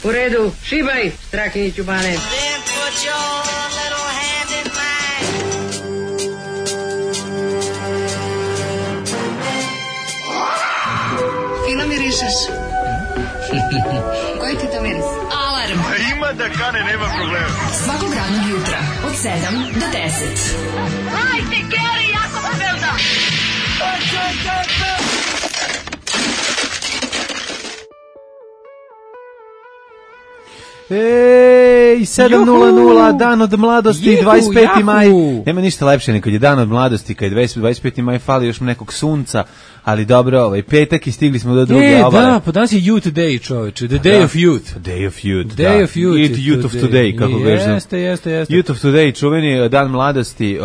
U redu, šibaj, Strakiniću Bane. Fino mirišeš. Koji ti to miris? Alarm. Ima da kane, nema problema. Svakog radnog jutra od 7 do 10. Hajde, Geri, jako se velda. Ej, 7:00, dan od mladosti, 25. maj. Nema ništa lepše nego kad je dan od mladosti, kad je 25. maj, fali još nekog sunca, ali dobro, petak i stigli smo do druge obale. Da, pa danas je Youth Day, čoveče, the Day of Youth. Day of Youth, Day of Youth. Youth of Today, kako kažem. Jeste. Youth of Today, čuveni dan mladosti,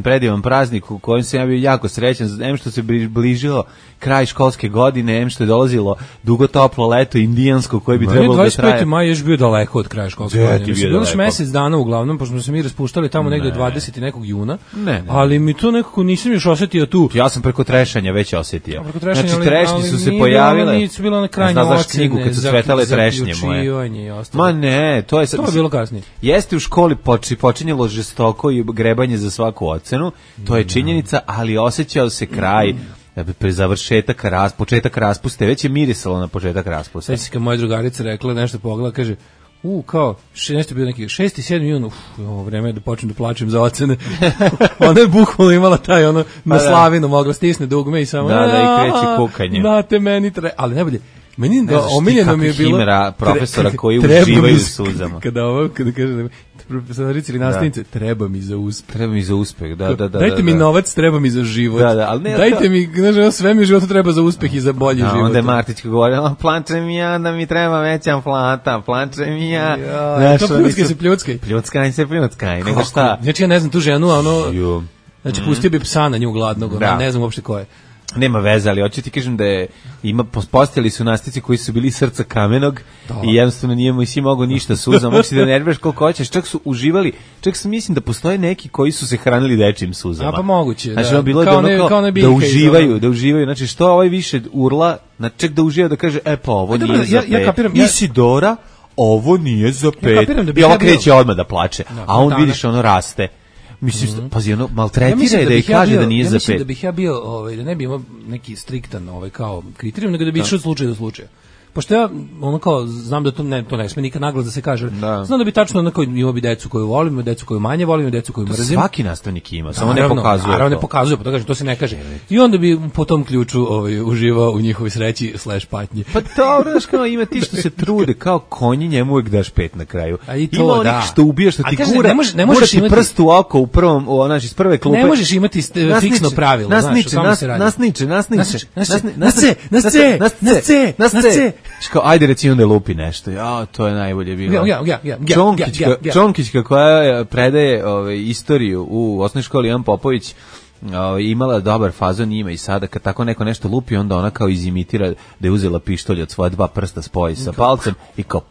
predivan praznik u kojem sam ja bio jako srećan, em što se bližilo kraj školske godine, em što je dolazilo dugo toplo leto indijansko koje bi trebalo da traje. 25. maj je još bio daleko od kraja školske godine. Bilo još mesec dana uglavnom, pošto smo se mi raspuštali tamo negde 20. nekog juna, ali mi to nekako nisam još osetio tu. Ja sam preko trešanja već osetio. Znači trešnje su se pojavile. Nisu bilo na krajnje ocene. Znaš knjigu kad su cvetale trešnje moje. Ma ne, to je bilo kasnije. Jeste u školi počinjelo žestoko i grebanje za svaku ocenu, to je činjenica, ali osjećao se kraj pre završetak početak raspuste, već je mirisalo na početak raspuste. Sveći se kad moja drugarica rekla nešto pogleda, kaže, kao, nešto bio neki 6. i 7. jun, ovo vreme je da počnem da plačem za ocene. Ona je bukvalno imala taj, na slavinu mogla stisne dugme i samo, da, i kreće kukanje. Date meni ali najbolje, meni omiljeno mi je bilo himera profesora koji uživaju u suzama. Kada kaže profesorici ili nastavnice, treba mi za uspeh. Treba mi za uspeh, da. Dajte mi novac, treba mi za život. Ali ne, dajte mi, sve mi u životu treba za uspeh i za bolji život. Onda je Martić govori, plače mi ja da mi treba veća plata, plače mi ja. To pljuckaj. Pljuckaj, nego šta? Znači ja ne znam tu ženu, znači pustio bi psa na nju gladnog, ne znam uopšte ko je. Nema veze, ali hoću ti kažem da postojali su nastavnici koji su bili srca kamenog i jednostavno nije mu si mogao ništa suzom, moći da nerviraš koliko hoćeš, čak su uživali, čak sam mislim da postoje neki koji su se hranili dečijim suzama. A pa moguće, znači, da. Bilo da uživaju, znači što ovaj više urla, čak da uživa da kaže, pa ovo nije za pet. Isidora, ovo nije za pet. I ova kreće odmah da plače, a on vidiš raste. Mislim, pazi, maltretira je da ih kaže da nije za pet. Ja mislim da bih ja bio, da ne bi imao neki striktan kao kriterijum, nego da bi išao od slučaja do slučaja. Pošto ja, kao, znam da to ne sme nikad naglas da se kaže. Znam da bi tačno, imao bi decu koju volim, imao decu koju manje volim, decu koju mrzim. Svaki nastavnik ima, samo ne pokazuje. Naravno ne pokazuje, pa to kaže, to se ne kaže. I onda bi po tom ključu uživao u njihovoj sreći / patnji. Pa dobro, znaš kao ima ti što se trude, kao konji, njemu uvijek daš 5 na kraju. A i to, ima što ubija, što ti gura ti prst u oko u prvom, znači iz prve klupe. Ne možeš imati fiksno pravilo, znaš, o tome se radi. Nasniče. Ajde reci onda lupi nešto. Ja, to je najbolje bilo. Čonkićka koja predaje istoriju u osnovnoj školi Ivan Popović imala dobar fazon, ima i sada kad tako neko nešto lupi, onda ona kao izimitira da je uzela pištolj od svoja 2 prsta, spoji sa palcem i kao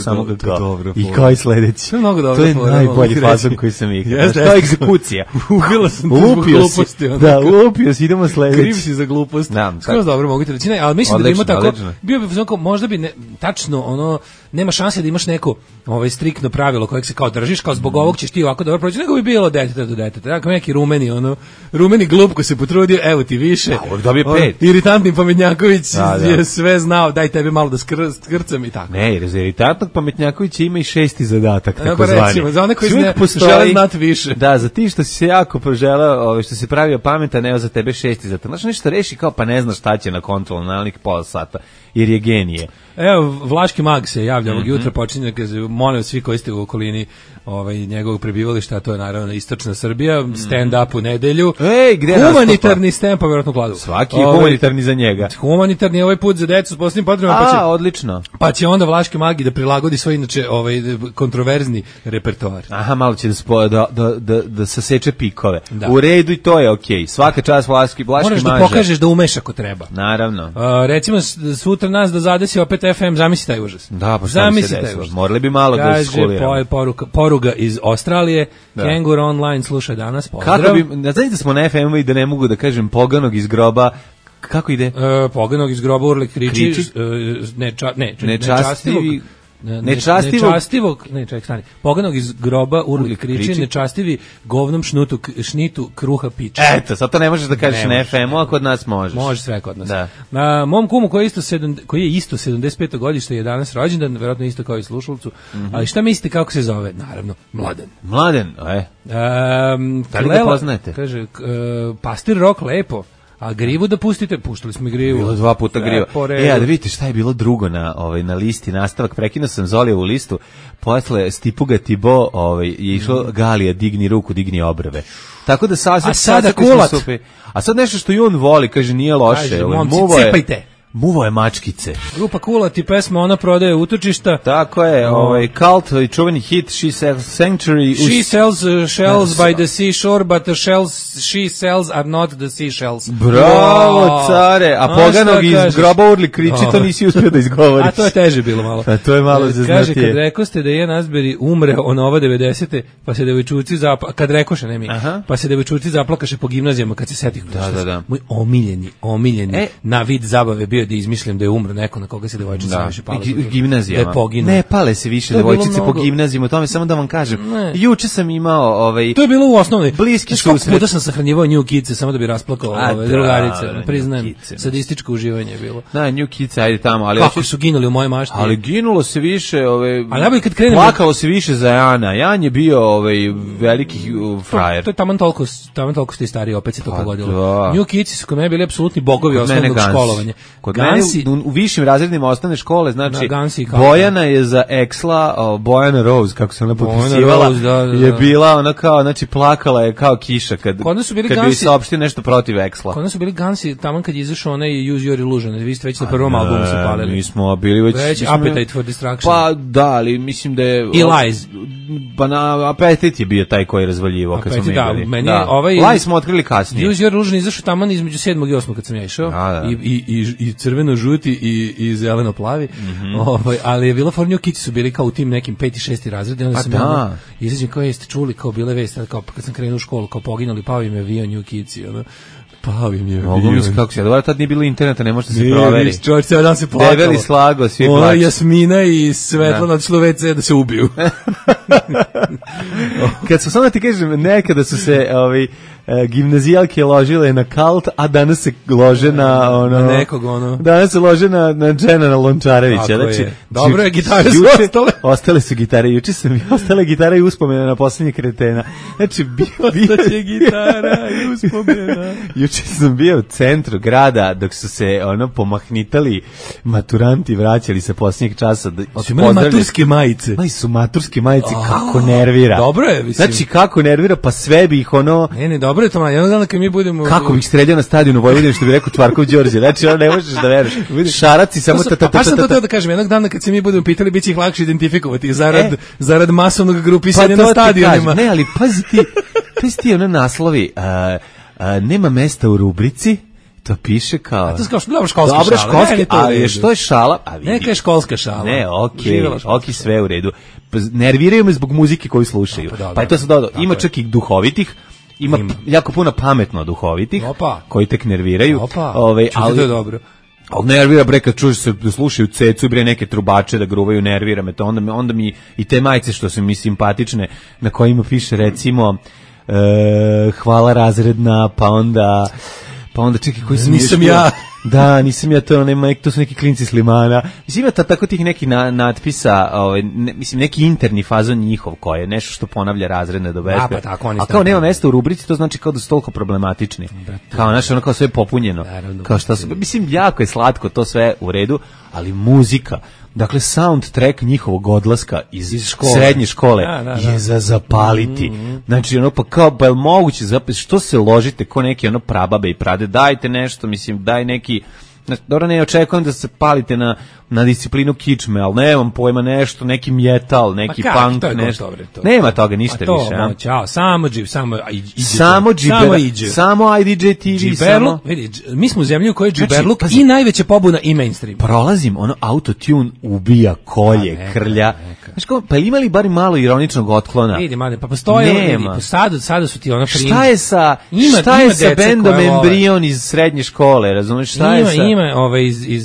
samo ga kao i kao i sledeći. To je najbolji fazon koji sam igrao. To je egzekucija. Ubila sam te zbog gluposti. Da, lupio si, idemo sledeći. Kriv si za glupost. Skroz dobro mogu ti reći, ali mislim da ima tako, bio bi možda bi tačno nema šanse da imaš neko striktno pravilo kojeg se kao držiš, kao zbog ovog ćeš ti ovako dobro proći, nego bi bilo deteta do deteta. Dakle, neki rumeni glup ko se potrudio, evo ti više. Dobije 5. Iritantni Pametnjaković je sve znao, daj tebi malo da skrcam i tako. Ne, jer za iritantnog Pametnjakovića ima i 6. zadatak, tako zvani. Recimo, za one koji žele znati više. Da, za ti što si se jako proželao, što si pravio pametan, evo za tebe 6. zadatak. Znaš, nešto reši kao pa ne znaš šta će na kontrolu, na nekih pola sata, jer je genije. Evo, Vlaški mag se javlja ovog jutra, počinje, molim svi koji ste u okolini njegovog prebivališta, a to je naravno istočna Srbija, stand-up u nedelju. Humanitarni stand, pa vjerojatno kladu. Svaki je humanitarni za njega. Humanitarni ovaj put za decu s posebnim potrebama. Odlično. Pa će onda Vlaški magi da prilagodi svoj inače kontroverzni repertoar. Aha, malo će da saseče pikove. U redu i to je okej. Svaka čast Vlaški maže. Moraš da pokažeš da umeš ako treba. Naravno. Recimo sutra nas da zadesi opet FM, zamisli taj užas. Da, pa šta bi se desilo? Morali bi malo da skuliramo. Poruga iz Australije, Kengur Online sluša danas, pozdrav. Kako bi, znači da smo na FM-u i da ne mogu da kažem poganog iz groba, Kako ide? Poganog iz groba urli kriči, Poganog iz groba urli kriči, nečastivi govnom šnitu kruha piče. Eto, sad to ne možeš da kažeš na FM-u, a kod nas možeš. Može sve kod nas. Da. Mom kumu koji je isto 75. godište je danas rođendan, verovatno isto kao i slušalcu, ali šta mislite kako se zove? Naravno, Mladen. Mladen, da li ga poznajete? Kaže, pastir Rok lepo. A grivu da pustite, puštali smo i grivu. Bilo 2 puta griva. A da vidite šta je bilo drugo na listi, nastavak, prekinuo sam Zolijevu listu, posle Stipuga Tibo je išlo Galija, digni ruku, digni obrve. Tako da sada kulat. A sad nešto što i on voli, kaže, nije loše. Kaže, momci, cepajte. Muvo je mačkice. Grupa Kulat i pesma Ona prodaje utočišta. Tako je, Cult i čuveni hit She Sells Sanctuary. She sells shells by the seashore, but the shells she sells are not the seashells. Bravo, care. A Poganog iz groba urli kriči, to nisi uspio da izgovoriš. A to je teže bilo malo. A to je malo zaznatije. Kaže, kad rekoste da je Nazberi umre Nova 90. pa se devojčuci kad rekoše, ne mi, pa se devojčuci zaplakaše po gimnazijama kad se setih. Da. Moj omiljeni na vid zabave bio da izmišljam da je umro neko na koga se devojčice više pale. Gimnazijama. Ne pale se više devojčice po gimnazijama, tome samo da vam kažem. Juče sam imao to je bilo u osnovnoj bliski susret. Puta sam sahranjivao New Kids samo da bi rasplakao drugarice. Priznajem, sadističko uživanje je bilo. Da, New Kids, ajde tamo, ali kako su ginuli u moje mašti. Ali ginulo se više, ali kad krenemo, plakalo se više za Jana. Jan je bio veliki frajer. To je taman toliko ste stariji, opet se to pogodilo. New Kids su kod mene bili apsolutni bogovi osnovnog školovanja. U višim razredima osnovne škole, znači Bojana je za Eksla, Bojana Rose, kako se ona potpisivala, je bila ona kao, znači plakala je kao kiša kad bi saopštio nešto protiv Eksla. Kod nas su bili Gansi, taman kad je izašao onaj Use Your Illusion, vi ste već na prvom albumu se palili. Mi smo bili već Appetite for Destruction. Pa da, ali mislim da je... I Lies. Pa na Appetite je bio taj koji je razvaljivo kad smo mi bili. Lies smo otkrili kasnije. Use Your Illusion izašao taman između 7. i 8. kad sam ja išao. I crveno-žuti i zeleno-plavi, ali je bila for New Kids su bili kao u tim nekim 5. i 6. razredi, onda sam izađem kao jeste čuli kao bile vesti, kao kad sam krenuo u školu, kao poginuli, pao im je avion New Kids i ono, pao im je avion. Kako se, dobro, tad nije bilo interneta, ne može da se proveri. Čovječ, cijel dan se plakalo. Debeli slago, svi plaću. Ona Jasmina i Svetlana odšlo WC da se ubiju. Kad su, samo da ti kažem, nekada su se gimnazijalke ložile na Cult, a danas se lože na nekog danas se lože na Dženana Lončarevića. Znači, dobro je, gitare su ostale. Ostale su gitare, juče sam ostale gitare i uspomena na posljednje kretena. Znači, ostaće gitara i uspomena. Juče sam bio u centru grada dok su se pomahnitali maturanti, vraćali se posljednjeg časa. Su imali maturske majice. Su maturske majice, kako nervira. Dobro je, mislim. Znači, kako nervira, pa sve bi ih Ne, dobro je to, jednog dana kad mi budemo... Kako bih streljao na stadionu Vojvodine, što bi rekao Čvarkov Đorđe. Znači, ne možeš da veruješ. Šaraci samo Pa sam to teo da kažem, jednog dana kad se mi budemo pitali, bit će ih lakše identifikovati zarad masovnog grupisanja na stadionima. Ne, ali pazi ti naslovi, nema mesta u rubrici, to piše kao... A to je kao školska šala. Ali što je šala? Neka je školska šala. Ne, okej, sve u redu. Nerviraju me zbog muzike koju slušaju. Pa je to sad dodao. Ima čak i duhovitih, ima jako puno pametno duhovitih, koji tek nerviraju. Ali to je dobro. Ali nervira bre kad čuješ se da slušaju cecu i bre neke trubače da gruvaju, nervira me to. Onda mi i te majice što su mi simpatične, na kojima piše recimo hvala razredna, pa onda čekaj koji sam nisam ja. Da, nisam ja, to su neki klinci s Limana. Mislim, ima tako tih nekih natpisa, mislim, neki interni fazon njihov koji je nešto što ponavlja razredne do beskraja. Pa tako, a kao nema mesta u rubrici, to znači kao da su toliko problematični. Kao ono kao sve popunjeno. Kao što su, mislim, jako je slatko, to sve u redu, ali muzika, dakle soundtrack njihovog odlaska iz srednje škole je za zapaliti. Znači pa kao pa je moguće što se ložite ko neki prababe i prade, dajte nešto, mislim, daj neki dobro, ne očekujem da se palite na disciplinu kičme, ali nemam pojma nešto, neki metal, neki punk, nešto. Nema toga ništa više. Ćao, samo IDJ TV, samo vidi, mi smo u zemlji u kojoj džiberluk i najveća pobuna i mainstream. Prolazim, autotune ubija kolje, krlja. Znaš kao, pa imali bar malo ironičnog otklona? Vidi, mane, pa postoje, sada su ti ono prim. Šta je sa bendom Embrion iz srednje škole, razumiješ, šta je sa...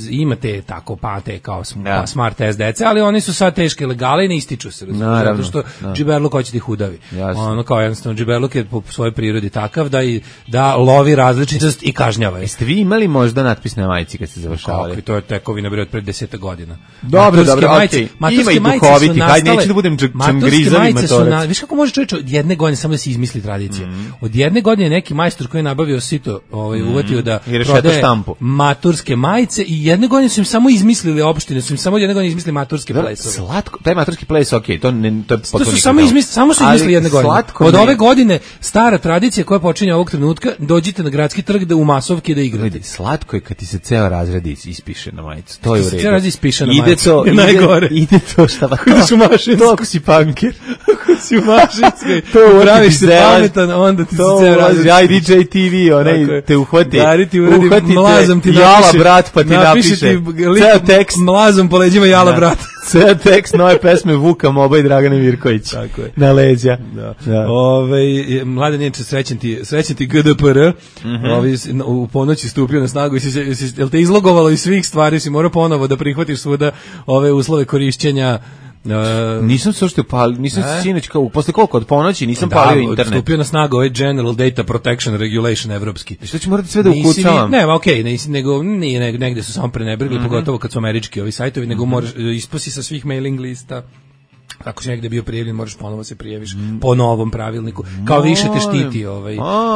Imate tako pate kao smart test dece, ali oni su sad teške legale i ne ističu se, razumiješ, zato što džiberluk hoće da ih udavi. Ono kao jednostavno, džiberluk je po svojoj prirodi takav da lovi različitost i kažnjava. Jeste vi imali možda natpis na majici kad ste završavali? Kako, to je tekovina bre od pred 10 godina. Dobro, okej. Ima i duhoviti, hajde, neću da budem čangrizavi matorac. Viš kako može čovječ od jedne godine samo da se izmisli tradicija. Od jedne godine neki majstor koji je nabavio sito, uvatio da prodaje maturske majice i jedne godine su im samo izmislili opštine, su im samo jedne godine izmislili maturske plesove. Slatko, taj maturski ples, okej, to je potpuno. Samo su izmislili jedne godine. Od ove godine stara tradicija koja počinje ovog trenutka, dođite na gradski trg da u masovki da igrate. Slatko je kad ti se ceo razred ispiše na majicu. To je u redu. Ceo razred ispiše na majicu. Ide to šta pa. Ideš u Mašinsku. Ako si punker. Ako si u Mašinskoj. To uraviš se pametan, onda ti se ceo razred. IDJ TV, onaj te uhvati. Dari ti uradi, mlazom ti napiše. Jala brat pa ti napiše. Ceo tekst. Mlazom po leđima jala brat. Ceo tekst nove pesme Vuka Moba i Dragane Mirković. Tako je. Na leđa. Mlade Nijenče, srećen ti GDPR. U ponoći stupio na snagu. Jel te izlogovalo iz svih stvari? Si morao ponovo da prihvatiš svuda ove uslove korišćenja. Nisam se uopšte palio, nisam se sinoć kao posle koliko od ponoći nisam palio internet. Stupio na snagu ovaj General Data Protection Regulation evropski. Što će morati sve da ukucavam? Ne, okej, nego nije negde su samo prenebrigli, pogotovo kad su američki ovi sajtovi, nego moraš isposi sa svih mailing lista. Ako si negde bio prijavljen, moraš ponovo se prijaviš po novom pravilniku. Kao više te štiti.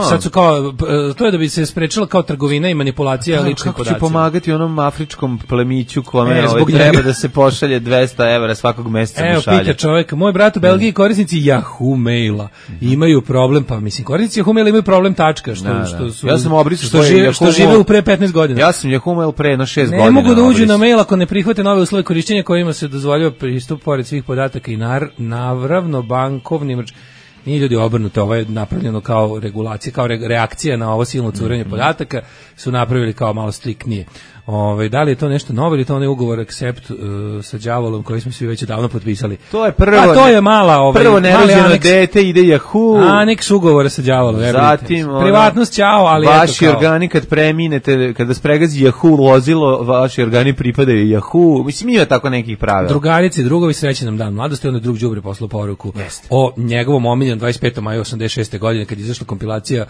Sad su kao, to je da bi se sprečila kao trgovina i manipulacija ličnih podacima. Kako će pomagati onom afričkom plemiću kome treba da se pošalje 200 evra svakog meseca mu šalje? Evo, pita čovjek, moj brat u Belgiji korisnici Yahoo maila imaju problem, pa mislim, korisnici Yahoo maila imaju problem tačka, ja sam obrisao što žive u pre 15 godina. Ja sam Yahoo mail pre 6 godina. Ne mogu da uđu na mail ako ne prihvate nove uslove korišćenja kojima se dozvoljava pristup pored svih podataka i naravno bankovnim, nije ljudi obrnuto, ovo je napravljeno kao regulacija, kao reakcija na ovo silno curenje podataka, su napravili kao malo striktnije. Da li je to nešto novo ili to onaj ugovor Accept sa đavolom koji smo svi već davno potpisali? To je prvo. To je mala prvo nerođeno dete ide Yahoo. Aneks ugovora sa đavolom. Zatim privatnost ćao, ali vaši organi kad preminete, kada spregazi Yahoo vozilo, vaši organi pripadaju Yahoo. Mislim, ima tako nekih pravila. Drugarice i drugovi, srećan nam dan mladosti, onda drug đubre poslao poruku o njegovom omiljenom 25. maja 86. godine kad je izašla kompilacija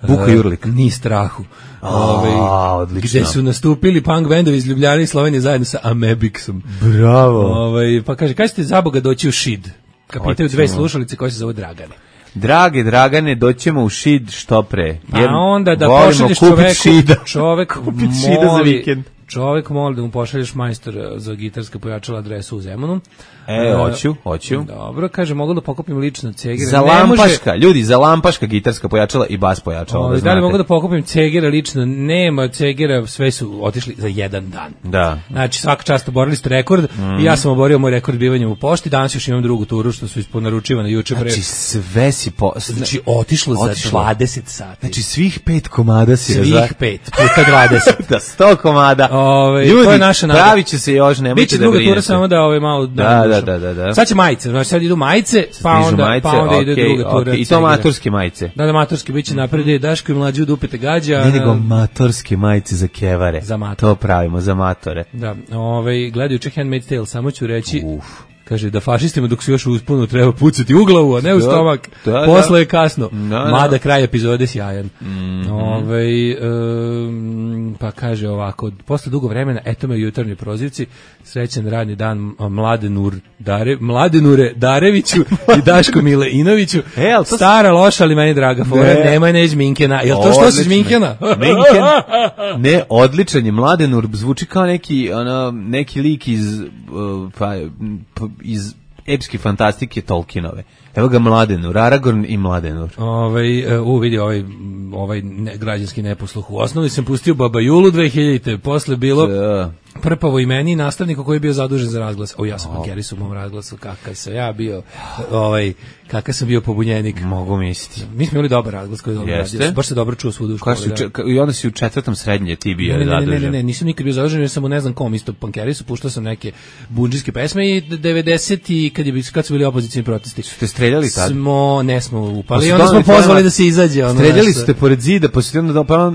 Buka Jurlik. Ni strahu. Odlično. Gde su nastupili punk bendovi iz Ljubljane i Slovenije zajedno sa Amebiksom. Bravo. Pa kaže, kada ćete za Boga doći u Šid? Kapitaju dve slušalice koje se zove Dragane. Drage Dragane, doćemo u Šid što pre. Pa onda da pošalješ čovek moli da mu pošalješ majstor za gitarska pojačala adresu u Zemunu. Hoću. Dobro, kaže, mogu da pokupim lično Cegera. Za lampaška, ljudi, za lampaška gitarska pojačala i bas pojačala. Da li mogu da pokupim Cegera lično? Nema Cegera, sve su otišli za jedan dan. Da. Znači, svaka čast oborili ste rekord i ja sam oborio moj rekord bivanjem u pošti, danas još imam drugu turu što su isporučivane juče pre. Znači, sve si otišlo za 20 sati. Znači, svih 5 komada si svih 5 puta 20. Da, 100 komada. Ljudi, to je naša nada. Pravit će se još, nemojte da brinete. Biće druga tura samo da malo... Da. Sad će majice, znači sad idu majice, pa onda ide druga tura. I to maturske majice. Da, maturske, bit će napred, Daško i Mlađi u dupete gađa. Ne, nego maturske majice za kevare. Za matore. To pravimo, za matore. Da, gledajući Handmaid's Tale, samo ću reći... Kaže da fašistima dok su još usponu treba pucati u glavu, a ne u stomak. Posle je kasno. Mada kraj epizode sjajan. Pa kaže ovako, posle dugo vremena, eto me u jutarnjoj prozivci, srećan radni dan Mladenure Dareviću i Daško Mileinoviću. Stara loša, ali meni draga fora, nemoj neć Minkena. Jel to što si Minkena? Minken? Ne, odličan je. Mladenur zvuči kao neki lik iz epske fantastike Tolkienove. Evo ga Mladenur, Aragorn i Mladenur. Vidi ovaj građanski neposluh. U osnovi sam pustio Baba Julu 2000-te, posle bilo Prpavo i meni, nastavniku koji je bio zadužen za razglas. Ja sam Pankeris u mom razglasu, kakav sam ja bio, kakav sam bio pobunjenik. Mogu misliti. Mi smo imali dobar razglas koji je dobro radio. Baš se dobro čuo svuda u školi. I onda si u 4. srednje ti bio zadužen. Ne, nisam nikad bio zadužen, jer sam u ne znam kom isto Pankerisu, puštao sam neke bundžijske pesme i 90-ti, kad su bili opozicijni protesti. Ste streljali tad? Nesmo upali, onda smo pozvali da se izađe. Streljali ste pored zida,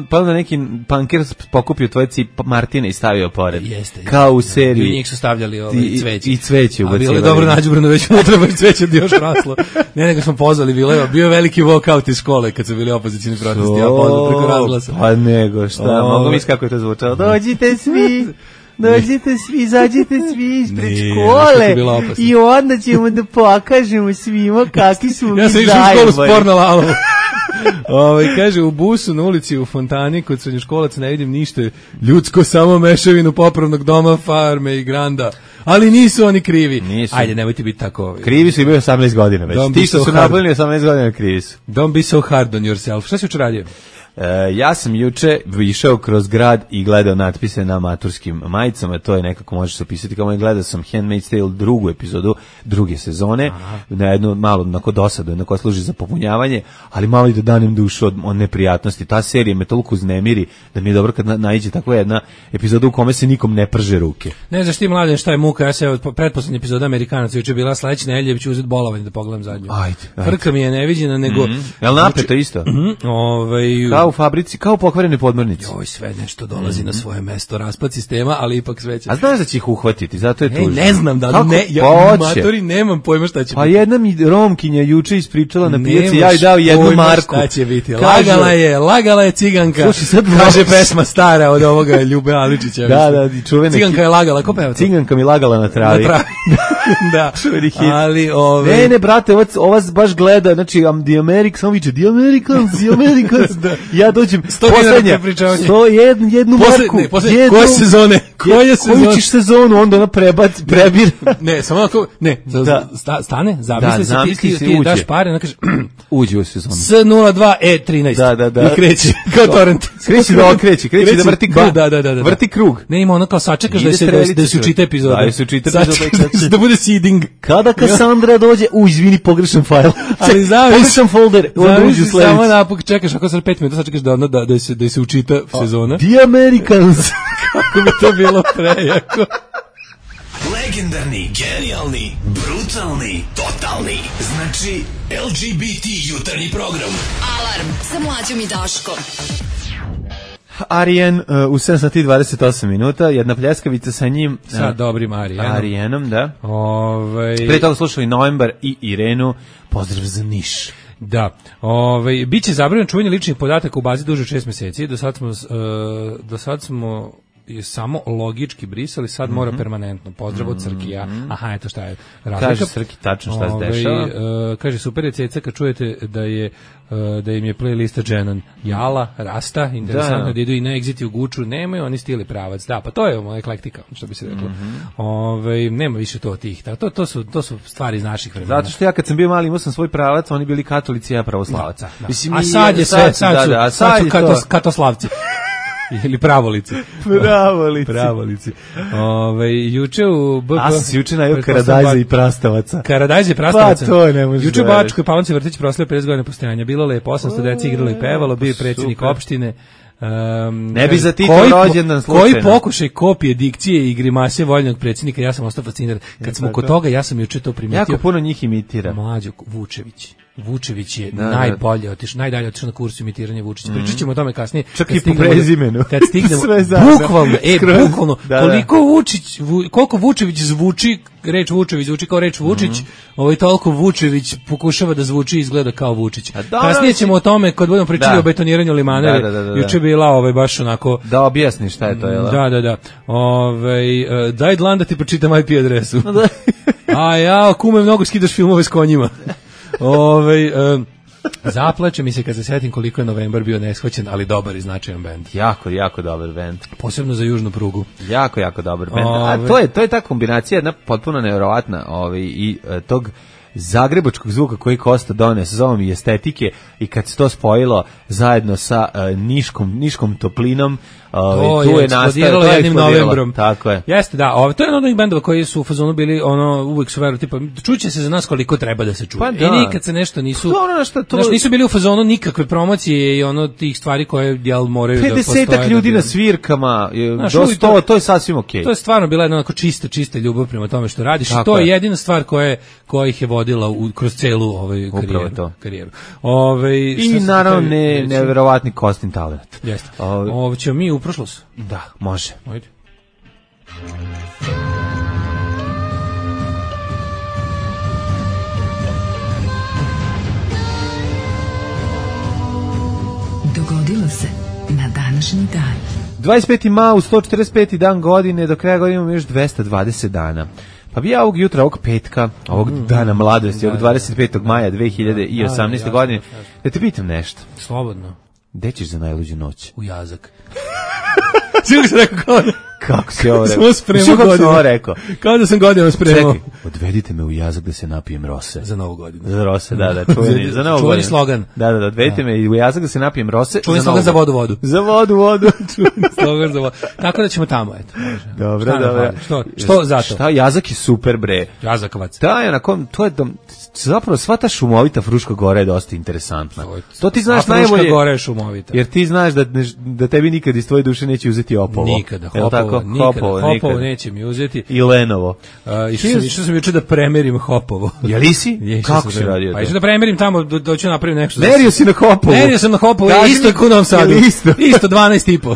pa onda neki Panker pokupio tvoje Martine i stavio pored. Jeste. Kao u seriji. I njih su stavljali cveće. I cveće ubacivali. A bilo je dobro nađubrano, već unutra baš cveće još raslo. Nego smo pozvali, bio je veliki walkout iz škole kad su bili opozicijni protesti, ja pozvao preko razglasa. Pa nego, šta, mogu misliti kako je to zvučalo. Dođite svi, izađite svi ispred škole i onda ćemo da pokažemo svima kakvi su mi zajedno. Ja sam išao u školu s porno lalovom. Kaže, u busu na ulici u fontani kod srednjoškolaca ne vidim ništa ljudsko, samo mešavinu popravnog doma, farme i granda. Ali nisu oni krivi. Nisu. Ajde, nemojte biti tako. Krivi su i bio 18 godina već. Ti što su napravili 18 godina krivi su. Don't be so hard on yourself. Šta si juče radio? Ja sam juče išao kroz grad i gledao natpise na maturskim majicama, to je nekako možeš se opisati kao gledao sam Handmaid's Tale drugu epizodu druge sezone, na jednu malo onako dosadu, jedno koja služi za popunjavanje, ali malo i da danem dušu od neprijatnosti. Ta serija me toliko uznemiri da mi je dobro kad naiđe takva jedna epizoda u kome se nikom ne prže ruke. Ne znaš ti Mladen šta je muka, ja se od pretposlednje epizoda Amerikanaca juče bila sledeća nedelja, ću uzeti bolovanje da pogledam zadnju. Ajde. Frka mi je neviđena, nego jel napeto isto? Kao u fabrici, kao pokvarene podmornice. Joj, sve nešto dolazi na svoje mesto, raspad sistema, ali ipak sve će. A znaš da će ih uhvatiti, zato je tužno. Ne znam da matori, nemam pojma šta će biti. Pa jedna mi Romkinja juče ispričala na pijaci, ja joj dao 1 marku. Šta će biti? Lagala je ciganka. Slušaj, sad kaže pesma stara od ovoga Ljube Aličića. Da, čuvena. Ciganka je lagala, ko peva to? Ciganka mi lagala na travi. Da. Ali Ne, brate, ova baš gleda, znači The Americans, samo viče The Americans. Ja dođem poslednja 101 marku. Koje sezone? Koju ćeš sezonu? Onda ona prebir. Ne, samo onako, stane, zamisli se, ti daš pare, ona kaže uđi u sezonu. S02E13. Da. I kreći, kao torrent. Kreći da vrti krug. Da. Vrti krug. Ne, ima ono kao sačekaš da se učita epizoda. Da se učita epizoda. Da bude seeding. Kada Kassandra dođe, izvini, pogrešan fajl. Ali pogrešan folder. Samo napak čekaš, ako sad 5 minuta sačekaš da se učita sezona. The Americans. Kako bi to bilo prejako. Legendarni, genijalni, brutalni, totalni. Znači, LGBT jutarnji program. Alarm sa Mlađom i Daškom. Arijen u 7:28 minuta, jedna pljeskavica sa njim. Sa dobrim Arijenom, da. Pre toga slušali Novembar i Irenu. Pozdrav za Niš. Da, biće zabranjeno čuvanje ličnih podataka u bazi duže od 6 meseci. Do sad smo samo logički brisali, sad mora permanentno. Pozdrav od Crkija. Aha, eto šta je razlika. Kaže Crki tačno šta se dešava. Kaže, super je ceca kad čujete da im je playlista Dženan Jala, Rasta, interesantno da idu i na Exit i u Guču, nemaju oni stili pravac. Da, pa to je eklektika, što bi se reklo. Nema više to tih. To su stvari iz naših vremena. Zato što ja kad sam bio mali imao sam svoj pravac, oni bili katolici, ja pravoslavac. A sad je sve, sad su katoslavci. Ili pravolici. Pravolici. Juče u BP... A sam juče najao Karadajza i Prastavaca. Karadajza i Prastavaca? Pa to ne može. Juče u Bačkoj Palanci vrtić proslavio 50 godina postojanja. Bilo lepo, 800 deci igralo i pevalo, bio je predsjednik opštine. Ne bi za Tito rođendan slučajno. Koji pokušaj kopije dikcije i grimase voljnog predsjednika, ja sam ostao fasciniran. Kad smo kod toga, ja sam juče to primetio. Jako puno njih imitira. Mlađo, Vučević je najdalje otišao na kursu imitiranja Vučića. Pričat ćemo o tome kasnije. Čak i po prezimenu. Kad stignemo, bukvalno, koliko Vučević zvuči, reč Vučević zvuči kao reč Vučić, toliko Vučević pokušava da zvuči i izgleda kao Vučić. Kasnije ćemo o tome, kad budemo pričali o betoniranju Limaneve, juče bila baš onako... Da objasni šta je to, jel? Da. Daj dlan da ti pročitam IP adresu. A ja, kume, mnogo skidaš filmove s konjima. Zaplače mi se kad se setim koliko je Novembar bio neshvaćen, ali dobar i značajan bend. Jako dobar bend. Posebno za južnu prugu. Jako dobar bend. A to je ta kombinacija, jedna potpuno nevjerovatna, i tog zagrebačkog zvuka koji Kosta donese, zovem i estetike, i kad se to spojilo zajedno sa niškom toplinom, tu je nastalo jednim novembrom. Tako je. Jeste, da, to je od onih bendova koji su u fazonu bili, uvijek su veru, tipa, čuće se za nas koliko treba da se čuje. Pa da. I nikad se nešto nisu, nisu bili u fazonu nikakve promocije i tih stvari koje moraju da postoje. 50 ljudi na svirkama, to je sasvim okej. To je stvarno bila jedna onako čista ljubav prema tome što radiš, i to je jedina stvar koja ih je vodila kroz celu karijeru. I naravno neverovatni Kostin talent. Jeste. Ćemo mi u prošlost? Da, može. Ajde. Dogodilo se na današnji dan. 25. maj, 145. dan godine, do kraja godine imamo još 220 dana. Pa bi ja ovog jutra, ovog petka, ovog dana mladosti, ovog 25. maja 2018. godine, da te pitam nešto. Slobodno. Gde ćeš za najluđu noć? U Jazak. Svi se rekao kao da... Kako si ovo rekao? Smo spremao godinu. Rekao. Kao da sam godinu spremao. Čekaj, odvedite me u Jazak da se napijem rose. Za novu godinu. Za rose, da, čuveni. Za novu godinu. Čuveni slogan. Da, odvedite me u Jazak da se napijem rose. Čuveni slogan za vodu. Za vodu. Čuveni slogan za vodu. Tako da ćemo tamo, eto. Dobro. Što zato? Šta, Jazak je super, bre. Jazakavac. To je zapravo sva ta šumovita Fruška Gora je dosta interesantna. To ti znaš najbolje. Fruška Gora je šumovita. Jer ti znaš da tebi nikad iz tvoje duše neće uzeti Opovo. Nikada, Hopovo neće mi uzeti. I Lenovo. Išao sam juče da premerim Hopovo. Jeli si? Kako si radio to? Pa išao da premerim tamo, doću napravim nešto. Merio si na Hopovo? Merio sam na Hopovo, isto je u Novom Sadu. Isto 12,5.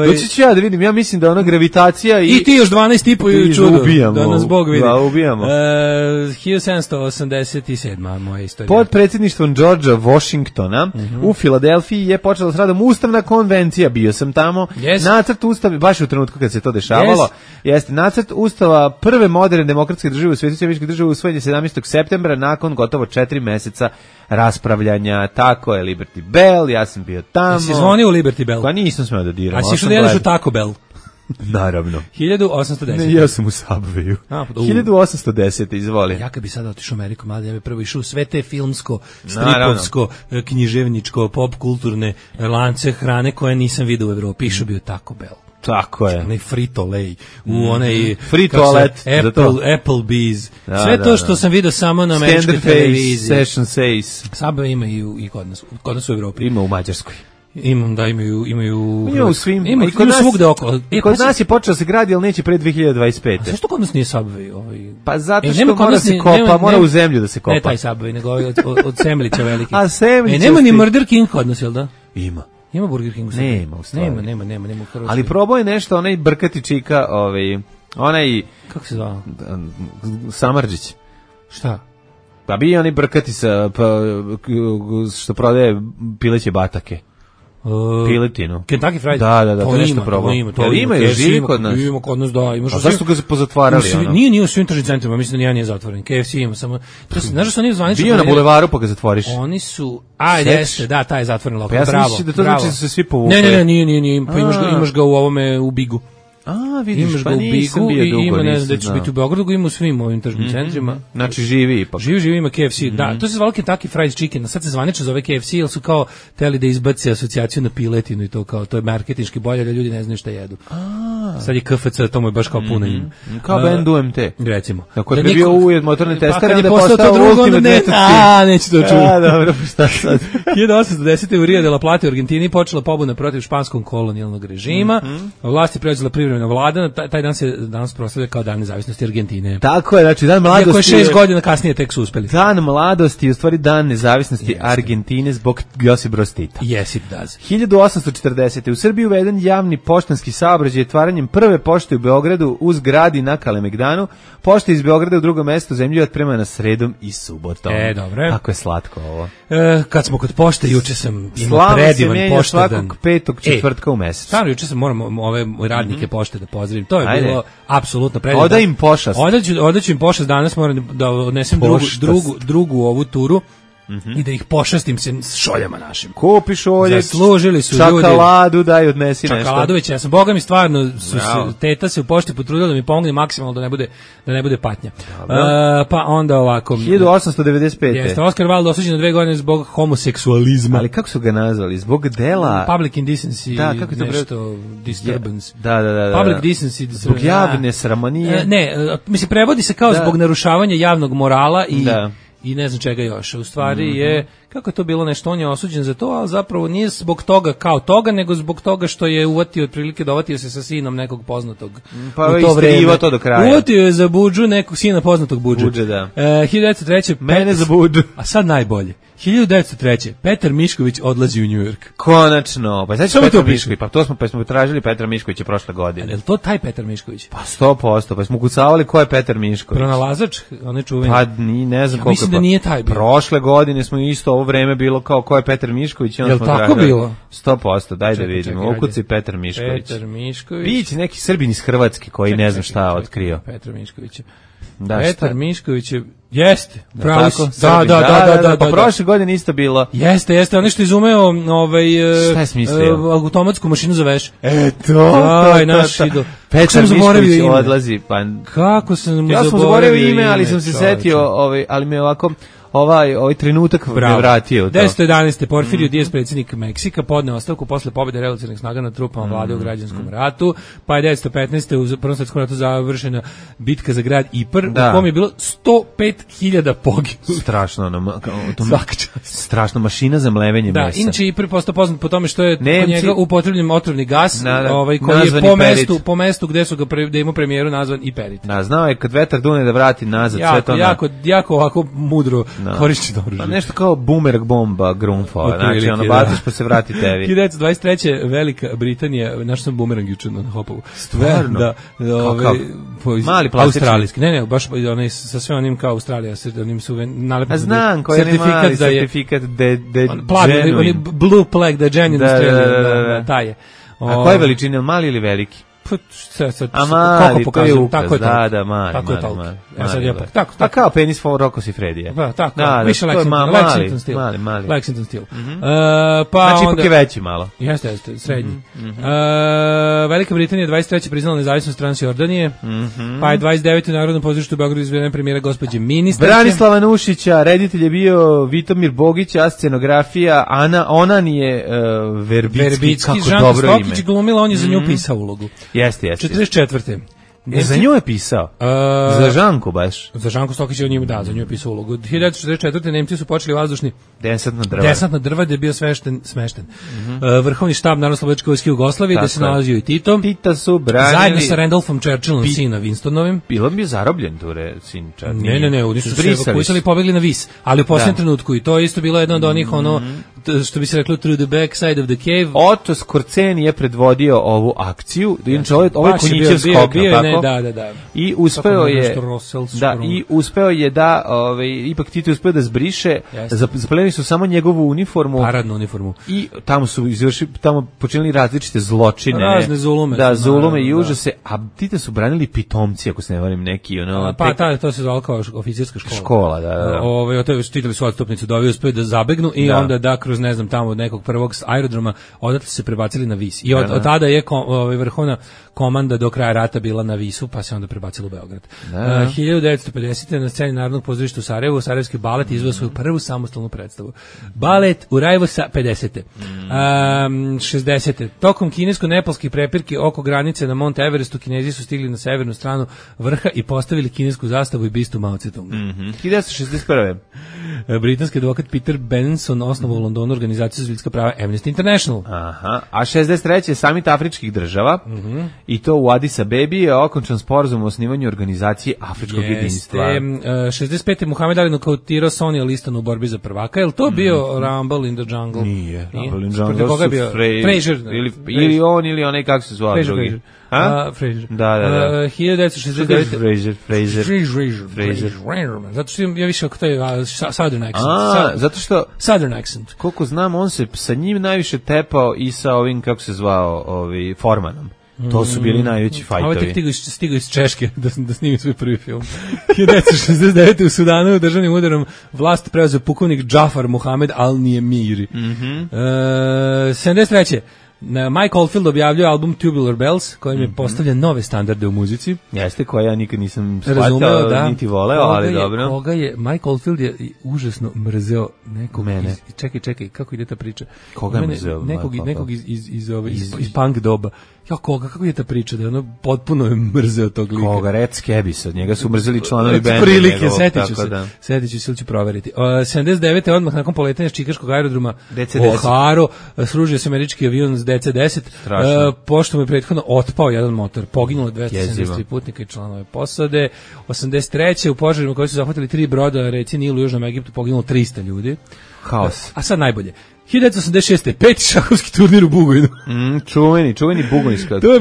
Doći ću ja da vidim, ja mislim da ona gravitacija i ti još 12,5 i čudo. Da nas Bog vidi. Da, ubijamo. 1787. moja istorija. Pod predsjedništvom Georgea Washingtona u Filadelfiji je počela s radom Ustavna konvencija, bio sam tamo. Nacrt Ustava, baš u trenutku kad se to dešavalo, jeste nacrt Ustava prve moderne demokratske države u svijetu, američke države, usvojen je 17. septembra nakon gotovo 4 meseca raspravljanja. Tako je, Liberty Bell, ja sam bio tamo. Si zvonio u Liberty Bell? Pa nisam smeo da diram. A si išao da jedeš u Taco Bell? Naravno. 1810. Ne, ja sam u Subwayu. 1810, izvoli. Ja kad bi sada otišao u Ameriku, mlade, ja bi prvo išao sve te filmsko, stripovsko, književničko, pop kulturne lance hrane koje nisam vidio u Evropi. Išao bi u Taco Bell. Tako je. Onaj Frito-Lay, u onaj free toilet, Applebee's. Sve to što sam vidio samo na američkoj televiziji. Session says. Subway ima i kod nas u Evropi. Ima u Mađarskoj. Imaju u svim, ima kod nas svugde okolo. Kod nas je počeo se gradi, ali neće pre 2025. A zašto kod nas nije Subway? Pa zato što mora se kopa, mora u zemlju da se kopa. Ne taj Subway, nego od Semlića veliki. A Semlića. Nema ni Murder King kod nas, jel da? Ima Burger King u Srbiji? Nema u stvari. Nema u Hrvatskoj. Ali probao je nešto, onaj brkati čika, onaj... Kako se zvao? Samardžić. Šta? Pa bi onaj brkati što prodaje pileće batake. Piletinu. Kentucky Fried. Da, to nešto probao. To ima živi kod nas. Ima kod nas, da. A zašto ga se pozatvarali? Nije u svim tržnim centrima, mislim da nijedan nije zatvoren. KFC ima samo... Znaš da su oni zvanično... Bio na bulevaru pa ga zatvoriš. Oni su... Jeste, da, taj je zatvoren lokal. Pa ja sam da to znači da su se svi povukli. Ne, nije. Pa imaš ga u ovome, u Bigu. Vidiš, pa nisam bio dugo. Ima, ne znam da ćeš biti u Beogradu, ima u svim ovim tržnim centrima. Znači živi ipak. Živi ima KFC, da. To se zvalo Kentucky Fried Chicken, a sad se zvanično zove KFC, jer su kao teli da izbace asocijaciju na piletinu i to kao, to je marketinški bolje, da ljudi ne znaju šta jedu. Sad je KFC, to mu je baš kao puno ime. Kao band UMT. Recimo. Ako je bio uvijed motorni tester, onda je postao Ultimate Method. Neće to čuti. Dobro, šta sad? 1810. u Rio de la Plata u Argentini počela pobuna protiv španskog kolonijalnog režima. Vlast je preuzela privremena vlada. Taj dan se danas proslavlja kao dan nezavisnosti Argentine. Tako je, znači dan mladosti. Iako je 6 godina kasnije tek su uspeli. Dan mladosti je u stvari dan nezavisnosti Argentine zbog Josipa Broza Tita. Yes, it does. 1840. u Srbiji uveden javni poštanski saobraćaj otvaranjem prve pošte u Beogradu uz grad i na Kalemegdanu. Pošta iz Beograda u drugo mesto zemlju otpremana sredom i subotom. Dobro. Kako je slatko ovo. Kad smo kod pošte, juče sam imao predivan poštadan. Svakog petog četvrtka u mesecu. Stvarno, juče sam moram ove radnike pošte da pozdravim. To je bilo apsolutno predivno. Oda im pošast. Odaću im pošast, danas moram da odnesem drugu ovu turu. i da ih pošastim se s šoljama našim. Kupi šolje, zaslužili su ljudi. Čokoladu daj odnesi nešto. Čokoladu već, ja sam, boga mi stvarno, teta se u pošti potrudila da mi pomogne maksimalno da ne bude patnja. Pa onda ovako. 1895. Jeste, Oskar Wilde osuđen na 2 godine zbog homoseksualizma. Ali kako su ga nazvali? Zbog dela... Public indecency, da, kako to nešto, disturbance. Da. Public decency. Zbog javne sramonije. Mislim, prevodi se kao zbog narušavanja javnog morala i ne znam čega još. U stvari je, kako je to bilo nešto, on je osuđen za to, ali zapravo nije zbog toga kao toga, nego zbog toga što je uvatio otprilike dovatio se sa sinom nekog poznatog pa u to vreme. To do kraja. Uvatio je za budžu nekog sina poznatog budža. Budže, da. 1903. Mene za budžu. A sad najbolje. 1903. Petar Mišković odlazi u New York. Konačno. Pa znači Petar Mišković, pa smo tražili Petra Miškovića prošle godine. Je li to taj Petar Mišković? Pa 100%, pa smo kucavali ko je Petar Mišković. Pronalazač, onaj čuveni. Pa ne znam koliko. Mislim da nije taj bio. Prošle godine smo isto ovo vreme bilo kao ko je Petar Mišković. Je li tako bilo? 100%, daj da vidimo. Ukuci Petar Mišković. Petar Mišković. Biće neki Srbin iz Hrvatske koji ne znam šta otkrio. Petar Mišković. Da, Petar Mišković je, jeste, pravo si. Da, pa prošle godine isto bilo. Jeste, ono što je izumeo šta je smislio? Automatsku mašinu za veš. Aj, naš idol. Petar Mišković odlazi, pa... Kako sam mu ja sam zaboravio ime, ali sam se setio, ali me ovako... Ovaj trenutak me vratio. 1911. Porfirio Diaz, predsjednik Meksika, podneo ostavku posle pobjede revolucionarnih snaga nad trupama vlade u građanskom ratu, pa je 1915. u Prvom svjetskom ratu završena bitka za grad Ipr, u kom je bilo 105.000 poginulih. Strašno mašina za mlevenje mesa. Da, inače Ipr postao poznat po tome što je kod njega upotrebljen otrovni gas, koji je po mestu gde su ga da ima premijeru nazvan Iperit. Da, znao je kad vetar dune da vrati nazad sve to. Jako ovako mudro korišćeno oružje. Pa nešto kao bumerang bomba Grunfova, znači ono baciš pa se vrati tebi. 1923. Velika Britanija, našao sam bumerang juče na Hopovu. Stvarno? Da, mali plastični. Australijski, ne, baš onaj sa sve onim kao Australija, sa onim su nalepili. A znam, koji je mali certifikat de genuine. Blue plaque, da je genuine Australia, taj je. A koje veličine, mali ili veliki? A mali, to je ukaz, da, mali. Tako je toliko. Pa kao penis for Rocco Siffredija. Da, tako, više Lexington stil. Mali. Lexington stil. Znači ipak je veći malo. Jeste, srednji. Velika Britanija 23. priznala nezavisnost Transjordanije, pa je 29. u Narodnom pozorištu u Beogradu izvedena premijera gospođe ministarke. Branislava Nušića, reditelj je bio Vitomir Bogić, a scenografija Onan je Verbicki, kako dobro ime. Žanka Stokić glumila, on je za nju pisao ulogu. Jeste. 44. Za nju je pisao? Za Žanku baš? Za Žanku Stokić je za nju je pisao ulogu. 1944. Nemci su počeli vazdušni desant na drva, gde je bio smešten. Vrhovni štab Narodno-slobodačke vojske Jugoslavije, gde se nalazio i Tito. Tita su branili... Zajedno sa Randolphom Churchillom, sina Winstonovim. Bilo bi zarobljen tu sin Churchill. Ne, oni su se evakuisali i pobegli na Vis. Ali u posljednjem trenutku, i to je isto bilo jedno od onih, što bi se reklo, through the back side of the cave. Otto Skorceni je predvodio ovu akciju. Inače, ovo je konjićev skok, tako? Da. I uspeo je da ipak Tito uspeo da zbriše, zaplenili su samo njegovu uniformu, paradnu uniformu, i tamo počinili različite zločine, razne zulume, zulume i užase, a Tita su branili pitomci, ako se ne varam, neki to se zvalo kao oficirska škola, da. Štitili su odstupnicu da ovi uspeo da zabegnu i onda da kroz ne znam tamo od nekog prvog aerodroma odatle se prebacili na Vis i od tada je vrhovna komanda do kraja rata bila na Visu, pa se onda prebacila u Beograd. 1950. na sceni Narodnog pozorišta u Sarajevu, Sarajevski balet izveo svoju prvu samostalnu predstavu. Balet u Rajevu sa 50. 60. Tokom kinesko-nepalskih prepirki oko granice na Mount Everestu, Kinezi su stigli na severnu stranu vrha i postavili kinesku zastavu i bistu Mao Tse-tunga. 1961. Britanski advokat Peter Benson osnovao u Londonu organizaciju za ljudska prava Amnesty International. Aha. A 63. samit afričkih država, i to u Addis Abebi je okončan sporazum o osnivanju organizacije Afričkog jedinstva. 65. Muhammed Ali nokautirao Sonny Listona u borbi za prvaka. Je li to bio Rumble in the Jungle? Nije. Rumble in the Jungle su Frazier. Ili on, ili onaj, kako se zvao drugi. Frazier. Da. 1969. Frazier. Zato što ja više oko taj Southern accent. Zato što... Southern accent. Koliko znam, on se sa njim najviše tepao i sa ovim, kako se zvao, Formanom. To su bili najveći fajtovi. Ovo je tek stigao iz Češke da snimi svoj prvi film. 1969. u Sudanu državnim udarom vlast preuzeo pukovnik Džafar Muhamed Al-Nijemiri. 73. Mike Oldfield objavljuje album Tubular Bells, kojim je postavlja nove standarde u muzici. Jeste, koja ja nikad nisam shvatao, niti voleo, ali dobro. Koga je, Mike Oldfield je užasno mrzeo nekog mene. Čekaj, kako ide ta priča? Koga je mrzeo? Nekog iz punk doba. Ja, kako je ta priča, da ono potpuno je mrzeo tog lika. Koga, Red Skebis, od njega su mrzeli članovi benda. Prilike, setit ću se, ili ću proveriti. 79. odmah nakon poletanja s čikaškog aerodroma O'Haro, sružio se američki avion s DC-10, pošto mu je prethodno otpao jedan motor, poginulo 273 putnika i članove posade. 83. u požarima koji su zahvatili 3 broda, reci Nilu u Južnom Egiptu, poginulo 300 ljudi. Haos. A sad najbolje. 1986. peti šahovski turnir u Bugojnu. Čuveni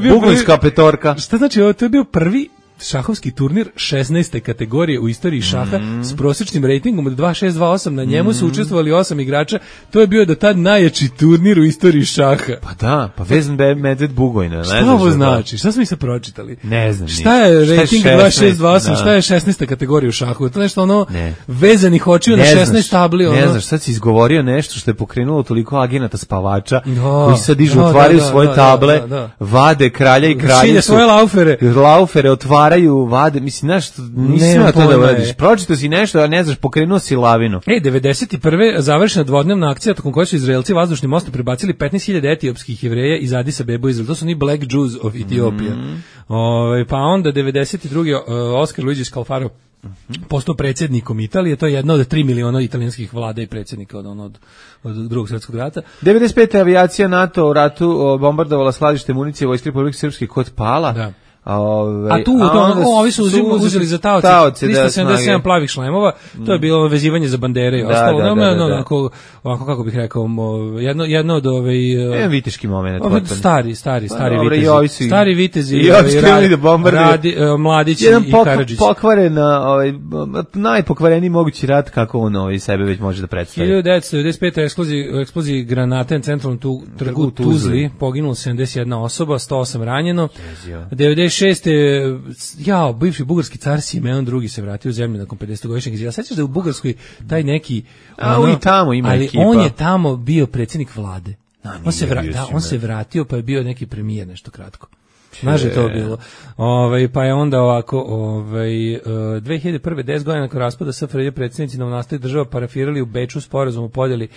Bugojnska petorka. Šta znači ovo? To je bio prvi šahovski turnir 16. kategorije u istoriji šaha s prosječnim rejtingom od 2.628. Na njemu su učestvovali 8 igrača. To je bio do tad najjači turnir u istoriji šaha. Pa da, pa Vezan Medved Bugojna. Šta ovo znači? Šta smo mi sad pročitali? Ne znam. Šta je rejting 2.628? Šta je 16. kategorija u šahu? To je nešto ono vezanih očiju na 16 tabli. Ne znaš, sad si izgovorio nešto što je pokrenulo toliko agenata spavača koji sad dižu, otvaraju svoje table, vade kralja i kraljicu. Šilje svoje laufere otvaraju, vade, mislim, znaš, nisi na to da uradiš. Pročito si nešto, a ne znaš, pokrenuo si lavinu. 91. završena dvodnevna akcija tokom koje su Izraelci vazdušnim mostom prebacili 15.000 etiopskih Jevreja iz Adis Abebe u Izrael. To su ni Black Jews of Ethiopia. Pa onda 92. Oskar Luigi Scalfaro postao predsjednikom Italije, to je jedna od 3 miliona italijanskih vlada i predsjednika od drugog svjetskog rata. 95. avijacija NATO u ratu bombardovala skladište municije Vojske Republike Srpske kod Pala. Da. Ovi su uzeli za taoce 377 plavih šlemova, to je bilo vezivanje za bandere i ostalo. Ovako, kako bih rekao, jedno od viteški moment. Stari vitezi, Mladić i Karadžić. Najpokvareniji mogući rat kako on sebe već može da predstavi. 1995. eksploziji granate na centralnom trgu Tuzli, poginulo 71 osoba, 108 ranjeno. 96. Bivši bugarski car Simeon II se vratio u zemlju nakon 50-godišnjeg izjela. Sećaš da je u Bugarskoj taj neki... i tamo ima ali ekipa. On je tamo bio predsjednik vlade. On se vratio pa je bio neki premijer nešto kratko. Znaš je to bilo. Pa je onda ovako, 2001. 10 godina nakon raspada SFRJ predsjednici novonastalih država parafirali u Beču sporazum o podjeli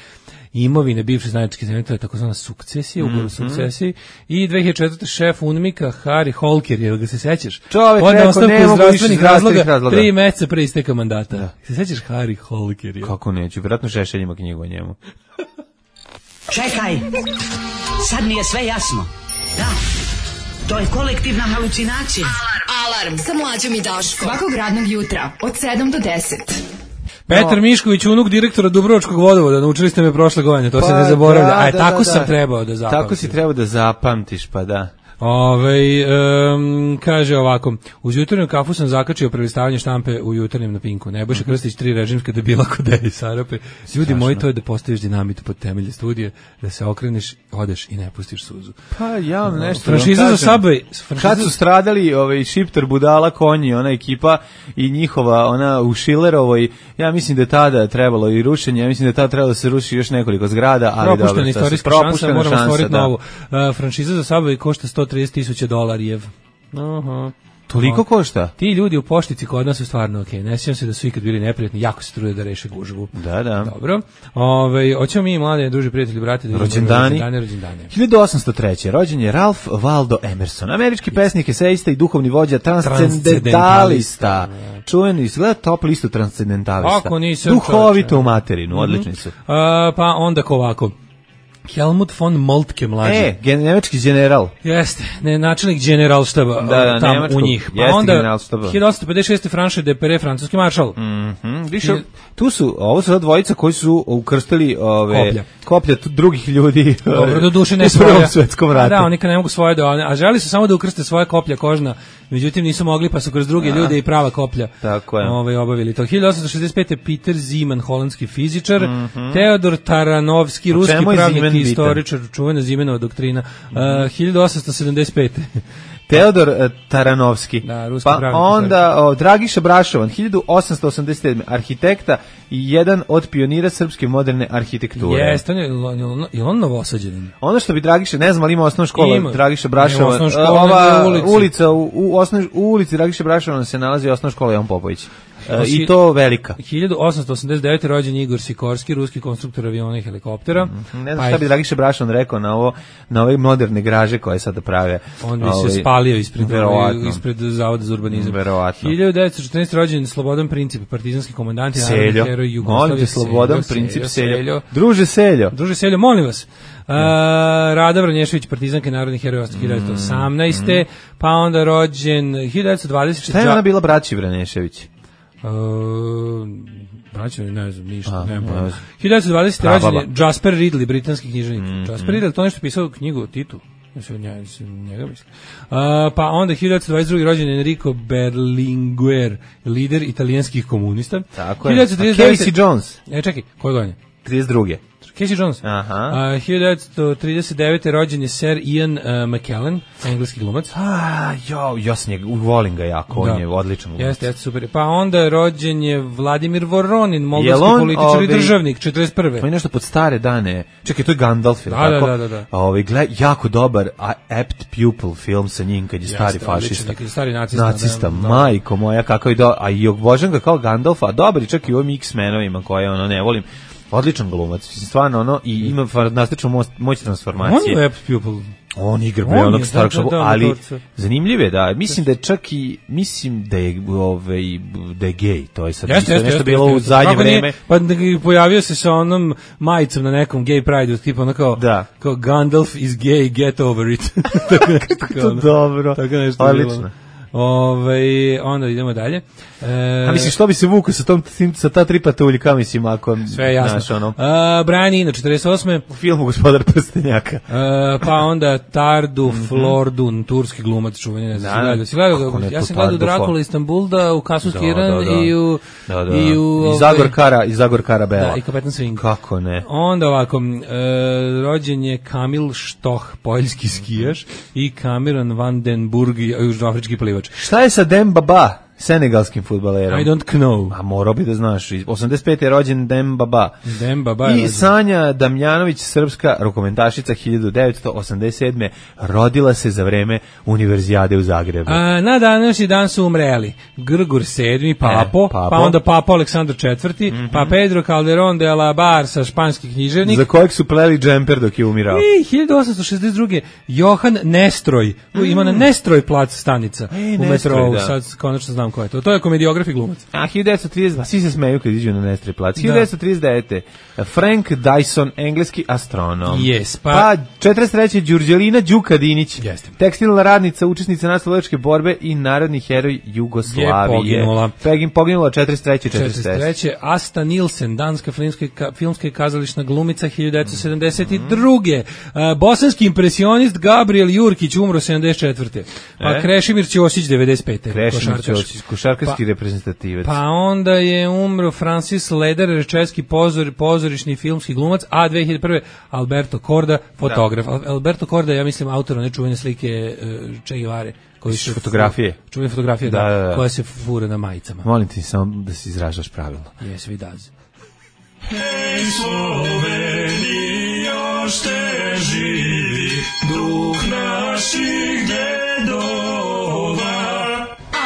imovine bivše zajedničke zemlje, to je takozvana sukcesija, ugovor sukcesiji, i 2004. šef UNMIK-a Harry Holker, jer ga se sećaš? Čovjek rekao, ne mogu više zdravstvenih razloga. 3 meseca pre isteka mandata. Da. Se sećaš Harry Holker? Kako neću, vjerojatno Šešelj ima knjigu o njemu. Čekaj, sad mi je sve jasno. Da, to je kolektivna halucinacija. Alarm sa Mlađom i Daškom. Svakog radnog jutra od 7 do 10. Petar Mišković, unuk direktora Dubrovačkog vodovoda, naučili ste me prošle godine, to se ne zaboravlja. Tako sam trebao da zapamtim. Tako si trebao da zapamtiš, pa da. Kaže ovako, uz jutarnju kafu sam zakačio prelistavanje štampe u jutarnjem na Pinku. Nebojša Krstić, 3 režimska debila kod Deji Sarape. Ljudi moji, to je da postaviš dinamit pod temelje studije, da se okreneš, odeš i ne pustiš suzu. Pa ja nešto. Franšiza za Subway. Kad su stradali Šiptar, Budala, Konji, ona ekipa i njihova, ona u Šilerovoj, ja mislim da je tada trebalo i rušenje, ja mislim da je tada trebalo da se ruši još nekoliko zgrada, ali propuštena istorijska šansa, moramo stvoriti novu. Franšiza za Subway košta $130,000. Aha. Toliko košta? Ti ljudi u poštici kod nas su stvarno okej. Ne sjećam se da su ikad bili neprijatni, jako se trude da reše gužvu. Da. Dobro. Hoćemo mi mlade, druži prijatelji, brati, da rođendani. 1803. Rođen je Ralph Waldo Emerson, američki pesnik, esejista i duhovni vođa, transcendentalista. Čuveni, izgleda top listu transcendentalista. Duhovito u materinu, odlični su. Pa onda ovako. Helmut von Moltke mlađi. Nemački general. Jeste, načelnik generalštaba tamo u njih. Pa onda 1856. Franche de Perret, francuski maršal. Više, ovo su dvojica koji su ukrstili koplja drugih ljudi. Dobro, do duše ne svoja. U Prvom svetskom ratu. Da, oni kad ne mogu svoje a želi su samo da ukrste svoje koplja kožna međutim nisu mogli pa su kroz druge ljude i prava koplja obavili to. 1865. Peter Zeeman, holandski fizičar, Teodor Taranovski, ruski pravnik i istoričar, čuvena Zeemanova doktrina. 1875. Teodor Taranovski, da, pa onda Dragiša Brašovan, 1887. arhitekta i jedan od pionira srpske moderne arhitekture. Jeste, je on Novosađanin? Ono što bi Dragiša, ne znam, ali ima osnovna škola Dragiša Brašovan. Ova ulica, u ulici Dragiša Brašovan se nalazi osnovna škola Jovan Popović. I to velika. 1889. rođen Igor Sikorski, ruski konstruktor aviona i helikoptera. Ne znam šta bi Dragiša Brašovan rekao na ove moderne graže koje sada prave. On bi se spalio ispred Zavoda za urbanizam. Verovatno. 1914. rođen Slobodan Princip, partizanski komandant i narodni heroj Jugoslavije. Molim te, Slobodan Princip Seljo. Druže Seljo. Druže Seljo, molim vas. Rada Vranješević, partizanka i narodni heroj 1918. Pa onda rođen 1920. Šta je ona bila braći Vranješević? Braćo, ne znam, ništa, nema. 1920. rođen je Jasper Ridley, britanski književnik. Jasper Ridley, to nešto pisao knjigu o Titu. Njega mislim. Pa onda 1922. rođen je Enrico Berlinguer, lider italijanskih komunista. Tako je. Casey Jones. Čekaj, koje godine? 32. Casey Jones. 1939. rođen je Sir Ian McKellen, engleski glumac. Ja sam volim ga jako, on je odličan glumac. Jeste, super. Pa onda rođen je Vladimir Voronin, moldavski političar i državnik, 41. Pa je nešto pod stare dane. Čekaj, to je Gandalf, tako? Da. Jako dobar apt pupil film sa njim kad je stari fašista. Stari nacista, majko moja, kakav je a i obožavam ga kao Gandalfa, a dobar i čak i u ovim X-menovima koje ne volim. Odličan glumac, stvarno i ima fantastičnu moć transformacije. On je apt pupil. On igra onog starog šabu, ali zanimljiv je da, mislim da je čak i, da je gej, to je sad nešto bilo u zadnje vreme. Pa pojavio se sa onom majicom na nekom gay pride, tipa ono kao Gandalf is gay, get over it. To dobro, odlično. Onda idemo dalje. A mislim, što bi se vukao sa ta tri patuljka, mislim, ako... Sve jasno. Brian Eno, 48. U filmu Gospodar prstenjaka. Pa onda Tardu Flordun, turski glumac, čuveni, ne znam. Ja sam gledao Drakula Istanbulda, u Kasulski Iran i u... I Zagor Karabela. Da, i Kapetan Swing. Kako ne? Onda ovako, rođen je Kamil Štoh, poljski skijaš, i Cameron van den Burg, južnoafrički plivač. Šta je sa Demba Ba, senegalskim fudbalerom? I don't know. A morao bi da znaš. 85. je rođen Demba Ba. I Sanja Damjanović, srpska rukometašica, 1987. rodila se za vreme Univerzijade u Zagrebu. Na današnji dan su umreli Grgur VII, Papo, pa onda Papa Aleksandar IV, pa Pedro Calderón de la Barca, španski književnik. Za kojeg su pleli džemper dok je umirao. I 1862. Johan Nestroj, ima na Nestroj plac stanica u metrou, sad konačno znam ko je to. To je komediograf i glumac. 1932, svi se smeju kad iđu na Nestroj plac. 1939. Frank Dyson, engleski astronom. Yes, pa 43. Đurđelina Đukadinić, tekstilna radnica, učesnica nasljedovačke borbe i narodni heroj Jugoslavije. Je poginula 43. Asta Nilsen, danska filmska i kazališna glumica, 1972. Bosanski impresionist Gabriel Jurkić, umro 74. Pa Krešimir Ćosić, 95. Košarkaški reprezentativac. Pa onda je umro Francis Lederer, česki pozorišni i filmski glumac, a 2001. Alberto Korda, fotograf. Alberto Korda, ja mislim, autor one čuvene slike Che Guevare. Fotografije. Čuvene fotografije, koja se fura na majicama. Molim ti samo da se izražaš pravilno. Yes, we does. Hej Slovenija, šte živi duh naših dedova.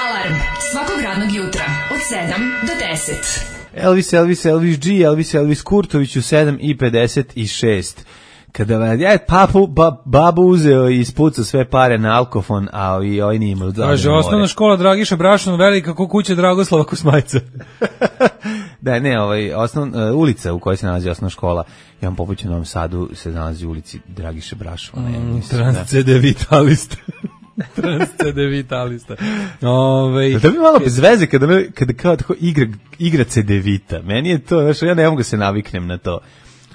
Alarm svakog radnog jutra od 7 do 10. Elvis Kurtović u 7:56. Kada je babu uzeo i ispucao sve pare na alkofon, a ovaj nije imao zadnje more. Kaže, osnovna škola Dragiša Brašon, velika ko kuća Dragoslava Kosmajca. Da, ne, ulica u kojoj se nalazi osnovna škola Jovan Popović u Novom Sadu se nalazi u ulici Dragiše Brašona. Transcedevitalista. Transcedevitalista. Da bi malo bez veze kada kao tako igra Cedevita. Meni je to, znaš, ja ne mogu se naviknem na to.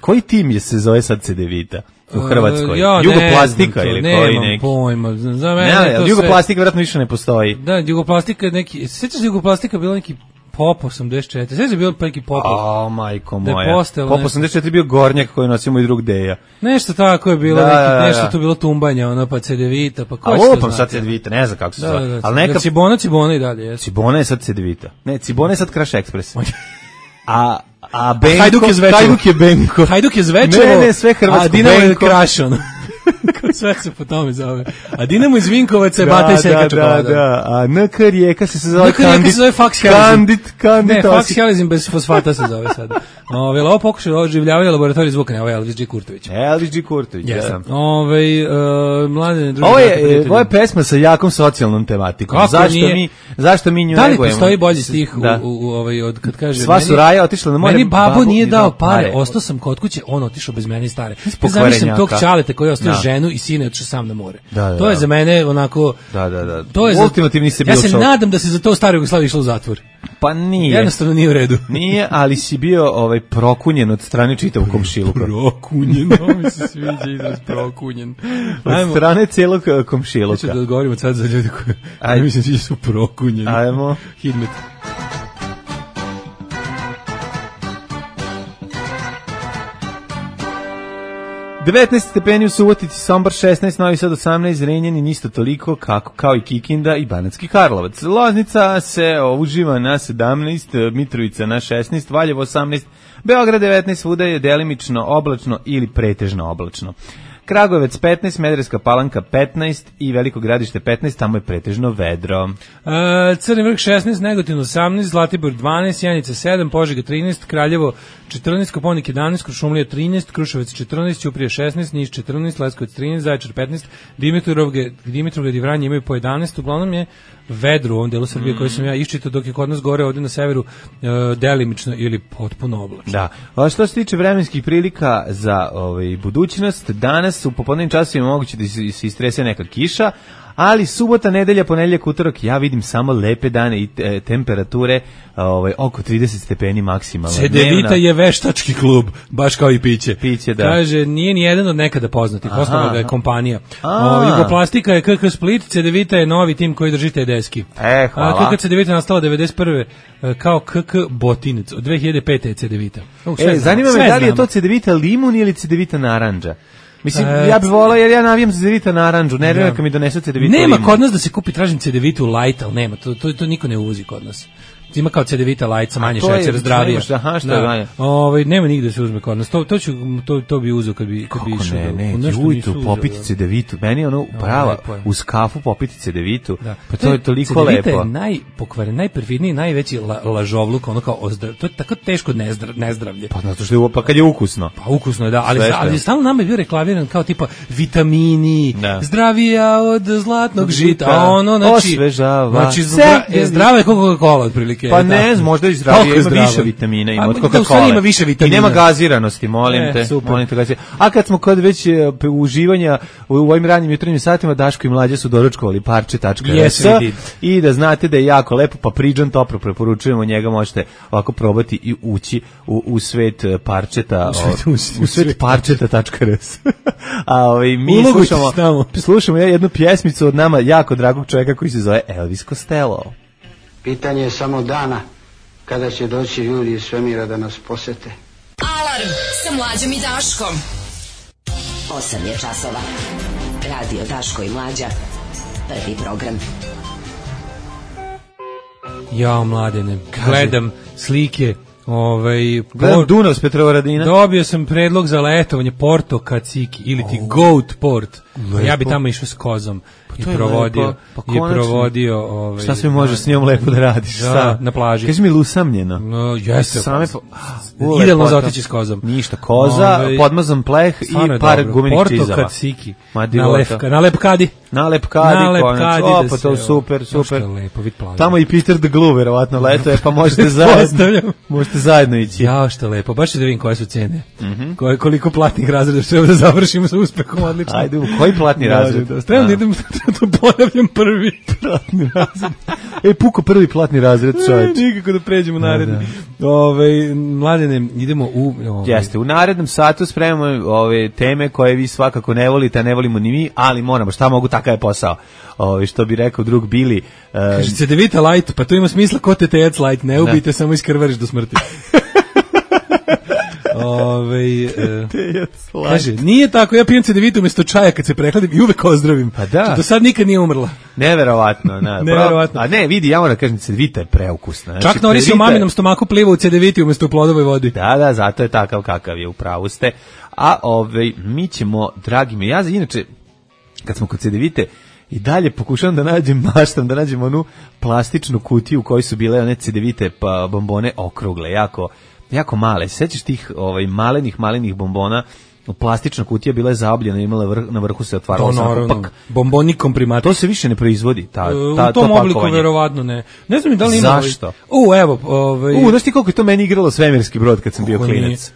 Koji tim se zove sad Cedevita? u Hrvatskoj? Jugoplastika ili koji neki? Nemam pojma. Za mene to Jugoplastika vjerojatno više ne postoji. Da, Jugoplastika neki, sećaš se Jugoplastika bila neki Pop 84. Sve je bio neki Popov. Majko moja. Pop 84 bio gornjak koji nosio moj drug Deja. Nešto tako je bilo, nešto tu bilo tumbanja, ono pa Cedevita, pa ko je to? Lupam sad Cedevita, ne znam kako se zove. Al neka Cibona i dalje je. Cibona je sad Cedevita. Ne, Cibona je sad Crash Express. A Benko, Hajduk je Benko. Hajduk je Zvečevo. Ne, sve hrvatsko. A Dinamo je Crash, ono. Sve se po tome zove. A Dinamo iz Vinkovaca je Bata i Seka čokolada. Da. A NK Rijeka se zove Kandit. Ne, Fax Helizin bez fosfata se zove sada. Ovo pokušaj oživljavanja laboratorija zvuka, ne, ovo je Elvis G. Kurtović. Elvis G. Kurtović, da. Mladene druže. Ovo je pesma sa jakom socijalnom tematikom. Zašto mi nju negujemo? Da li postoji bolji stih od kad kaže sva su raja otišla na more? Meni babo nije dao pare, ostao sam kod kuće, on otišao bez mene stare. Zamislim tog čaleta koji je ostavio ženu i sina i otišao sam na more. To je za mene onako... Da. To je ultimativni se bio šok. Ja se nadam da se za to stari Jugoslavija išlo u zatvor. Pa nije. Jednostavno nije u redu. Nije, ali si bio prokunjen od strane čitavog komšiluka. Prokunjen, mi se sviđa izraz prokunjen. Od strane celog komšiluka. Hoću da odgovorimo sad za ljudi koji mislim da su prokunjeni. Ajmo. Hidmet. -19 stepeni u Subotici, Sombor 16, Novi Sad 18, Zrenjanin isto toliko kao i Kikinda i Banatski Karlovac. Loznica se uživa na 17, Mitrovica na 16, Valjevo 18, Beograd 19, svuda je delimično oblačno ili pretežno oblačno. Kragujevac 15, Smederevska Palanka 15 i Veliko Gradište 15, tamo je pretežno vedro. Crni Vrh 16, Negotin 18, Zlatibor 12, Janica 7, Požega 13, Kraljevo 14, Koponik 11, Kuršumlija 13, Kruševac 14, Ćuprija 16, Niš 14, Leskovac 13, Zaječar 15, Dimitrovgrad i Vranje imaju po 11, uglavnom je vedro u ovom delu Srbije koji sam ja iščitao, dok je kod nas gore ovdje na severu delimično ili potpuno oblačno. Da. A što se tiče vremenskih prilika za budućnost, danas u popodnevnim časovima moguće da se istrese neka kiša, ali subota, nedelja, ponedeljak, utorak, ja vidim samo lepe dane i temperature oko 30 stepeni maksimalno. Cedevita je veštački klub, baš kao i piće. Piće, da. Kaže, nije ni jedan od nekada poznatih, osnovna ga je kompanija. Jugoplastika je KK Split, Cedevita je novi tim koji drži te deski. Hvala. KK Cedevita nastala 91. kao KK Botinec, od 2005. je Cedevita. Zanima me da li je to Cedevita limun ili Cedevita naranđa. Mislim, ja bih volao jer ja navijam za Cedevita naranđu, nervira kad mi donesu Cedevita limun. Nema kod nas da se kupi, tražim Cedevitu light, ali nema, to niko ne uvozi kod nas. Ima kao Cedevita light sa manje šećera, zdravije. Aha, što je manje. Nema nigde se uzme kod nas. To bi uzeo kad bi išao. Kako ne, popiti Cedevitu. Meni je ono prava, uz kafu popiti Cedevitu. Pa to je toliko lepo. Cedevita je najpokvaren, najperfidniji, najveći lažovluk, ono kao to je tako teško nezdravlje. Pa zato što je kad je ukusno. Pa ukusno je, da, ali stalno nama je bio reklamiran kao tipa vitamini, zdravija od zlatnog žita, a ono, znači zdrava je Coca-Cola otprilike. Pa ne znam, možda i zdravije, ima više vitamina, ima od Coca-Cola. Ima više vitamina. I nema gaziranosti, molim te. A kad smo kod već uživanja u ovim ranim jutarnjim satima, Daško i Mlađa su doručkovali parče.rs i da znate da je jako lepo, pa Priđan toplo preporučujemo, njega možete ovako probati i ući u svet parčeta, u svet parčeta.rs. A mi slušamo jednu pjesmicu od nama jako dragog čovjeka koji se zove Elvis Costello. Pitanje je samo dana kada će doći ljudi iz svemira da nas posete. Alarm sa Mlađom i Daškom. 8 je časova. Radio Daško i Mlađa. Prvi program. Ja, Mladene, gledam slike. Gledam Dunav s Petrovaradina. Dobio sam predlog za letovanje Porto Kaciki ili ti Goat Port. Ja bi tamo išao s kozom i provodio šta sve može s njom lepo da radiš na plaži. Kaži mi lusamljeno. Jeste. Idealno za otići s kozom. Ništa, koza, podmazan pleh i par gumenih čizava. Porto Kaciki. Na Lepkadi. Na Lepkadi. Pa to super. Tamo i Peter the Glue verovatno leto je, pa možete zajedno ići. Ja, što lepo. Baš da vidim koje su cene. Koliko platnih razreda treba da završimo sa uspehom, odlično. Ajde, koji platni razred? To ponavljam prvi. Platni razred. Puko prvi platni razred, čovječ. Nikako da pređemo naredni. Mladene, idemo u... Jeste, u narednom satu spremamo ove teme koje vi svakako ne volite, a ne volimo ni mi, ali moramo, šta mogu, takav je posao. Što bi rekao drug Bili. Kaže, Cedevita light, pa to ima smisla ko TTC light, ne ubijte, samo iskrvariš do smrti. Kaže, nije tako, ja pijem Cedevitu umjesto čaja kad se prehladim i uvek ozdravim. Pa da. Do sad nikad nije umrla. Neverovatno. Neverovatno. A ne, vidi, ja moram da kažem, Cedevita je preukusna. Čak Noris u maminom stomaku pliva u Cedeviti umjesto u plodovoj vodi. Da, zato je takav kakav je, upravo ste. A mi ćemo, dragi mi, ja inače, kad smo kod Cedevite, i dalje pokušavam da maštam da nađem onu plastičnu kutiju u kojoj su bile one Cedevite pa bombone okrugle, jako male. Sećaš tih malenih bombona? Plastična kutija bila je zaobljena, imala na vrhu se otvaralo naravno. Bomboni komprimat. To se više ne proizvodi. U tom obliku verovatno ne. Ne znam da li ima. Zašto? Znaš ti koliko je to meni igralo svemirski brod kad sam bio klinac?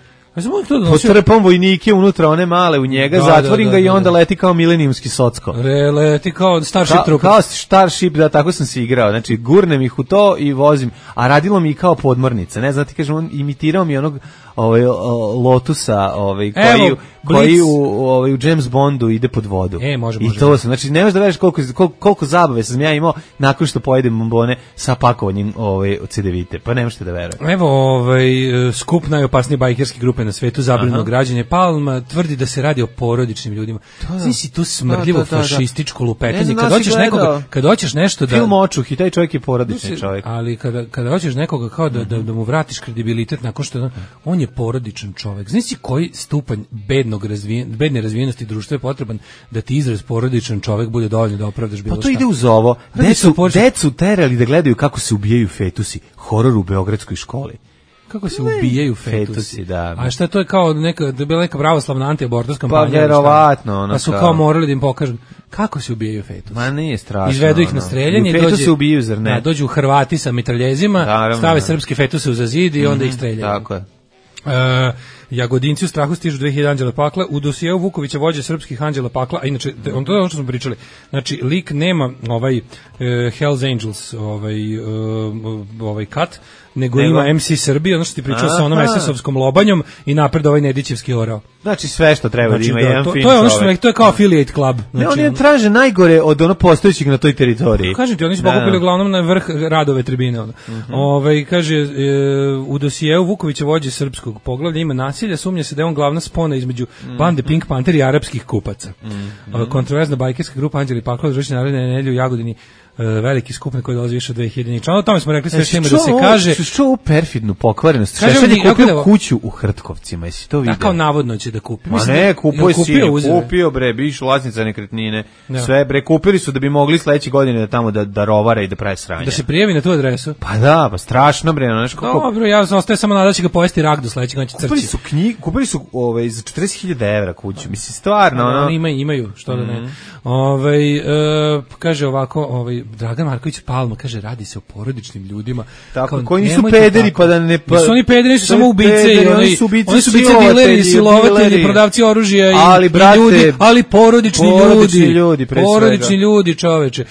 Postrpam vojnike unutra, one male u njega, zatvorim ga i onda leti kao milenijumski socko. Leti kao Starship Trooper. Kao Starship, da, tako sam se igrao. Znači, gurnem ih u to i vozim. A radilo mi i kao podmornica. Ne znam, ti kažem, on imitirao mi onog Lotusa koji u James Bondu ide pod vodu. Može. I to sam, znači, nemaš da veriš koliko zabave sam ja imao nakon što pojedem bombone sa pakovanjem Cedevite. Pa nemaš da veruješ. Evo, skup najopasnije bajkerske grupe na svetu, zabranjeno građenje. Palma tvrdi da se radi o porodičnim ljudima. Znači, tu smrdljivo fašističko lupetanje. Kad hoćeš nešto da... Film Očuh i taj čovjek je porodični čovjek. Ali kada hoćeš nekoga kao da mu vratiš kredibilitet nakon što on je porodičan čovjek. Znači koji stupanj bedne razvijenosti društva je potreban da ti izraz porodičan čovjek bude dovoljno da opravdaš bilo šta. Pa to ide uz ovo. Decu terali da gledaju kako se ubijaju fetusi. Horor u beogradskoj školi. Kako se ubijaju fetusi, da. A šta to je kao bila neka pravoslavna anti-abortus kampanja? Pa verovatno. Pa su kao morali da im pokažu kako se ubijaju fetusi. Ma nije strašno. Izvedu ih na streljanje. Fetusi se ubijaju, zar ne? Dođu Hrvati sa mitraljezima, stave srpske fetuse uza zid i onda ih streljaju. Tako je. Jagodinci u strahu stižu 2000 anđela pakla. U dosijeu Vukovića vođe srpskih anđela pakla, a inače, to je ono što smo pričali, znači, lik nema Hells Angels kat, nego ima MC Srbije, ono što ti pričao sa onom SS-ovskom lobanjom i napred Nedićevski orao. Znači sve što treba da ima jedan film. To je ono što to je kao affiliate club. Ne, oni traže najgore od postojećih na toj teritoriji. Kažem ti, oni su pokupili uglavnom na vrh Radove tribine. Kaže, u dosijeu Vukovića vođe srpskog poglavlja ima nasilja, sumnja se da je on glavna spona između bande Pink Panther i arapskih kupaca. Kontroverzna bajkerska grupa Anđeli Pakla održava naredne nedelje u Jagodini veliki skup na koji dolazi više od 2000 članova. O tome smo rekli sve što ima da se kaže. Što ovu perfidnu pokvarenost? Šešelj je kupio kuću u Hrtkovcima, jesi to vidio? Kao navodno će da kupi. Ma ne, kupio bre, biš vlasnica nekretnine. Sve bre, kupili su da bi mogli sledeće godine da tamo da rovare i da prave sranje. Da se prijavi na tu adresu? Pa da, pa strašno bre. Dobro, ja ostaje samo nada će ga pojesti rak do sledećeg, on će crći. Kupili su za 40.000 € kuću. Mislim, stvarno. Oni imaju, što da ne. Kaže ovako, Dragan Marković Palma kaže, radi se o porodičnim ljudima. Tako, koji nisu pederi pa da ne... Nisu oni pederi, nisu samo ubice. Oni su ubice dileri, silovatelji, prodavci oružja i ljudi, ali porodični ljudi. Porodični ljudi, čoveče.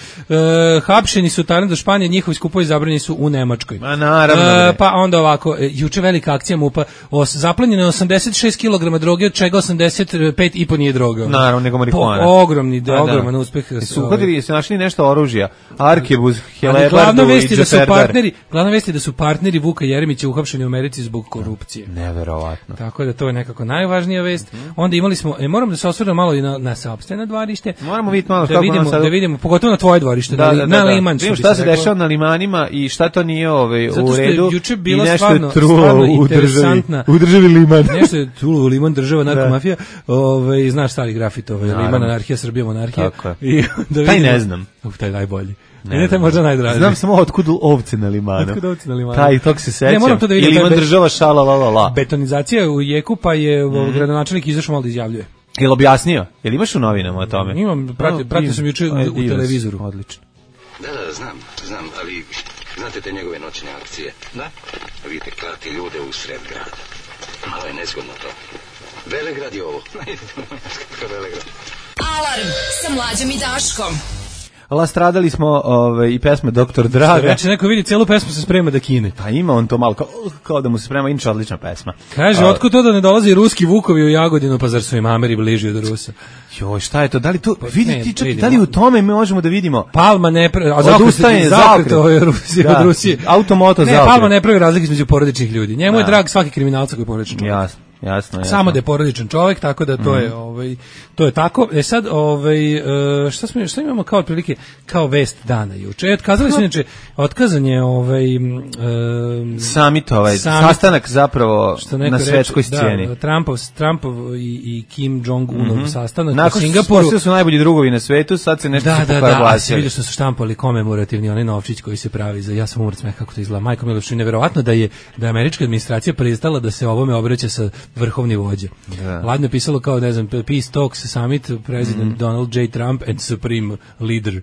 Hapšeni su Tajlanda, Španija, njihovi skupovi zabranjeni su u Nemačkoj. Ma naravno. Pa onda ovako, juče velika akcija MUP-a, zaplenjeno je 86 kg droge, od čega 85,5 nije droga. Naravno, nego marihuana. Ogroman uspeh. Su uhvatili, su našli nešto oružja. Arkebuz, Helebardu i Džeperdar. Glavna vest je da su partneri Vuka Jeremića uhapšeni u Americi zbog korupcije. Neverovatno. Tako da to je nekako najvažnija vest. Onda imali smo, moram da se osvrnem malo i na sopstveno dvorište. Moramo vidjeti malo da vidimo, pogotovo na tvoje dvorište, na Liman. Vidimo šta se dešava na limanima i šta to nije u redu. Juče bilo stvarno interesantna. U državi Liman. Nešto je trulo u Liman, država narkomafija. Znaš stari grafit, Liman, anarhija, Srbija, monarhija. Taj ne znam. Taj najbolji. Ne, taj možda najdraži. Znam samo otkud ovce na Limanu. Taj, tog se sećam. Moram to da vidim. Ili Liman država šala, la. Betonizacija u jeku, pa je gradonačelnik izašao malo da izjavljuje. Jel objasnio? Jel imaš u novinama o tome? Imam, pratio sam juče u televizoru. Odlično. Da, znam, ali znate te njegove noćne akcije? Da. Vidite, klati ljude u sred grada. Malo je nezgodno to. Velegrad je ovo. Velegrad. Alarm sa Mlađom i Daškom. Lastradali smo i pesme Doktor Draga. Reče, neko vidi, celu pesmu se sprema da kine. Pa ima on to malo, kao da mu se sprema, inače odlična pesma. Kaže, otkud to da ne dolazi ruski vukovi u Jagodinu, pa zar su im Ameri bliži od Rusa? Joj, šta je to? Da li to, da li u tome mi možemo da vidimo? Palma ne pravi, zakret od Rusije. Automoto zakret. Ne, Palma ne pravi razlike između porodičnih ljudi. Njemu je drag svaki kriminalca koji je porodičan čovjek. Jasno. Samo da je porodičan čovjek, tako da to je tako. Tako. Šta imamo kao otprilike kao vest dana juče? Otkazali su inače, otkazan je summit, sastanak zapravo na svetskoj sceni. Da, Trumpov i Kim Jong-unov sastanak nakon u Singapuru. Nakon su najbolji drugovi na svetu, sad se nešto pokazuje. Vidio sam se štampali komemorativni onaj novčić koji se pravi za, ja sam umrt smeh kako to izgleda. Majko Miloš, neverovatno da je američka administracija pristala da se ovome obraća sa vrhovni vođa. Ladno je pisalo kao, ne znam, Peace Talks Summit, President Donald J. Trump and Supreme Leader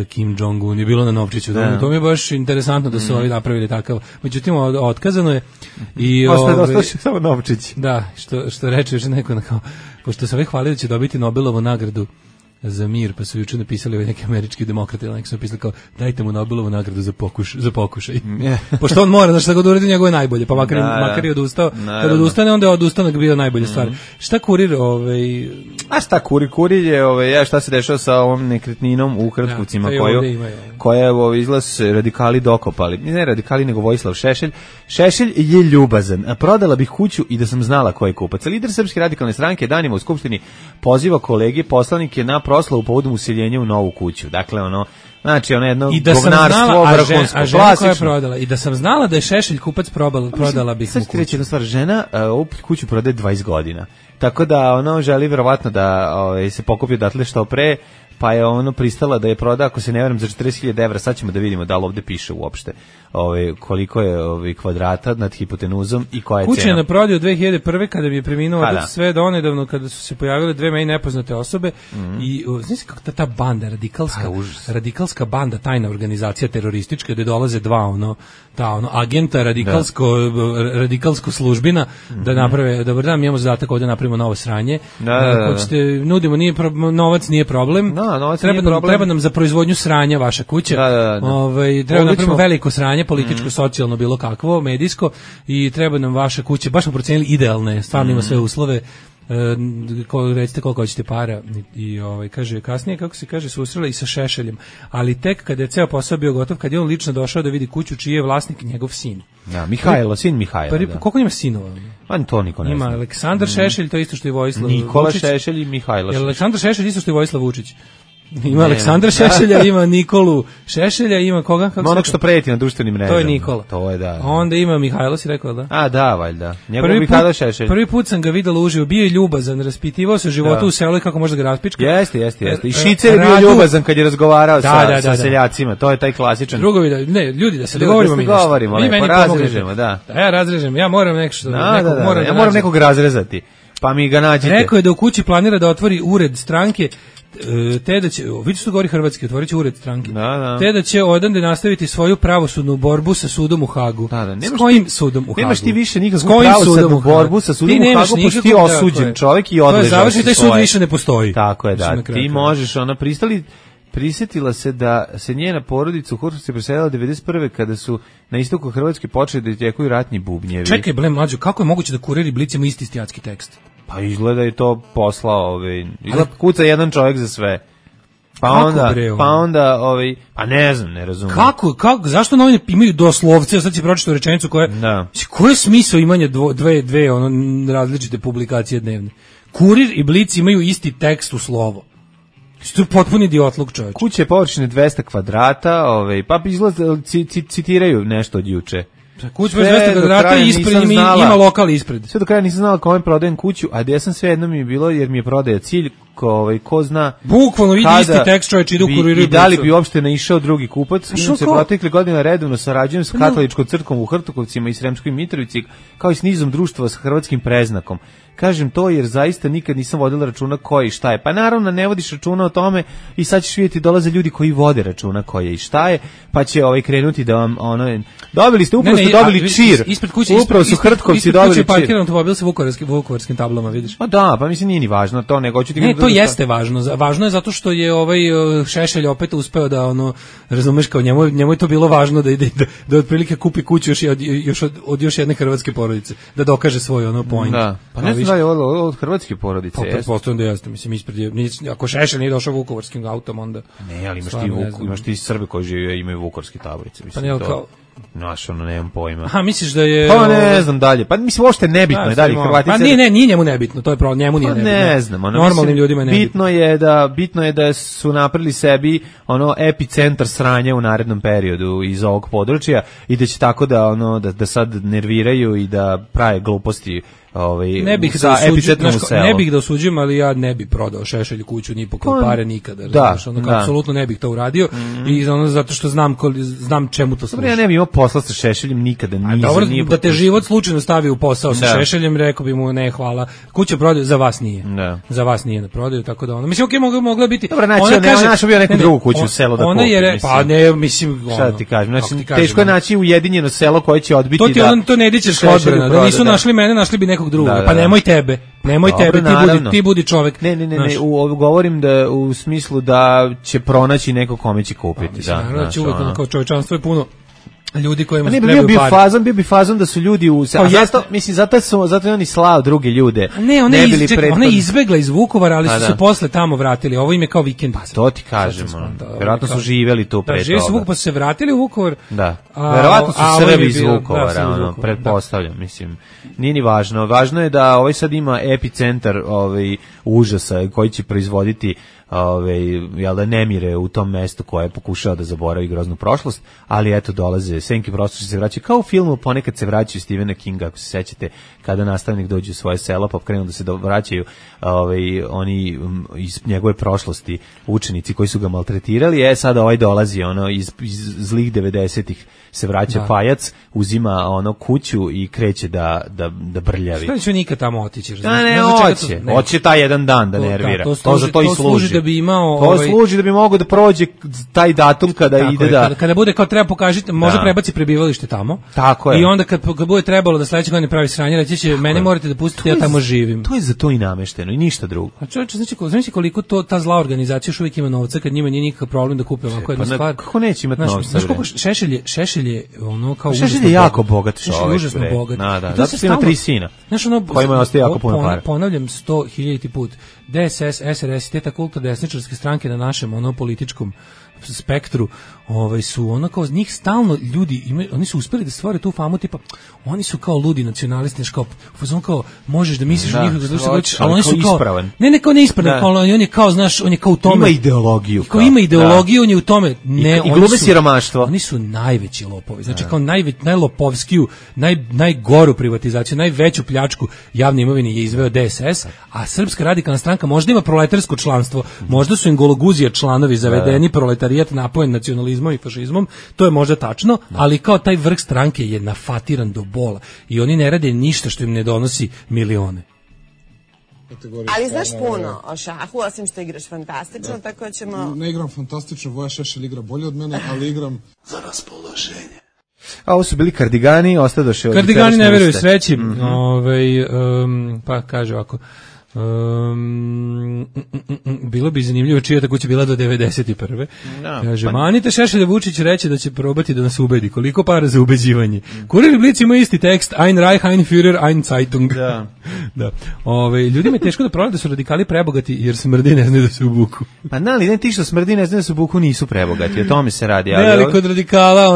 Kim Jong-un je bilo na novčiću. To mi je baš interesantno da su ovi napravili takav. Međutim, otkazano je. Ostao samo novčić. Da, što reče još neko, pošto se ovi hvali da će dobiti Nobelovu nagradu za mir, pa su juče napisali neki američki demokrati, neki su napisali kao dajte mu Nobelovu nagradu za pokušaj. Pošto on mora, šta god uradi njegove najbolje, pa makar je odustao. Kad odustane, onda je odustanak bio najbolja stvar. Šta kurir? A šta kurir? Kurir je, šta se dešava sa ovom nekretninom u Hrtkovcima koja je izlaz radikali dokopali. Ne radikali, nego Vojislav Šešelj. Šešelj je ljubazan. Prodala bih kuću i da sam znala ko je kupac. Lider Srpske radikalne stranke danima u Skupštini poziva kolege poslanike na proslavu povodom useljenja u novu kuću. Dakle, znači jedno govnarstvo, vrhunsko, klasično. I da sam znala da je Šešelj kupac, prodala bih mu kuću. Sad ti reći jedna stvar, žena ovu kuću prodaje 20 godina. Tako da želi verovatno da se pokupi odatle što pre, pa je pristala da je proda, ako se ne varam, za 40.000 evra. Sad ćemo da vidimo da li ovde piše uopšte koliko je kvadrata nad hipotenuzom i koja je cena. Kuća je na prodaju 2001. kada bi je preminuo sve do onedavno kada su se pojavile dve meni nepoznate osobe i znaš kako ta banda, radikalska banda, tajna organizacija teroristička gde dolaze dva agenta radikalsko službina da naprave, dobar dan, mi imamo zadatak ovde napravimo novo sranje. Hoćete, nudimo, novac nije problem. Treba nam za proizvodnju sranja vaša kuća. Treba napravimo veliko sranje, političko, socijalno, bilo kakvo, medijsko, i treba nam vaša kuća. Baš smo procenili idealne, stvarno ima sve uslove. Recite koliko hoćete para. I kaže, kasnije, kako se kaže, susrela i sa Šešeljem. Ali tek kada je ceo posao bio gotov, kad je on lično došao da vidi kuću čiji je vlasnik njegov sin. Mihajlo, sin Mihajlo. Koliko ima sinova? To niko ne zna. Ima Aleksandar Šešelj, to isto što je Vojislav Vučić. Nikola Šešelj i Mihajlo Šešelj. Aleksandar Šešelj isto što je Vojislav Vučić. Ima Aleksandra Šešelja, ima Nikolu Šešelja, ima koga? Onog što preti na društvenim mrežama. To je Nikola. To je, da. Onda ima Mihajlo, si rekao, da? A, da, valjda. Njegov Mihajlo Šešelj. Prvi put sam ga videla uživo, bio je ljubazan, raspitivao se životu u selu i kako može da ga raspička. Jeste. I Šicer je bio ljubazan kad je razgovarao sa seljacima. To je taj klasičan. Drugovi, ljudi, da se dogovorimo mi nešto. Razrežemo, da. Ja razrežem, ja moram nešto. Ja moram nekog razrezati. Pa mi ga nađite. Rekao je da u kući planira da otvori ured stranke, te da će, vidiš što govori hrvatski, otvorit će ured stranke, te da će odande nastaviti svoju pravosudnu borbu sa sudom u Hagu. S kojim sudom u Hagu? Nemaš ti više nikakvu pravosudnu borbu sa sudom u Hagu, pošto ti osuđen čovjek i odležao si svoje. To je završen, taj sud više ne postoji. Tako je, da. Ti možeš, prisjetila se da se njena porodica u Hrvatskoj preselila 1991. kada su na istoku Hrvatske počeli da tjekuju ratni bubnjevi. Čekaj, ble, mlađo, kako je moguće da kuriri Blic ima isti stijatski tekst? Pa izgleda je to poslao, kuca jedan čovjek za sve. Pa ne znam, ne razumijem. Kako, zašto novine imaju doslovce, sad si pročitao rečenicu koja, koji je smisao imanja dve različite publikacije dnevne? Kurir i Blic imaju isti tekst u slovo. To je potpuni idiotluk, čovječ. Kuće površine 200 kvadrata, pa citiraju nešto od juče. Kuća 200 kvadrata i ispred ima lokal ispred. Sve do kraja nisam znala kome prodajem kuću, a gdje sam sve jedno mi je bilo jer mi je prodaja cilj, ko zna. Bukvalno vidi isti tekst, čovječ, ide u Kuriru. I da li bi uopšte naišao drugi kupac? Se protekle godine redovno sarađujem s katoličkom crkvom u Hrtkovcima i Sremskoj Mitrovici, kao i s nizom društva s hrvatskim preznakom. Kažem to jer zaista nikad nisam vodila računa ko je i šta je. Pa naravno ne vodiš računa o tome i sad ćeš vidjeti dolaze ljudi koji vode računa ko je i šta je, pa će krenuti da vam dobili ste, upravo ste dobili čir. Upravo su Hrtkovci dobili čir. Ispred kuće parkiran automobil sa vukovarskim tablama, vidiš? Pa da, pa mislim nije ni važno to, nego hoću ti to jeste važno. Važno je zato što je Šešelj opet uspeo da razumeš, kao njemu je to bilo važno da otprilike kupi kuću od još jedne hrvatske porodice, da dokaže svoj point. Da. Pa ne znam da je od hrvatske porodice. Pa pretpostavljam da jeste, mislim ako Šešelj nije došao vukovarskim autom, onda ne, ali imaš ti Srbe koji žive imaju vukovarske tablice, mislim. Pa ne, kao naš, nemam pojma. Aha, misliš da je... Pa ne znam dalje. Pa mislim, uopšte nebitno je dalje Hrvatice. Pa nije njemu nebitno, to je problem, njemu nije nebitno. Ne znam. Normalnim ljudima je nebitno. Bitno je da su napravili sebi epicentar sranja u narednom periodu iz ovog područja i da će tako da sad nerviraju i da prave gluposti ne bih da osuđujem, ali ja ne bih prodao Šešelju kuću ni po pare nikada. Apsolutno ne bih to uradio i zato što znam čemu to služi. Ja ne bih imao posla sa Šešeljem nikada. Da te život slučajno stavi u posao sa Šešeljem, rekao bi mu ne, hvala. Kuća prodaju, za vas nije. Za vas nije na prodaju, tako da mislim, mogla biti. Dobro, naći bio neku drugu kuću u selo da kupi. Pa ne, mislim, šta ti kažem, teško je naći ujedinjeno selo koje će odbiti da... To ne dićeš odbrana, da nisu našli mene, našli bi nekog drugog. Pa nemoj tebe, ti budi čovjek. Ne, govorim da u smislu da će pronaći neko kome će kupiti. Naravno, će uvijek kao čovječanstvo je puno ljudi kojima se trebaju pare. Bio bi fazon da su ljudi zato je oni slao druge ljude. Ne, ona je izbegla iz Vukovara, ali su se posle tamo vratili. Ovo im je kao vikend. Pa to ti kažem. Vjerojatno su živjeli tu pre toga. Živjeli su u Vukovar, pa su se vratili u Vukovar. Da. Vjerojatno su Srbi iz Vukovara, pretpostavljam. Mislim, nije ni važno. Važno je da sad ima epicentar užasa koji će proizvoditi nemire u tom mestu koje je pokušao da zaboravi groznu prošlost, ali eto dolaze senki prošlosti se vraćaju, kao u filmu ponekad se vraćaju Stephena Kinga, ako se sećate, kada nastavnik dođe u svoje selo pa krenu da se vraćaju oni iz njegove prošlosti, učenici koji su ga maltretirali, sada dolazi iz zlih 90-ih se vraća pajac, uzima kuću i kreće da brljavi. Šta će nikad tamo otići? Hoće taj jedan dan da nervira. To za to i služi. Da bi imao to služi da bi mogao da prođe taj datum kada ide kada bude kao treba pokažiti, može prebaci prebivalište tamo. Tako je. I onda kad bude trebalo da sledeće godine pravi sranje, reći će mene morate da pustite, ja tamo živim. To je za to i namešteno i ništa drugo. A čovječe, znači koliko ta zla organizacija još uvijek ima novca kad njima nije nikakav problem da kupe ovako jednu stvar. Kako neće imati novca? Znaš koliko Šešelj je kao Šešelj je jako bogat čovjek. Užasno bogat. Zato što ima 3 sina. Znaš kojima ostaje jako puno para. Ponavljam 100.000 put. DSS, SRS, te takulto desničarske stranke na našem političkom spektru, su kao njih stalno ljudi oni su uspeli da stvore tu famu tipa oni su kao ludi nacionalisti, kao možeš da misliš o njih ali oni su kao ispravan. Ne kao neispravan, kao on je kao znaš, on je kao u tome. Ima ideologiju. Ima ideologiju, on je u tome. Ne, i glube siromaštvo. Oni su najveći lopovi. Znači kao najlopovskiju, najgoru privatizaciju, najveću pljačku javne imovine je izveo DSS, a Srpska radikalna stranka možda ima proletarsko članstvo, možda su im gologuzija članovi zavedeni, proletarijat napojen nacionalizmom i fašizmom, to je možda tačno, ali kao taj vrh stranke je nafatiran do bola i oni ne rade ništa što im ne donosi milione. Ali znaš puno o šahu, osim što igraš fantastično, tako ćemo... Ne igram fantastično, Voja Šešelj igra bolje od mene, ali igram za raspoloženje. A ovo su bili Kardigani, ostadoše od... Kardigani ne veruju sreći, pa kaže ovako... bilo bi zanimljivo čija ta kuća bila do 91. Kaže, manite Šešelja, Vučić reće da će probati da nas ubedi. Koliko para za ubeđivanje? Kurir i Blic ima isti tekst, Ein Reich, Ein Führer, Ein Zeitung. Da. Ljudima je teško da provede da su radikali prebogati jer smrdi ne znaju da se ubuku. Pa ne ti što smrdi ne znaju da se ubuku nisu prebogati, o tome se radi. Ali kod radikala,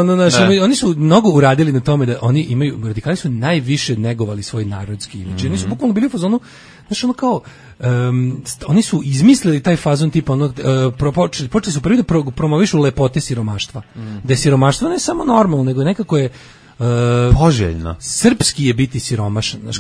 oni su mnogo uradili na tome da oni imaju, radikali su najviše negovali svoj narodski imidž. Oni su bukvalno bili u fazonu, znaš, kao, oni su izmislili taj fazon tipa, počeli su prvi da promovišu lepote siromaštva. Da je siromaštvo ne samo normalno, nego nekako je poželjno. Srpski je biti siromašan. Znaš,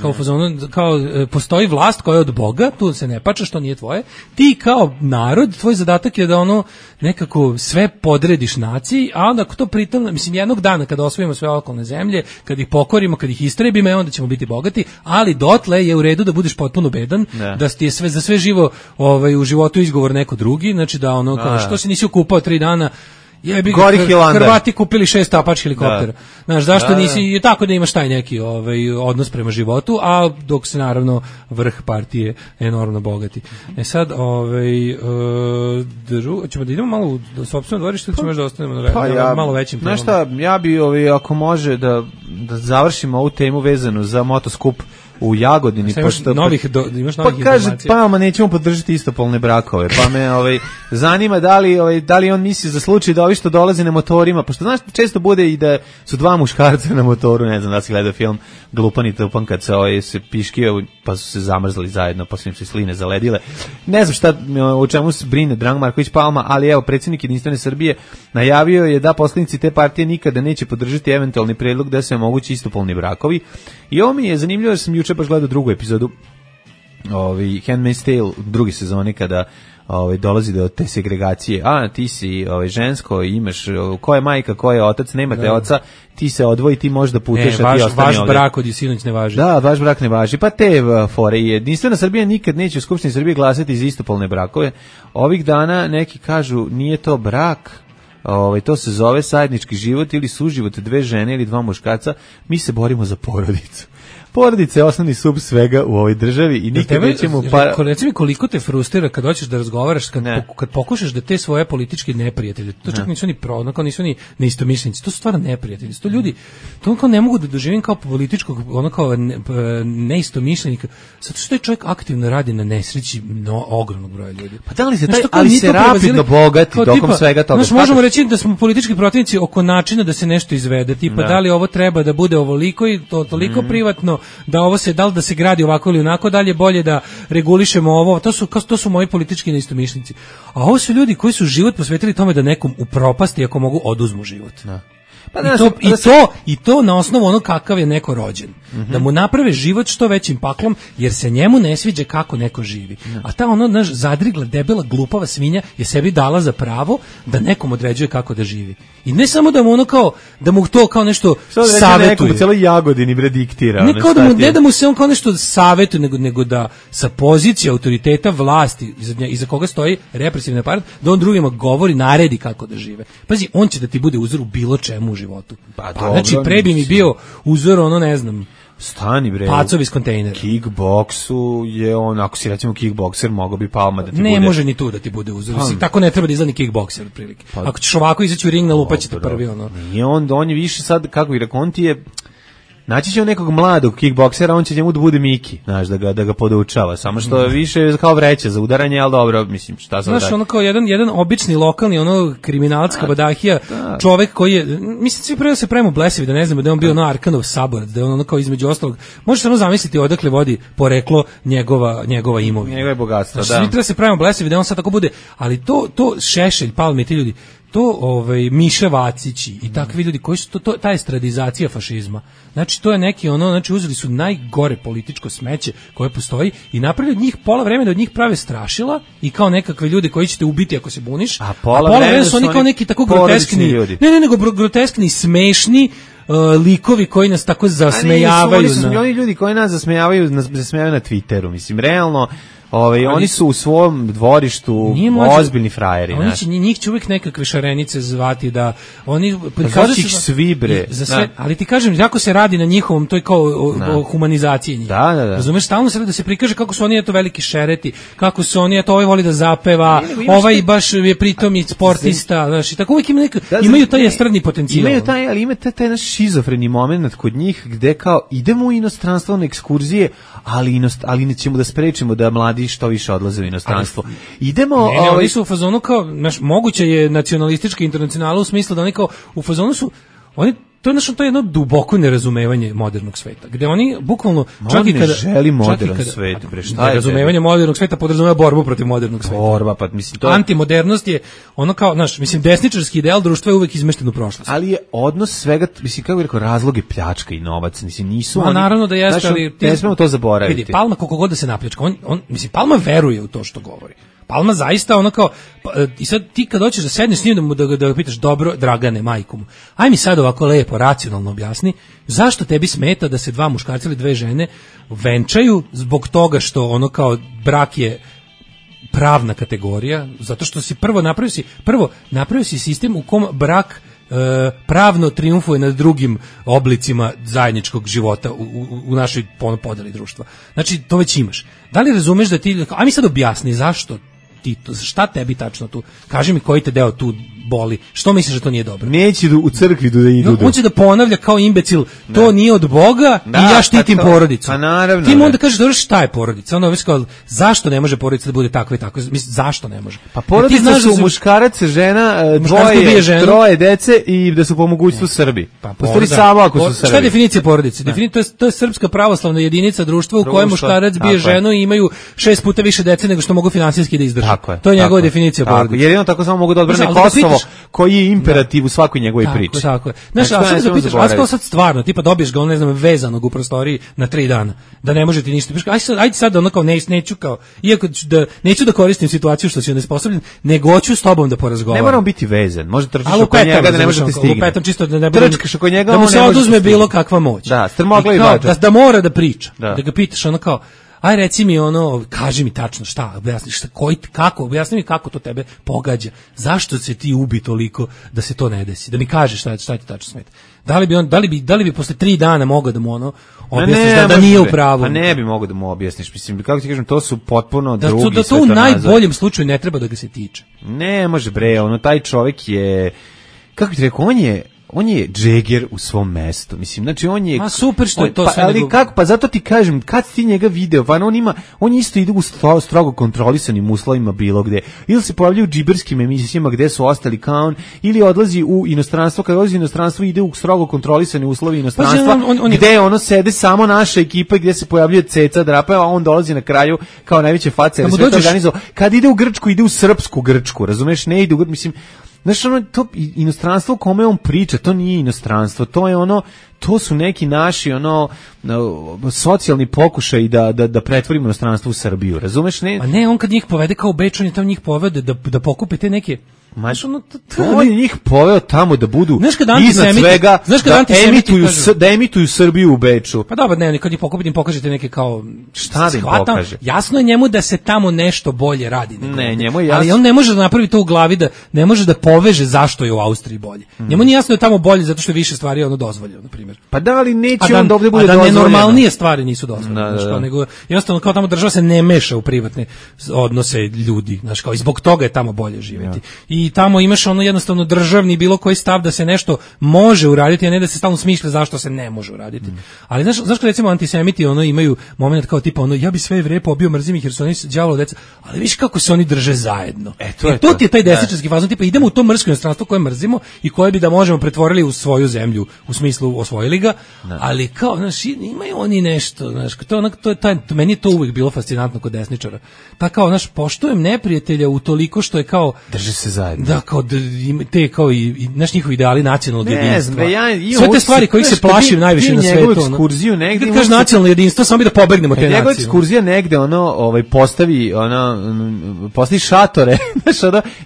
kao postoji vlast koja je od Boga, tu se ne pača što nije tvoje. Ti kao narod, tvoj zadatak je da nekako sve podrediš naciji, a onda ako to pritom, mislim, jednog dana kada osvojimo sve okolne zemlje, kad ih pokorimo, kad ih istrebimo, onda ćemo biti bogati, ali dotle je u redu da budeš potpuno bedan, da ti je za sve živo u životu izgovor neko drugi, znači da kao što se nisi okupao 3 dana Hrvati kupili 6 Apache helikoptera. Znaš, zašto nisi tako da imaš taj neki odnos prema životu, a dok se naravno vrh partije enormno bogati. Sad, ćemo da idemo malo u sopstveno dvorište ili ćemo još da ostanemo na malo većim temama? Znaš šta, ja bi ako može da završimo ovu temu vezanu za motoskup u Jagodini, imaš novih kaže, pa nećemo podržati istopolne brakove, pa me zanima da li on misli za slučaj da ovi što dolaze na motorima, pošto znaš često bude i da su dva muškarca na motoru, ne znam da si gledao film Glupan i Tupan kad se piškio pa su se zamrzli zajedno, pa su im se sline zaledile, ne znam šta o čemu se brine Dragan Marković Palma, ali evo predsjednik Jedinstvene Srbije najavio je da poslanici te partije nikada neće podržati eventualni predlog da se omogući istopolni brakovi. I ovo mi je zanimljivo jer sam juče baš gledao drugu epizodu Handmaid's Tale u druge sezone kada dolazi do te segregacije. Ti si žensko, imaš ko je majka, ko je otac, nemate oca, ti se odvoji, ti možeš da puteš, a ti ostani ovdje. Vaš brak od sinoć ne važi. Da, vaš brak ne važi. Pa te fore. Jedinstvena Srbija nikad neće u Skupštini Srbije glasati za istopolne brakove. Ovih dana neki kažu nije to brak, to se zove zajednički život ili suživot dve žene ili dva muškarca, mi se borimo za porodicu. Porodica je osnovni sub svega u ovoj državi i nikad nećemo... Reci mi koliko te frustrira kad hoćeš da razgovaraš, kad pokušaš da te svoje političke neprijatelje, to čak nisu ni neistomišljenici, to su stvarno neprijatelji, to ljudi, to kao ne mogu da doživim kao političkog, kao neistomišljenika, zato što je čovjek aktivno radi na nesreći ogromnog broja ljudi. Pa da li se ali se rapidno bogati tokom svega toga? Znaš, možemo reći da smo politički protivnici oko načina da se nešto izvede, tipa da li ovo treba da bude ovoliko i to toliko privatno, da ovo se da li da se gradi ovako ili onako, dalje bolje da regulišemo ovo, to su moji politički neistomišljenici. A ovo su ljudi koji su život posvetili tome da nekom upropasti ako mogu oduzmu život. Pa I to na osnovu ono kakav je neko rođen. Da mu naprave život što većim paklom, jer se njemu ne sviđa kako neko živi. A ta zadrigla, debela, glupava svinja je sebi dala za pravo da nekom određuje kako da živi. I ne samo da mu da mu to kao nešto savjetuje. Nekom u celoj Jagodini bre diktira. Ne da mu se on kao nešto savjetuje, nego da sa pozicije autoriteta vlasti, iza koga stoji represivni aparat, da on drugima govori, naredi kako da žive. Pazi, on će da ti bude uzor u bilo čemu u životu. Znači, pre bi mi bio uzor, ne znam, stani bre. Pacovi iz kontejnera. Kickboksu je ako si recimo kickbokser, mogao bi Palma da ti bude. Ne može ni tu da ti bude uzor. Tako ne treba da izgleda ni kickbokser otprilike. Ako ćeš ovako izaći u ring, nalupaće te prvi Nije on je više sad, kako bi rekao, on ti je naći će nekog mladog kickboksera, on će njemu da bude Miki, znaš, da ga podučava, samo što više kao vreća za udaranje, ali dobro, mislim, šta sad. Znaš, kao jedan obični lokalni, kabadahija, kabadahija, čovek koji je, mislim, svi prvo se pravimo blesevi, da ne znamo da je on bio Arkanov saborac, da je on kao između ostalog, možeš samo zamisliti odakle vodi poreklo njegova imovina. Njegove bogatstvo, znači, svi treba se pravimo blesevi da on sad tako bude, ali to Šešelj, Palme, ti ljudi, to Miša Vacići i takvi ljudi koji su ta estradizacija fašizma. Znači to je neki znači uzeli su najgore političko smeće koje postoji i napravili od njih pola vremena da od njih prave strašila i kao nekakve ljude koji ćete ubiti ako se buniš. A pola vremena su oni kao neki tako groteskni ljudi. Nego groteskni, smešni likovi koji nas tako zasmejavaju. Oni ljudi koji nas zasmejavaju na Twitteru, mislim, realno. Oni su u svom dvorištu ozbiljni frajeri. Njih će uvijek nekakve šarenice zvati da oni prikazuju svi bre. Ali ti kažem, jako se radi na njihovom, to je kao o humanizaciji njih. Da. Razumeš, stalno se da se prikaže kako su oni veliki šereti, kako su oni ovaj voli da zapeva, ovaj baš je pritom i sportista, znaš, i tako uvijek imaju taj estradni potencijal. Imaju taj, ali ima taj naš šizofreni moment kod njih gde kao idemo u inostranstvo na ekskurzije, ali nećemo da sprečimo da mladi što više odlaze u inostranstvo. Idemo... oni su u fazonu kao, moguće je nacionalistička internacionala u smislu da oni kao, u fazonu su, to je jedno duboko nerazumevanje modernog sveta, gde oni bukvalno čak i kada želi modern svet, bre, šta je razumevanje modernog sveta podrazumeva borbu protiv modernog sveta. Borba, pa mislim to antimodernost je kao, mislim, desničarski ideal društva je uvek izmešten u prošlost. Ali je odnos svega, mislim, kako bih rekao, razlog je pljačka i novac, mislim, nisu oni. Naravno da jeste, ali ne smemo to zaboraviti. Vidi, Palma koliko god da se napljačka, mislim, Palma veruje u to što govori. Palma zaista kao, i sad ti kad hoćeš da sedneš s njim da ga pitaš, dobro, Dragane, majku mu, aj mi sad ovako lepo, racionalno objasni, zašto tebi smeta da se dva muškarca ili dve žene venčaju zbog toga što kao brak je pravna kategorija, zato što si prvo napravio si sistem u kom brak pravno triumfuje nad drugim oblicima zajedničkog života u našoj podeli društva. Znači, to već imaš. Da li razumeš da ti, a mi sad objasni zašto šta tebi tačno tu, kaži mi koji te deo tu boli, što misliš da to nije dobro? Neće u crkvi da idu. On će da ponavlja kao imbecil, to nije od Boga i ja štitim porodicu. Pa naravno. Ti mu onda kažeš, dobro, šta je porodica? Onda kao, zašto ne može porodica da bude takva i takva? Mislim, zašto ne može? Pa porodica su muškarac, žena, troje dece i da su po mogućstvu Srbi. U stvari samo ako su Srbi. Šta je definicija porodice? To je srpska pravoslavna jedinica društva u kojoj muškarac bije ženu i imaju 6 puta više dece nego što mogu finansijski da izdrže. To je njegova definicija porodice. Jedino tako samo mogu da odbrane Kosovo, koji je imperativ u svakoj njegovoj priči. Tako je. Znaš, a sad zapitaš, a sad stvarno, tipa dobiješ ga, ne znam, vezanog u prostoriji na 3 dana, da ne može ti ništa. Ajde sad ono kao neću kao, iako neću da koristim situaciju što si onesposobljen, nego hoću s tobom da porazgovaram. Ne moram biti vezan, može trčiš oko njega da ne može ti stigne. Lupetam čisto da ne bude, trčkaš oko njega, da mu se oduzme bilo kakva moć. Da, strmogla i bađa. Da mora da priča, da ga pitaš ono kao, aj reci mi ono, kaži mi tačno šta, objasni objasni mi kako to tebe pogađa, zašto se ti ubi toliko da se to ne desi, da mi kažeš šta ti tačno smeta. Da li bi posle 3 dana mogao da mu ono objasniš da nije u pravu? Pa ne bi mogao da mu objasniš, mislim, kako ti kažem, to su potpuno drugi svetonazor. Da to u najboljem slučaju ne treba da ga se tiče. Ne može bre, taj čovjek je, kako ti rekao, on je Džeger u svom mestu. Mislim, znači on je... A super što je to sve. Ali kako? Pa zato ti kažem, kad ti njega video, on isto ide u strogo kontrolisanim uslovima bilo gde. Ili se pojavlja u džiberskim emisijama gde su ostali kao on, ili odlazi u inostranstvo, kad odlazi u inostranstvo ide u strogo kontrolisane uslovi inostranstva, gde ono sede samo naša ekipa i gde se pojavljuje Ceca Drapa, a on dolazi na kraju kao najveće face, jer sve to organizovao. Kad ide u Grčku, ide u srpsku Grčku, razumeš? Ne ide u Grčku, mislim... Znaš, to inostranstvo o kome on priča, to nije inostranstvo, to je to su neki naši socijalni pokušaj da pretvorimo inostranstvo u Srbiju, razumeš? A ne, on kad njih povede kao u Beču, on je tamo njih povede da pokupe te neke... On je njih poveo tamo da budu iznad svega, da emituju Srbiju u Beču. Pa dobro, ne, kad ih pokupite im pokažete neke kao... Šta da im pokaže? Jasno je njemu da se tamo nešto bolje radi. Ne, njemu je jasno. Ali on ne može da napravi to u glavi, da ne može da poveže zašto je u Austriji bolje. Njemu nije jasno da je tamo bolje zato što je više stvari dozvoljeno, na primjer. Pa da, ali neće on da ovdje bude dozvoljeno. A da nenormalnije stvari nisu dozvoljene. Nego jednostavno kao tamo država se ne meša u privatne odnose ljudi. Znaš, kao i zbog toga je tamo bolje živjeti. I tamo imaš jednostavno državni bilo koji stav da se nešto može uraditi, a ne da se stalno smišlja zašto se ne može uraditi. Ali znaš kad recimo antisemiti imaju moment kao tipa ja bi sve Jevreje pobio, mrzim ih jer su oni đavola deca, ali viš kako se oni drže zajedno. To ti je taj desničarski fazon, tipa idemo u to mrsko inostranstvo koje mrzimo i koje bi da možemo pretvorili u svoju zemlju, u smislu osvojili ga, ali kao, znaš, imaju oni nešto, znaš, meni je to uvijek bilo fascinantno kod desničara. Pa kao, znaš, poštujem neprijatelja u toliko što je kao drže se zajedno. Da, kao te kao i naš njihovi ideali nacionalnog jedinstva. Sve te stvari kojih se plašim najviše na svetu. Njegovu ekskurziju negdje. Kad kaže nacionalno jedinstvo, samo bi da pobegnemo te nacije. Njegova ekskurzija negde postavi šatore, znaš,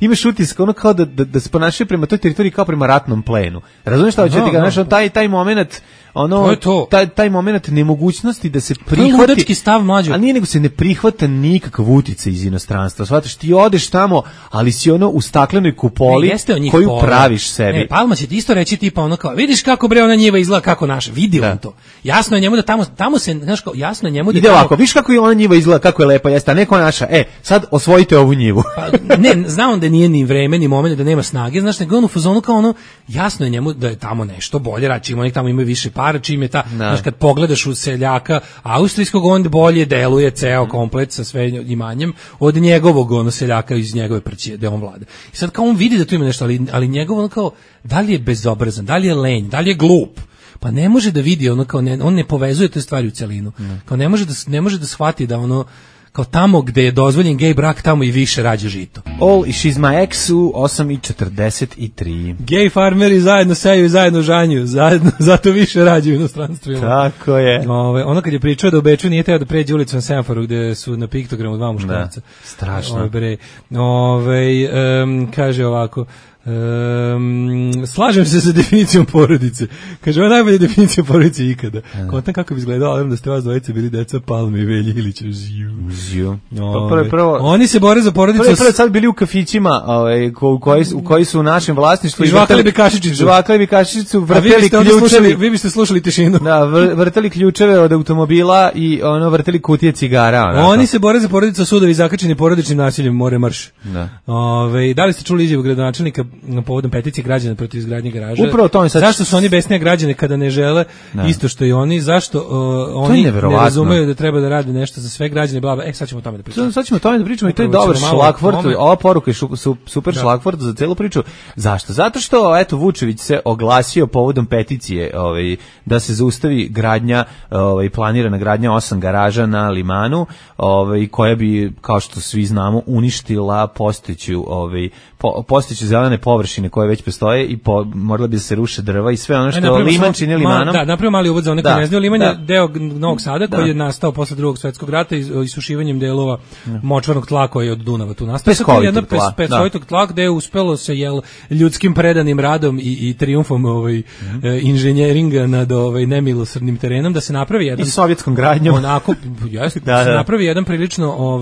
imaš utisak kao da se ponašaju prema toj teritoriji kao prema ratnom plenu. Razumiješ šta hoću ti ga, znaš, taj moment taj moment nemogućnosti da se prihvati stav mlađe. Ali nije nego se ne prihvata nikakav uticaj iz inostranstva. Shvataš, ti odeš tamo, ali si u staklenoj kupoli koju praviš sebi. Palma će ti isto reći tipa kao, vidiš kako bre ona njiva izgleda kako naša. Vidi on to. Jasno je njemu da tamo se, znaš kao, jasno je njemu da ide ovako, vidiš kako je ona njiva izgleda, kako je lepa, jeste, a neko naša. Sad osvojite ovu njivu. Ne, zna on da nije ni vreme, ni moment, da nema snage, znaš, nego on u fazonu kao jasno je njemu da je tamo nešto bolje, račimo oni tamo imaju više para, čim je znaš, kad pogledaš u seljaka austrijskog, on bolje deluje ceo komplet sa sve imanjem od njegovog seljaka iz njegove prćije, gde on vlada. I sad kao on vidi da tu ima nešto, ali njegovo kao, da li je bezobrazan, da li je lenj, da li je glup, pa ne može da vidi, on ne povezuje te stvari u celinu. Kao ne može da shvati da kao tamo gde je dozvoljen gej brak, tamo i više rađa žito. All i She's My Ex u 8:43. Gej farmeri zajedno seju i zajedno žanju, zato više rađaju u inostranstvu. Tako je. Ono kad je pričao da u Beču nije teo da pređe ulicu na semaforu gde su na piktogramu 2 muškarca. Strašno. Kaže ovako, Slažem se sa definicijom porodice. Kaže, ovo je najbolja definicija porodice ikada. Kontam kako bi izgledao, ali da ste vas dvojice bili deca Palme i Velje Ilića. Žiju. Prvo, oni se bore za porodicu. Prvo sad bili u kafićima u koji su u našem vlasništvu. Žvakali bi kašičicu. Vrteli ključevi. Vi biste slušali tišinu. Da, vrteli ključeve od automobila i vrteli kutije cigara. Oni se bore za porodicu, sudovi zakačeni porodičnim nasiljem, more marš. Da li ste čuli izjavu gradonačelnika povodom peticije građana protiv izgradnje garaža? Upravo to sad. Zašto su oni besnije građane kada ne žele isto što i oni? Zašto oni ne razumeju da treba da rade nešto za sve građane? Sad ćemo o tome da pričamo. Sad ćemo o tome da pričamo i to je dobar šlagvort. Ova poruka je super šlagvort za celu priču. Zašto? Zato što eto Vučević se oglasio povodom peticije, da se zaustavi gradnja, planirana gradnja 8 garaža na Limanu, koja bi, kao što svi znamo, uništila postojeće zelene površine koje već postoje i morala bi da se ruše drva i sve ono što Liman čini Limanom. Da, napravimo mali uvod za one koji ne znaju. Liman je deo Novog Sada koji je nastao posle Drugog svjetskog rata isušivanjem delova močvarnog tla koji je od Dunava tu nastao. Peskovitog tla gde je uspelo se ljudskim predanim radom i trijumfom inženjeringa nad nemilosrdnim terenom da se napravi jedan i sovjetskom gradnjom onako napravi jedan prilično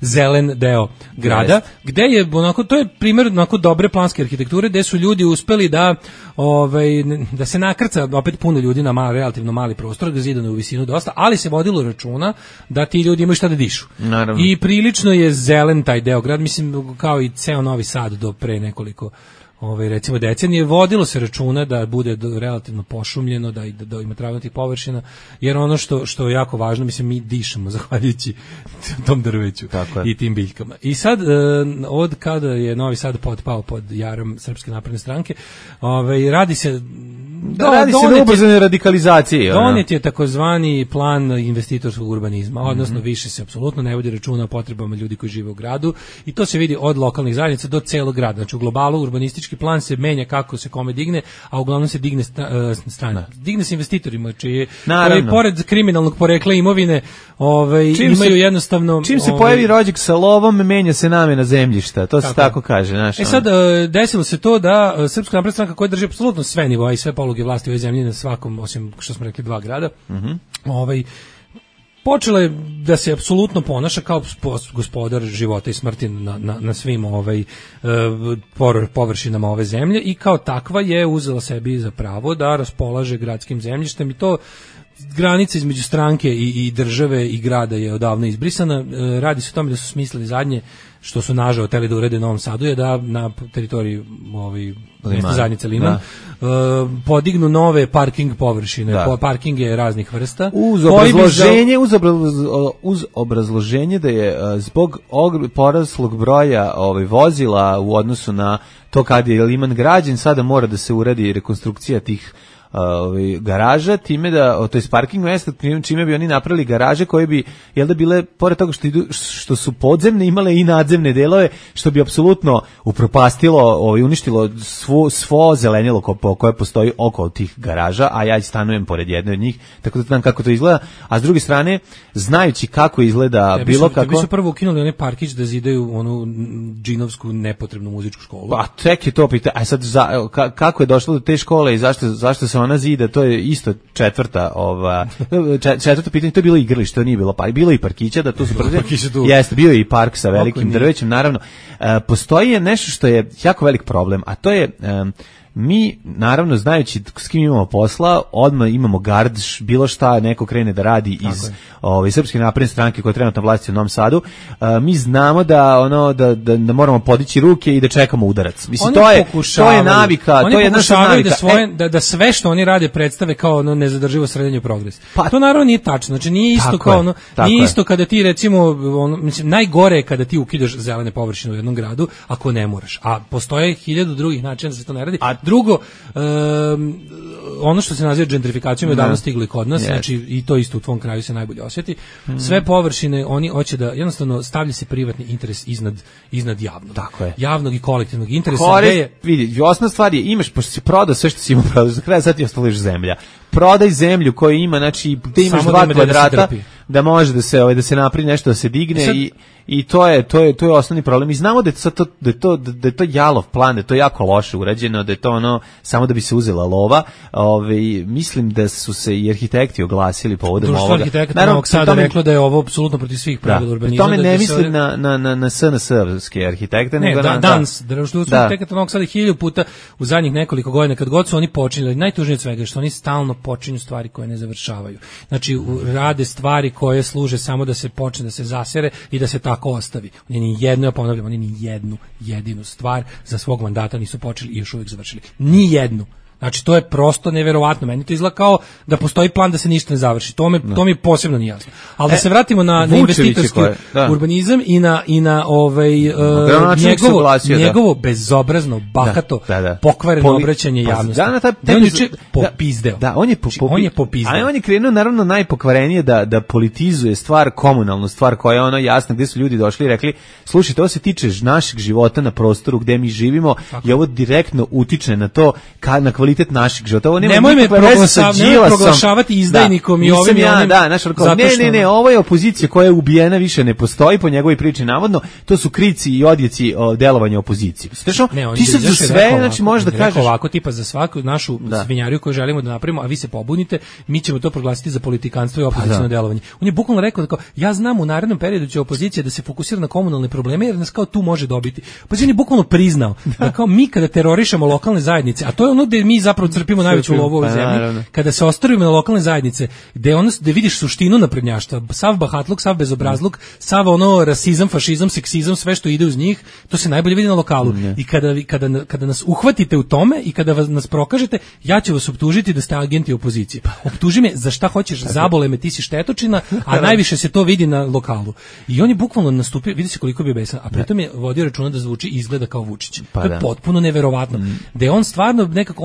zelen deo grada gde je onako, to je primjer onako dobre planske arhitekture gde su ljudi uspeli da se nakrca opet puno ljudi na relativno mali prostor, da zidano u visinu dosta, ali se vodilo računa da ti ljudi imaju šta da dišu. Naravno. I prilično je zelen taj deo grad, mislim kao i ceo Novi Sad do pre nekoliko recimo decenije, vodilo se računa da bude relativno pošumljeno, da ima travnatih površina, jer ono što je jako važno, mislim, mi dišemo zahvaljujući tom drveću i tim biljkama. I sad, od kada je Novi Sad potpao pod jarom Srpske napredne stranke, radi se na ubrzanoj radikalizaciji. Donijet je takozvani plan investitorskog urbanizma, odnosno više se apsolutno ne vodi računa o potrebama ljudi koji žive u gradu i to se vidi od lokalnih zajednica do celog grada. Znači u globalu urbanistički plan se menja kako se kome digne, a uglavnom se digne strana. Digne se investitorima, koji pored kriminalnog porekla imovine imaju jednostavno... Čim se pojavi rođak sa lovom, menja se namena zemljišta, to se tako kaže. Sad, desilo se to da Srpska napredna stranka koja drži apsolutno sve nivoa i sve poluge vlasti u ovoj zemlji na svakom, osim što smo rekli 2 grada, počela je da se apsolutno ponaša kao gospodar života i smrti na svim površinama ove zemlje i kao takva je uzela sebi za pravo da raspolaže gradskim zemljištem i to granica između stranke i države i grada je odavno izbrisana. Radi se o tome da su smislili zadnje, što su nažao hteli da urede u Novom Sadu, je da na teritoriji mesta zajednice Liman podignu nove parking površine, parkinge raznih vrsta. Uz obrazloženje da je zbog poraslog broja vozila u odnosu na to kad je Liman građen, sada mora da se uradi rekonstrukcija tih garaža, time da, to je parking mesta, čime bi oni napravili garaže koje bi, bile, pored toga što su podzemne, imale i nadzemne delove, što bi apsolutno upropastilo, uništilo svo zelenilo koje postoji oko tih garaža, a ja stanujem pored jedne od njih, tako da znam kako to izgleda, a s druge strane, znajući kako izgleda bi su prvo ukinuli onaj parkić da zidaju onu džinovsku nepotrebnu muzičku školu. Pa, tek je to pitanje, a sad kako je došlo do te škole i zašto se ona zida, to je isto četvrto pitanje, to je bilo igralište, to nije bilo bilo i parkića, da tu su jeste, bio je i park sa velikim drvećem, naravno. Postoji nešto što je jako velik problem, a to je mi, naravno, znajući s kim imamo posla, odmah imamo gard, bilo šta neko krene da radi iz Srpske napredne stranke koja je trenutno vlasti u Novom Sadu, mi znamo da moramo podići ruke i da čekamo udarac. Mislim, to je navika, to je naša navika. Da sve što oni rade predstave kao nezadrživo srednje progres. To naravno nije tačno, znači nije isto kao nije isto kada ti recimo, mislim, najgore je kada ti ukidaš zelene površine u jednom gradu, ako ne moraš. A postoje 1000 drugih načina da se to ne radi. Drugo, ono što se naziva gentrifikacijom je davno stiglo i kod nas, znači i to isto u tvom kraju se najbolje osjeti. Sve površine oni hoće da jednostavno stavlja se privatni interes iznad javnog. Tako je. Javnog i kolektivnog interesa. Vidi, osnovna stvar je, imaš, pošto si prodao sve što si imao prodao, za kraj sad ti ostališ zemlja. Prodaj zemlju koju ima, znači gde imaš 2 kvadrata, da može da se napravi nešto, da se digne i to je osnovni problem. I znamo da je to jalov plan, da je to jako loše urađeno, da je to ono samo da bi se uzela lova. Mislim da su se i arhitekti oglasili povodom ovoga. Društvo arhitekata Novog Sada reklo da je ovo apsolutno protiv svih pravila urbanizma. Tome ne mislim na SNS-ovske arhitekte, nego na Društvo arhitekata Novog Sada 1000 puta u zadnjih nekoliko godina kad god su oni počinjeli, najtužnije od svega što oni stalno počinju stvari koje ne završavaju. Znači rade stvari koje služe samo da se počne, da se zasere i da se tako ostavi. Oni ni jednu, ja ponavljam, oni ni jednu jedinu stvar za svog mandata nisu počeli i još uvijek završili. Ni jednu. Znači, to je prosto neverovatno. Meni to izgleda kao da postoji plan da se ništa ne završi. To mi posebno nije jasno. Ali da se vratimo na investitorski urbanizam i na njegovo bezobrazno, bahato, pokvareno obraćanje javnosti. On je popizdeo. On je popizdeo. A on je krenuo, naravno, najpokvarenije da politizuje stvar, komunalnu stvar koja je ono jasna, gde su ljudi došli i rekli, slušajte, ovo se tiče našeg života na prostoru gde mi živimo i ovo direktno utiče na to, na kvalitet našeg života. Ovo nemoj me proglašavati izdajnikom i ovim i onim. Ne, ovo je opozicija koja je ubijena, više ne postoji po njegovoj priči navodno. To su krici i odjeci delovanja opozicije. Ti sad za sve, znači možeš da kažeš ovako, tipa za svaku našu svinjariju koju želimo da napravimo, a vi se pobunite, mi ćemo to proglasiti za politikanstvo i opoziciono delovanje. On je bukvalno rekao da ja znam u narednom periodu će opozicija da se fokusira na komunalne probleme jer nas kao tu može dobiti. Pa on je bukvalno priznao da kao mi kada terorišemo lokalne zajednice, a to je ono gde mi zapravo crpimo najveću lovu u ovoj zemlji, kada se ostavimo na lokalne zajednice, gde vidiš suštinu naprednjaštva, sav bahatluk, sav bezobrazluk, sav ono rasizam, fašizam, seksizam, sve što ide uz njih, to se najbolje vidi na lokalu. I kada nas uhvatite u tome i kada nas prokažete, ja ću vas optužiti da ste agenti opozicije. Optuži me za šta hoćeš, zabole me, ti si štetočina, a najviše se to vidi na lokalu. I on je bukvalno nastupio, vidi se koliko je bio besan, a pritom je vodio računa da zvuči i izgleda kao Vučić. To je potpuno neverovatno. Da je on stvarno nekako,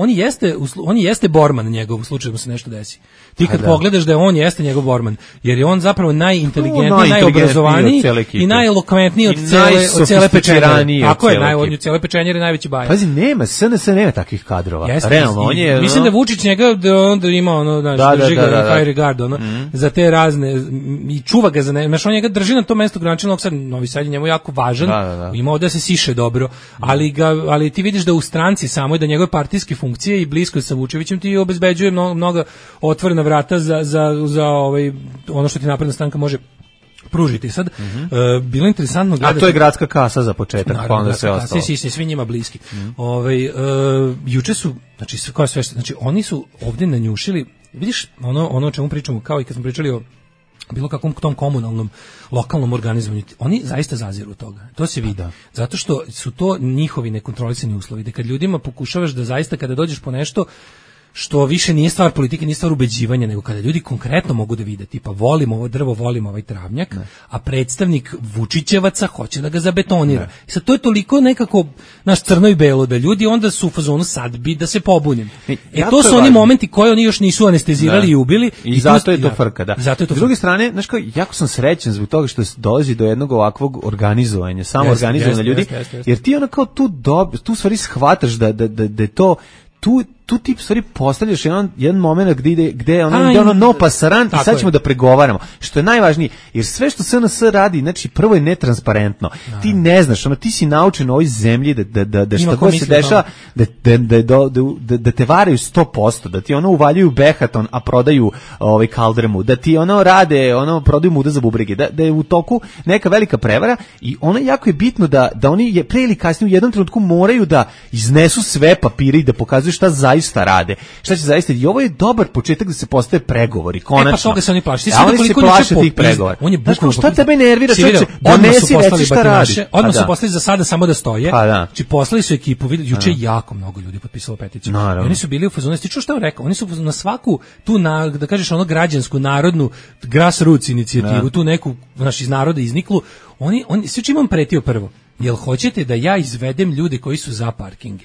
on jeste Borman njegov u slučaju da mu se nešto desi. Ti kad pogledaš da je on jeste njegov Borman, jer je on zapravo najinteligentniji, najobrazovaniji i najelokventniji od cele pečenjere. Tako je, od cele pečenjere najveći bajer. Pazi, SNS nema takvih kadrova. Realno, on je... Mislim da Vučić njega onda ima ono, drži ga high regard, za te razne, i čuva ga za ne, on njega drži na to mesto gradonačelnika Sad, Novi Sad je njemu jako važan, ima ovdje da se siše dobro, ali ti vidiš da u stranci samo i da njegove partijske funkcije i blisko sa Vučevićem ti obezbeđuje mnoga otvorena vrata za ono što ti napredna stranka može pružiti. Sad, bilo interesantno gledati... A to je gradska kasa za početak, naravno, pa onda se ostalo. Svi njima bliski. Juče su, znači oni su ovdje nanjušili, vidiš ono o čemu pričamo, kao i kad smo pričali o bilo kakvom tom komunalnom, lokalnom organizovanju, oni zaista zaziru od toga. To se vidi. Zato što su to njihovi nekontrolisani uslovi. Da kad ljudima pokušavaš da zaista kada dođeš po nešto što više nije stvar politike, nije stvar ubeđivanja, nego kada ljudi konkretno mogu da vide, tipa volim ovo drvo, volim ovaj travnjak, a predstavnik Vučićevaca hoće da ga zabetonira. I sad to je toliko nekako naš crno i belo, da ljudi onda su u fazonu sad bi da se pobunim. To su oni momenti koje oni još nisu anestezirali i ubili. I zato je to frka, S druge strane, znaš kao, jako sam srećan zbog toga što dolazi do jednog ovakvog organizovanja, samo organizovanja ljudi, jer ti ono kao tu stvari shvataš da je to tu ti stvari postavljaš jedan moment gde ono no pasaran i sad ćemo da pregovaramo, što je najvažnije, jer sve što SNS radi, znači prvo je netransparentno, ti ne znaš, ti si naučen u ovoj zemlji da što god se dešava, da te varaju 100%, da ti uvaljuju Behaton, a prodaju kaldrmu, da ti rade, prodaju muda za bubrege, da je u toku neka velika prevara i jako je bitno da oni pre ili kasnije u jednom trenutku moraju da iznesu sve papire i da pokazuju šta zaista rade. Šta će zaista? I ovo je dobar početak da se postave pregovori, konačno. Pa toga se oni plaše. Oni se plaše tih pregovora. On je bukvalno šta tebe nervira, čoveče? Donesi, reci šta radi. Odmah su poslali za sada samo da stoje. Znači poslali su ekipu, juče jako mnogo ljudi potpisalo peticiju. Oni su bili u fazonu, ti čuo šta on rekao? Oni su na svaku tu da kažeš građansku, narodnu grassroots inicijativu, tu neku iz naroda izniklu. Oni sve čim vam pretio prvo. Jel hoćete da ja izvedem ljude koji su za parkinge?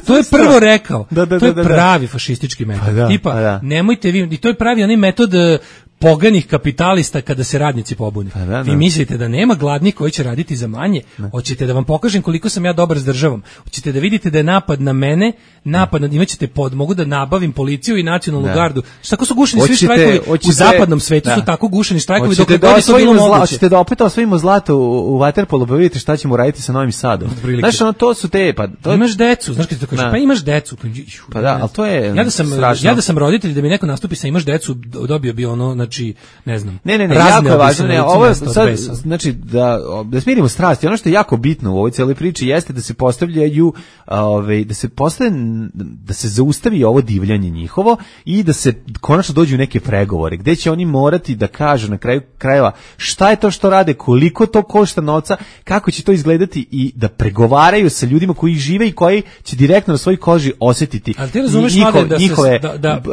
To je prvo rekao. To je pravi fašistički metod. Tipa, nemojte vi, i to je pravi onaj metod poganih kapitalista kada se radnici pobune. Vi mislite da nema gladnih koji će raditi za manje? Hoćete da vam pokažem koliko sam ja dobar s državom? Hoćete da vidite da je napad na mene, imaćete mogu da nabavim policiju i nacionalnu gardu. Tako su gušeni svi štrajkovi u zapadnom svetu, su tako gušeni štrajkovi dok je to bilo moguće. Hoćete da opet osvojimo zlato u vaterpolu, pa vidite šta ćemo raditi sa Novim Sadom. Znaš, to su te... Imaš decu, znaš kad ti to kaže, pa imaš decu. Pa da, ali to je ja da sam roditelj, da mi neko nastupi sa imaš decu, dobio bi ono, znači, ne znam. Ne, jako je važno, ovo sad, znači, da smirimo strasti, ono što je jako bitno u ovoj cijeloj priči jeste da se postavljaju, da se zaustavi ovo divljanje njihovo i da se konačno dođu u neke pregovore, gde će oni morati da kažu na kraju krajeva šta je to što rade, koliko to košta novca, kako će to izgledati i da pregovaraju sa ljudima koji žive i koji će direktno na svojoj koži osjetiti njihove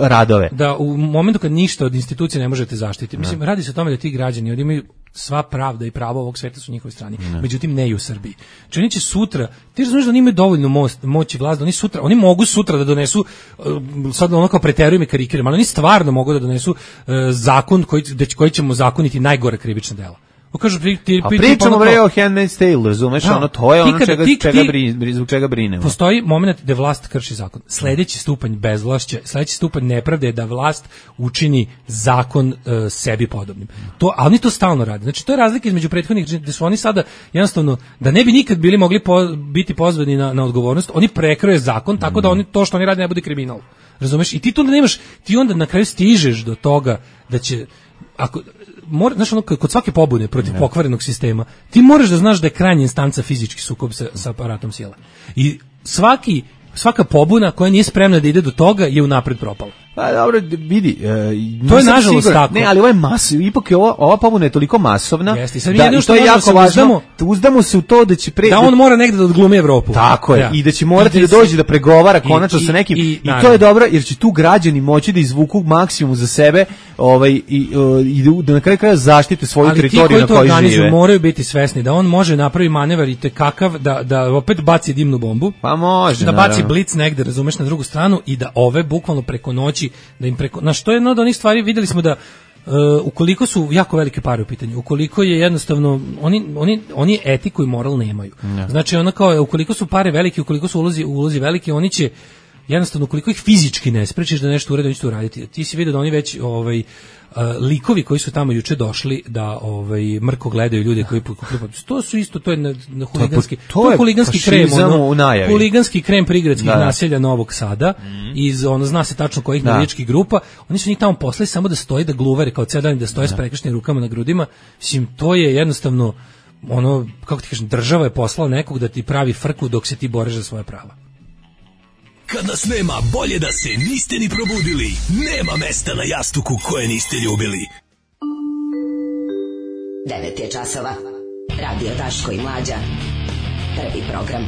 radove. Da u momentu kad ništa od institucije ne možete zaštiti. Mislim, radi se o tome da ti građani imaju sva pravda i pravo ovog sveta su u njihovoj strani. Međutim, ne i u Srbiji. Znači, oni će sutra, ti razumiješ da oni imaju dovoljnu moć i vlast, da oni mogu sutra da donesu, sad ono kao preterujem i karikiram, ali oni stvarno mogu da donesu zakon koji ćemo zakoniti najgore krivična dela. Pričamo bre o Handmaid's Tale, razumeš, to je ono zbog čega brinemo. Postoji moment da vlast krši zakon. Sledeći stupanj bezvlašća, sledeći stupanj nepravde je da vlast učini zakon sebi podobnim. A oni to stalno rade. Znači, to je razlika između prethodnih, da su oni sada jednostavno, da ne bi nikad bili mogli biti pozvani na odgovornost, oni prekroje zakon, tako da to što oni rade ne bude kriminal. Razumeš? I ti tu nemaš, ti onda na kraju stižeš do toga da će, znaš, kod svake pobune protiv pokvarenog sistema, ti moraš da znaš da je krajnja instanca fizički sukob sa aparatom sile. I svaka pobuna koja nije spremna da ide do toga je unapred propala. Pa dobro, vidi, to je nažalost tako. Ne, ali ovo je masovno, ipak je ova pobuna je toliko masovna da to je jako važno. Uzdamo se u to da će da on mora negde da odglumi Evropu. Tako je, i da će morati da dođe da pregovara konačno sa nekim i to je dobro jer će tu građani moći da izvuku maksimum za sebe, i da na kraju kraja zaštite svoju teritoriju na kojoj žive. Ali ti koji to moraju biti svesni da on može napravi manevar i tekakav da opet baci dimnu bombu. Pa može, da baci blic negde, razumeš, na drugu stranu i da ove bukvalno preko noći da im na što je jedno od onih stvari, videli smo da ukoliko su jako velike pare u pitanju, ukoliko je jednostavno oni etiku i moral nemaju. Znači ono kao ukoliko su pare velike, ukoliko su ulozi veliki, oni će jednostavno ukoliko ih fizički ne sprečiš da nešto urede, oni će to uraditi. Ti si vidio da oni već likovi koji su tamo juče došli da mrko gledaju ljude koji to su isto, to je huliganski, to je huliganski krem, huliganski krem prigradskih naselja Novog Sada, iz zna se tačno kojih navijačkih grupa. Oni su njih tamo poslali samo da stoje, da gluvere kao ceo dan, da stoje s prekrštenim rukama na grudima. Mislim, to je jednostavno kako ti kažem, država je poslala nekog da ti pravi frku dok se ti boriš za svoje prava. Kad nas nema, bolje da se niste ni probudili. Nema mesta na jastuku koje niste ljubili. 9 je časova. Radio Daško i Mlađa. Prvi program.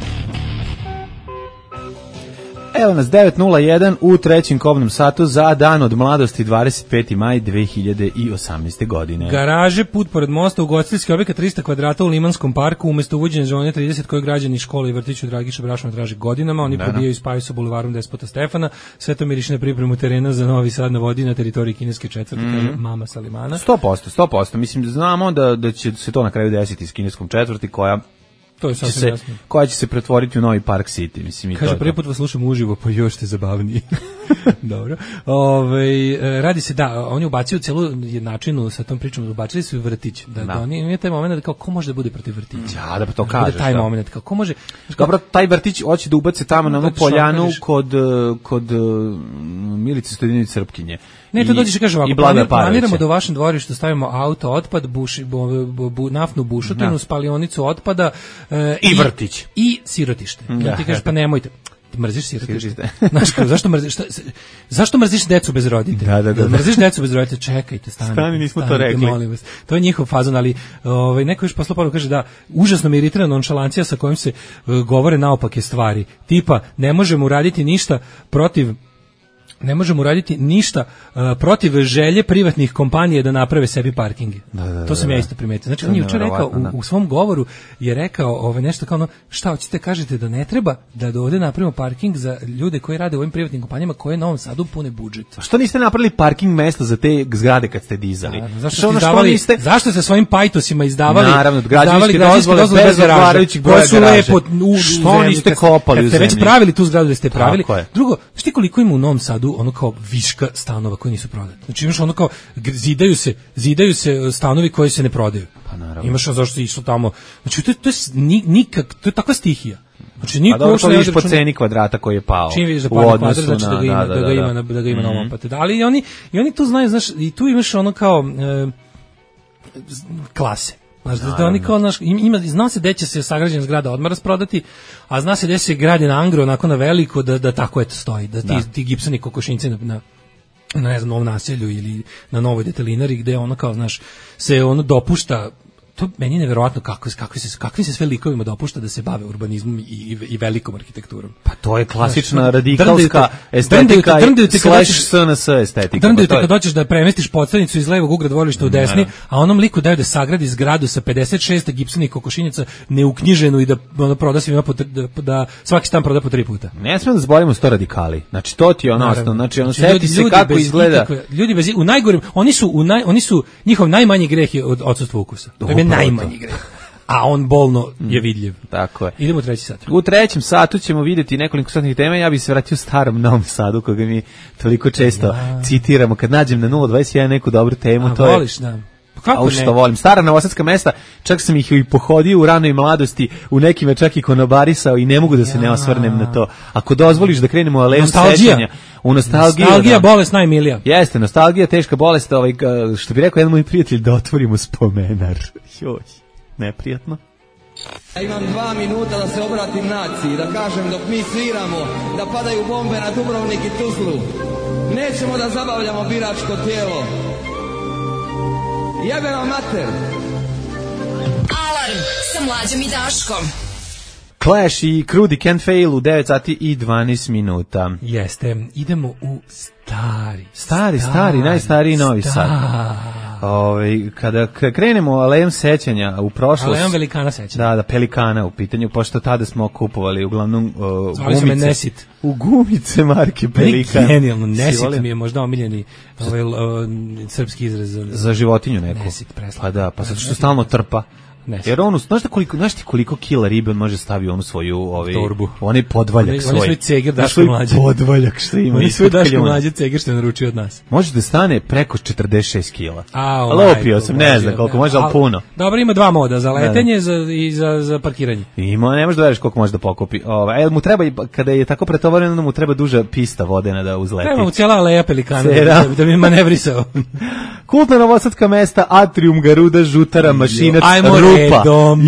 Evo nas 9:01 u trećem kobnom satu za dan od mladosti 25. maj 2018. godine. Garaže, put pored mosta, ugostiteljski objekat 300 kvadrata u Limanskom parku, umjesto uvođenja zone 30 koje građani škole i vrtiću Dragiša Brašova traže godinama. Oni probijaju i spaju sa bulevarom Despota Stefana. Sve to miriši na pripremu terena za Novi Sad na vodi na teritoriji kineske četvrti, kaže mama Salimana. 100%. Mislim, znamo da će se to na kraju desiti s kineskom četvrti koja će se pretvoriti u novi Park City, mislim. Kaže, prvi put vas slušam uživo, pa još ste zabavniji. Dobro. Radi se, oni ubacuju celu jednačinu sa tom pričom, ubacili su vrtić. Da oni imaju taj moment da kao, ko može da bude protiv vrtića? Ja, da pa to kažeš. Taj moment, kao, ko može... Dobro, taj vrtić hoće da ubace tamo na onu poljanu kod Milice Stojadinović Srpkinje. Ne, to dođeš i kaže ovako, planiramo da u vašem dvorištu stavimo auto otpad, naftnu bušotinu, spalionicu otpada i vrtić. I sirotište. Ja ti kažeš, pa nemojte. Ti mrziš sirotište. Znaš, zašto mrziš decu bez roditelja? Da. Mrziš decu bez roditelja, čekajte, stani, nismo to rekli. Molim vas. To je njihov fazon, ali neko još poslao poruku, kaže da užasno me iritira nonšalancija sa kojim se govore naopake stvari. Tipa, ne možemo uraditi ništa protiv ne možemo uraditi ništa protiv želje privatnih kompanija da naprave sebi parkinge. To sam ja isto primetio. Znači, on je jučer rekao, u svom govoru je rekao nešto kao ono, šta hoćete kažete da ne treba da ovde napravimo parking za ljude koji rade u ovim privatnim kompanijama koje na Novom Sadu pune budžet. Što niste napravili parking mesta za te zgrade kad ste dizali? Zašto ste svojim pajtosima izdavali? Naravno, građevinske dozvole bez odgovarajućih broja garaže. Što niste kopali u zemlji? Kad ste već pravili tu zgradu da ste pravili. Drugo, šti koliko ima u Novom Sadu ono kao viška stanova koji nisu prodati. Znači imaš ono kao zidaju se stanovi koji se ne prodaju. Pa naravno. Imaš zašto išlo tamo. Znači to je takva stihija. Znači niko uopšte ne vidiš po ceni kvadrata koji je pao. Čim vidiš da pada kvadrat, znači da ga ima na ovom patu. Ali i oni tu znaju, znaš, i tu imaš ono kao klase. Znaš, da oni kao, zna se gde će se sagrađena zgrada odmah rasprodati, a zna se gde se gradi na angro, onako na veliko, da tako eto stoji, da ti gipsani kokošinci na ne znam, novom naselju ili na novoj detelinari, gde ono kao, znaš, se ono dopušta. To meni je neverovatno kakvi se sve likovima dopušta da se bave urbanizmom i velikom arhitekturom. Pa to je klasična radikalska estetika / SNS estetika. Drndaju te kad doćeš da premestiš podstanicu iz levog ugla dvorišta u desni, a onom liku daju da sagradi zgradu sa 56 gipsanih kokošinjaca neuknjiženu i da ono proda svima da svaki stan proda po 3 puta. Ne smemo da zaboravimo sto radikali. Znači to ti je ono osnovno. Znači on seti se kako izgleda. Ljudi bez u najgorem, oni su njihov najmanji greh je od odsustva ukusa. Najmanji greh. A on bolno je vidljiv. Tako je. Idemo u treći sat. U trećem satu ćemo vidjeti nekoliko satnih tema. Ja bih se vratio starom Novom Sadu, koga mi toliko često citiramo. Kad nađem na 021 neku dobru temu, to voliš, je... Kako što volim. Stara novosadska mesta, čak sam ih i pohodio u ranoj mladosti, u nekima čak i konobarisao i ne mogu da se ne osvrnem na to. Ako dozvoliš da krenemo u aleju sećanja, u nostalgiju. Nostalgija, bolest najmilija. Jeste, nostalgija, teška bolest, što bi rekao jedan moj prijatelj, da otvorimo spomenar. Joj, neprijatno. Ja imam 2 minuta da se obratim naciji, da kažem dok mi sviramo, da padaju bombe na Dubrovnik i Tuzlu. Nećemo da zabavljamo biračko tijelo. Jebeno mater. Alarm sa Mlađom i Daškom. Clash i Krudi Can't Fail u 9 sati i 12 minuta. Jeste, idemo u stari, najstariji Novi Sad. Kada krenemo alejom sećanja u prošlost. Alejom velikana sećanja. Da, Pelikana u pitanju, pošto tada smo kupovali uglavnom gumice marke Pelikan. Genijalno, Nesit mi je možda omiljeni srpski izraz za životinju neku. Nesit, preslav. Pa da, pa zato što stalno trpa. Jer on, znaš koliko kila ribe on može staviti onu svoju torbu. Onaj podvaljak svoj. Onaj svoj ceger Daško Mlađe. Podvaljak što ima. Onaj svoj Daško Mlađe ceger što je naručio od nas. Može da stane preko 46 kila. Lopio sam, ne znam koliko može, ali puno. Dobro, ima 2 moda, za letenje i za parkiranje. Ima, ne možeš da veriš koliko može da pokupi. Mu treba, kada je tako pretovareno, mu treba duža pista vodena da uzleti. Treba mu cijela aleja Pelikana da bi manevrisao. Kultna novosadska mesta, Atrium, Garuda, Žutara, Mašinac, Rupa.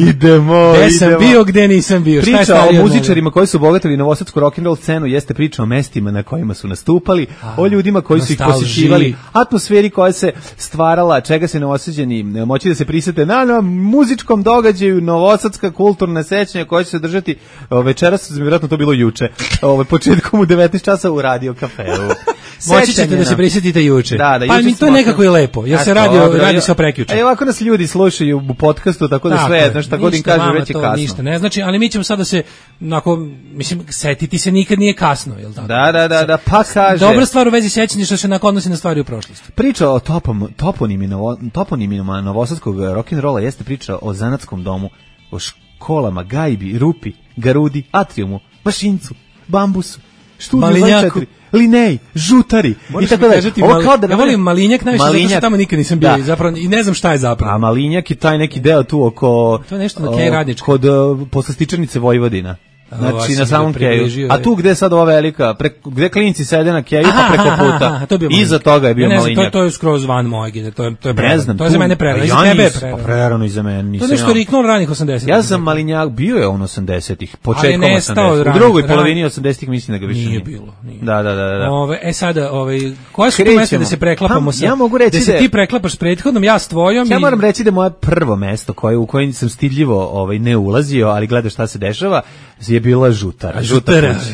Idemo. Gde sam bio, gde nisam bio. Priča o muzičarima koji su obogatili novosadsku rock'n'roll scenu jeste priča o mestima na kojima su nastupali, o ljudima koji su ih posjećivali, atmosferi koja se stvarala, čega se novosađani moći da se prisete na muzičkom događaju, novosadska kulturna sećanja koja će se držati večeras, vjerojatno to bilo juče, početkom u 19 časa u Radio Kafeu. Moći ćete da se prisjetite juče. Da, pa mi to nekako je lepo. Ja se radi se o prekjuče. Ovako nas ljudi slušaju u podcastu, tako da sve jedno šta god im kaže već je kasno. Ništa ne znači, ali mi ćemo sada se mislim, setiti se nikad nije kasno, jel tako? Da, pa kaže. Dobra stvar u vezi sećanja što se odnosi na stvari u prošlosti. Priča o toponimima novosadskog rock'n'rolla jeste priča o zanatskom domu, o školama, gajbi, rupi, garudi, atriumu, mašincu, bambusu, Malinjaku, Linej, Žutari i tako dalje. Ja volim Malinjak najviše zato što tamo nikad nisam bio i ne znam šta je zapravo. A Malinjak je taj neki deo tu oko... To je nešto na Kej Radnička. Kod poslastičarnice Vojvodina. Znači na samom Keju. A tu gde je sad ova velika, gde klinci sede na Keju pa preko puta. Iza toga je bio Malinjak. To je skroz van moje, to je prerano. To je za mene prerano. Za tebe je prerano i za mene. To je nešto riknuo ranih 80-ih. Ja sam Malinjak, bio je on 80-ih, početkom 80-ih. U drugoj polovini 80-ih mislim da ga više nije bilo. Da. Sada, koje su tu mesta da se preklapamo sa? Ja mogu reći da se ti preklapaš s prethodnom, ja s tvojom. Ja moram reći da moje prvo mesto u kojem sam stidljivo ne ulazio, ali gleda šta se dešava, je bila žutara.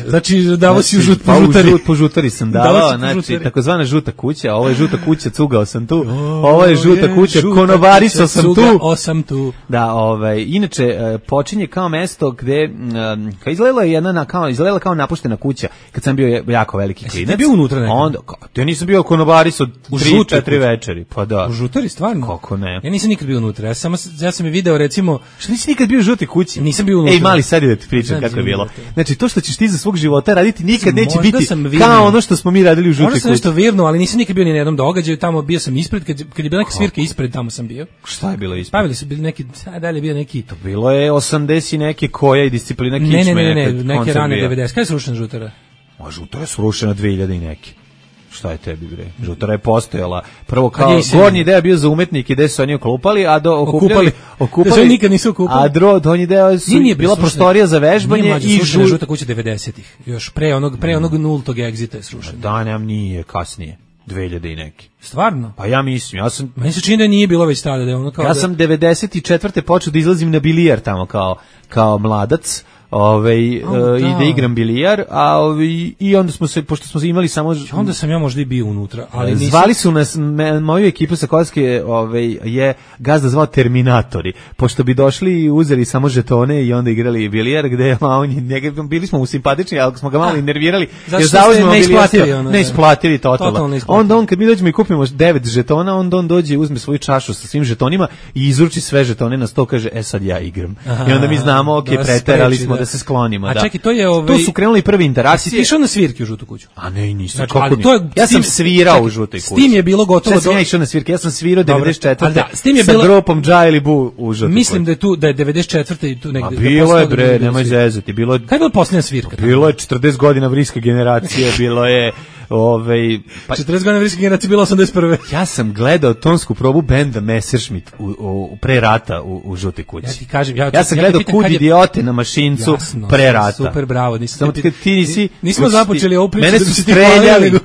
Znači, davo si po žutari. Po žutari sam davao, znači, takozvana žuta kuća, a ovo je žuta kuća, cugao sam tu, ovo je žuta kuća, konobarisao sam tu. Da, inače, počinje kao mesto gde, izgledala kao napuštena kuća, kad sam bio jako veliki klinac. Jesi bio unutra nekada? Ja nisam bio konobarisao 3-4 večeri, pa da. U žutari, stvarno? Kako ne? Ja nisam nikad bio unutra, ja sam je video, recimo... Što nisi nikad bio u žutoj kući? Nisam bio unutra. Ej, mali, sad je da ti pričam kako je bilo. Znači, to što ćeš ti za svog života raditi nikad neće biti kao ono što smo mi radili u žutoj kući. Možda sam nešto virno, ali nisam nikad bio ni na jednom događaju, tamo bio sam ispred, kad je bila neka svirka ispred, tamo sam bio. Šta je bilo ispred? Pavili su bili neki, dalje bio neki... To bilo je 80 neke koja i disciplina kičme. Ne, neke rane 90. Kada je srušena žutara? Žutara je srušena 2000 i neki. Šta je tebi, bre? Žutara je postojala. Prvo kao gornji deo bio za umetnike gde su oni oklupali, a okupali. Da se nikad nisu okupali. A donji deo su bila prostorija za vežbanje i žuta kuća 90-ih. Još pre onog nultog egzita je srušena. Da, nem nije, kasnije. 2000 i neki. Stvarno? Pa ja mislim, meni se čini da nije bilo već tada, da je ono kao... Ja sam 94. počeo da izlazim na bilijar tamo kao mladac. I da igram bilijar, i onda smo se, pošto smo imali samo... Onda sam ja možda i bio unutra, ali nisam... Zvali su nas, moju ekipu sa Kozke je gazda zvao Terminatori, pošto bi došli i uzeli samo žetone i onda igrali bilijar, gde bili smo mu simpatični, ali smo ga malo nervirali, jer zauzmemo bilijarsko, neisplativi totalno. Onda on, kad mi dođemo i kupimo 9 žetona, onda on dođe i uzme svoju čašu sa svim žetonima i izruči sve žetone na sto, kaže, sad ja igram. I onda mi znamo, preterali smo da se sklonimo. A čekaj, tu su krenuli prve interakcije. A si išao na svirke u žutoj kuću? A ne, nisam. Znači, ja sam svirao u žutoj kući. S tim je bilo gotovo... Sad sam ja išao na svirke, ja sam svirao 94. Sa grupom Dža ili Bu u žutoj kući. Mislim da je 94. i tu negde... A bilo je, bre, nemoj zezati. Kada je bila posljednja svirka? Bilo je 40 godina vriske generacije, bilo je... 40 godina vriske generacije, bilo 81. Ja sam gledao tonsku probu benda Messerschmitt pre rata u žutoj kući. Ja ti kažem, ja sam gledao Kud idiote na mašincu pre rata. Super, bravo. Nismo započeli ovu priču.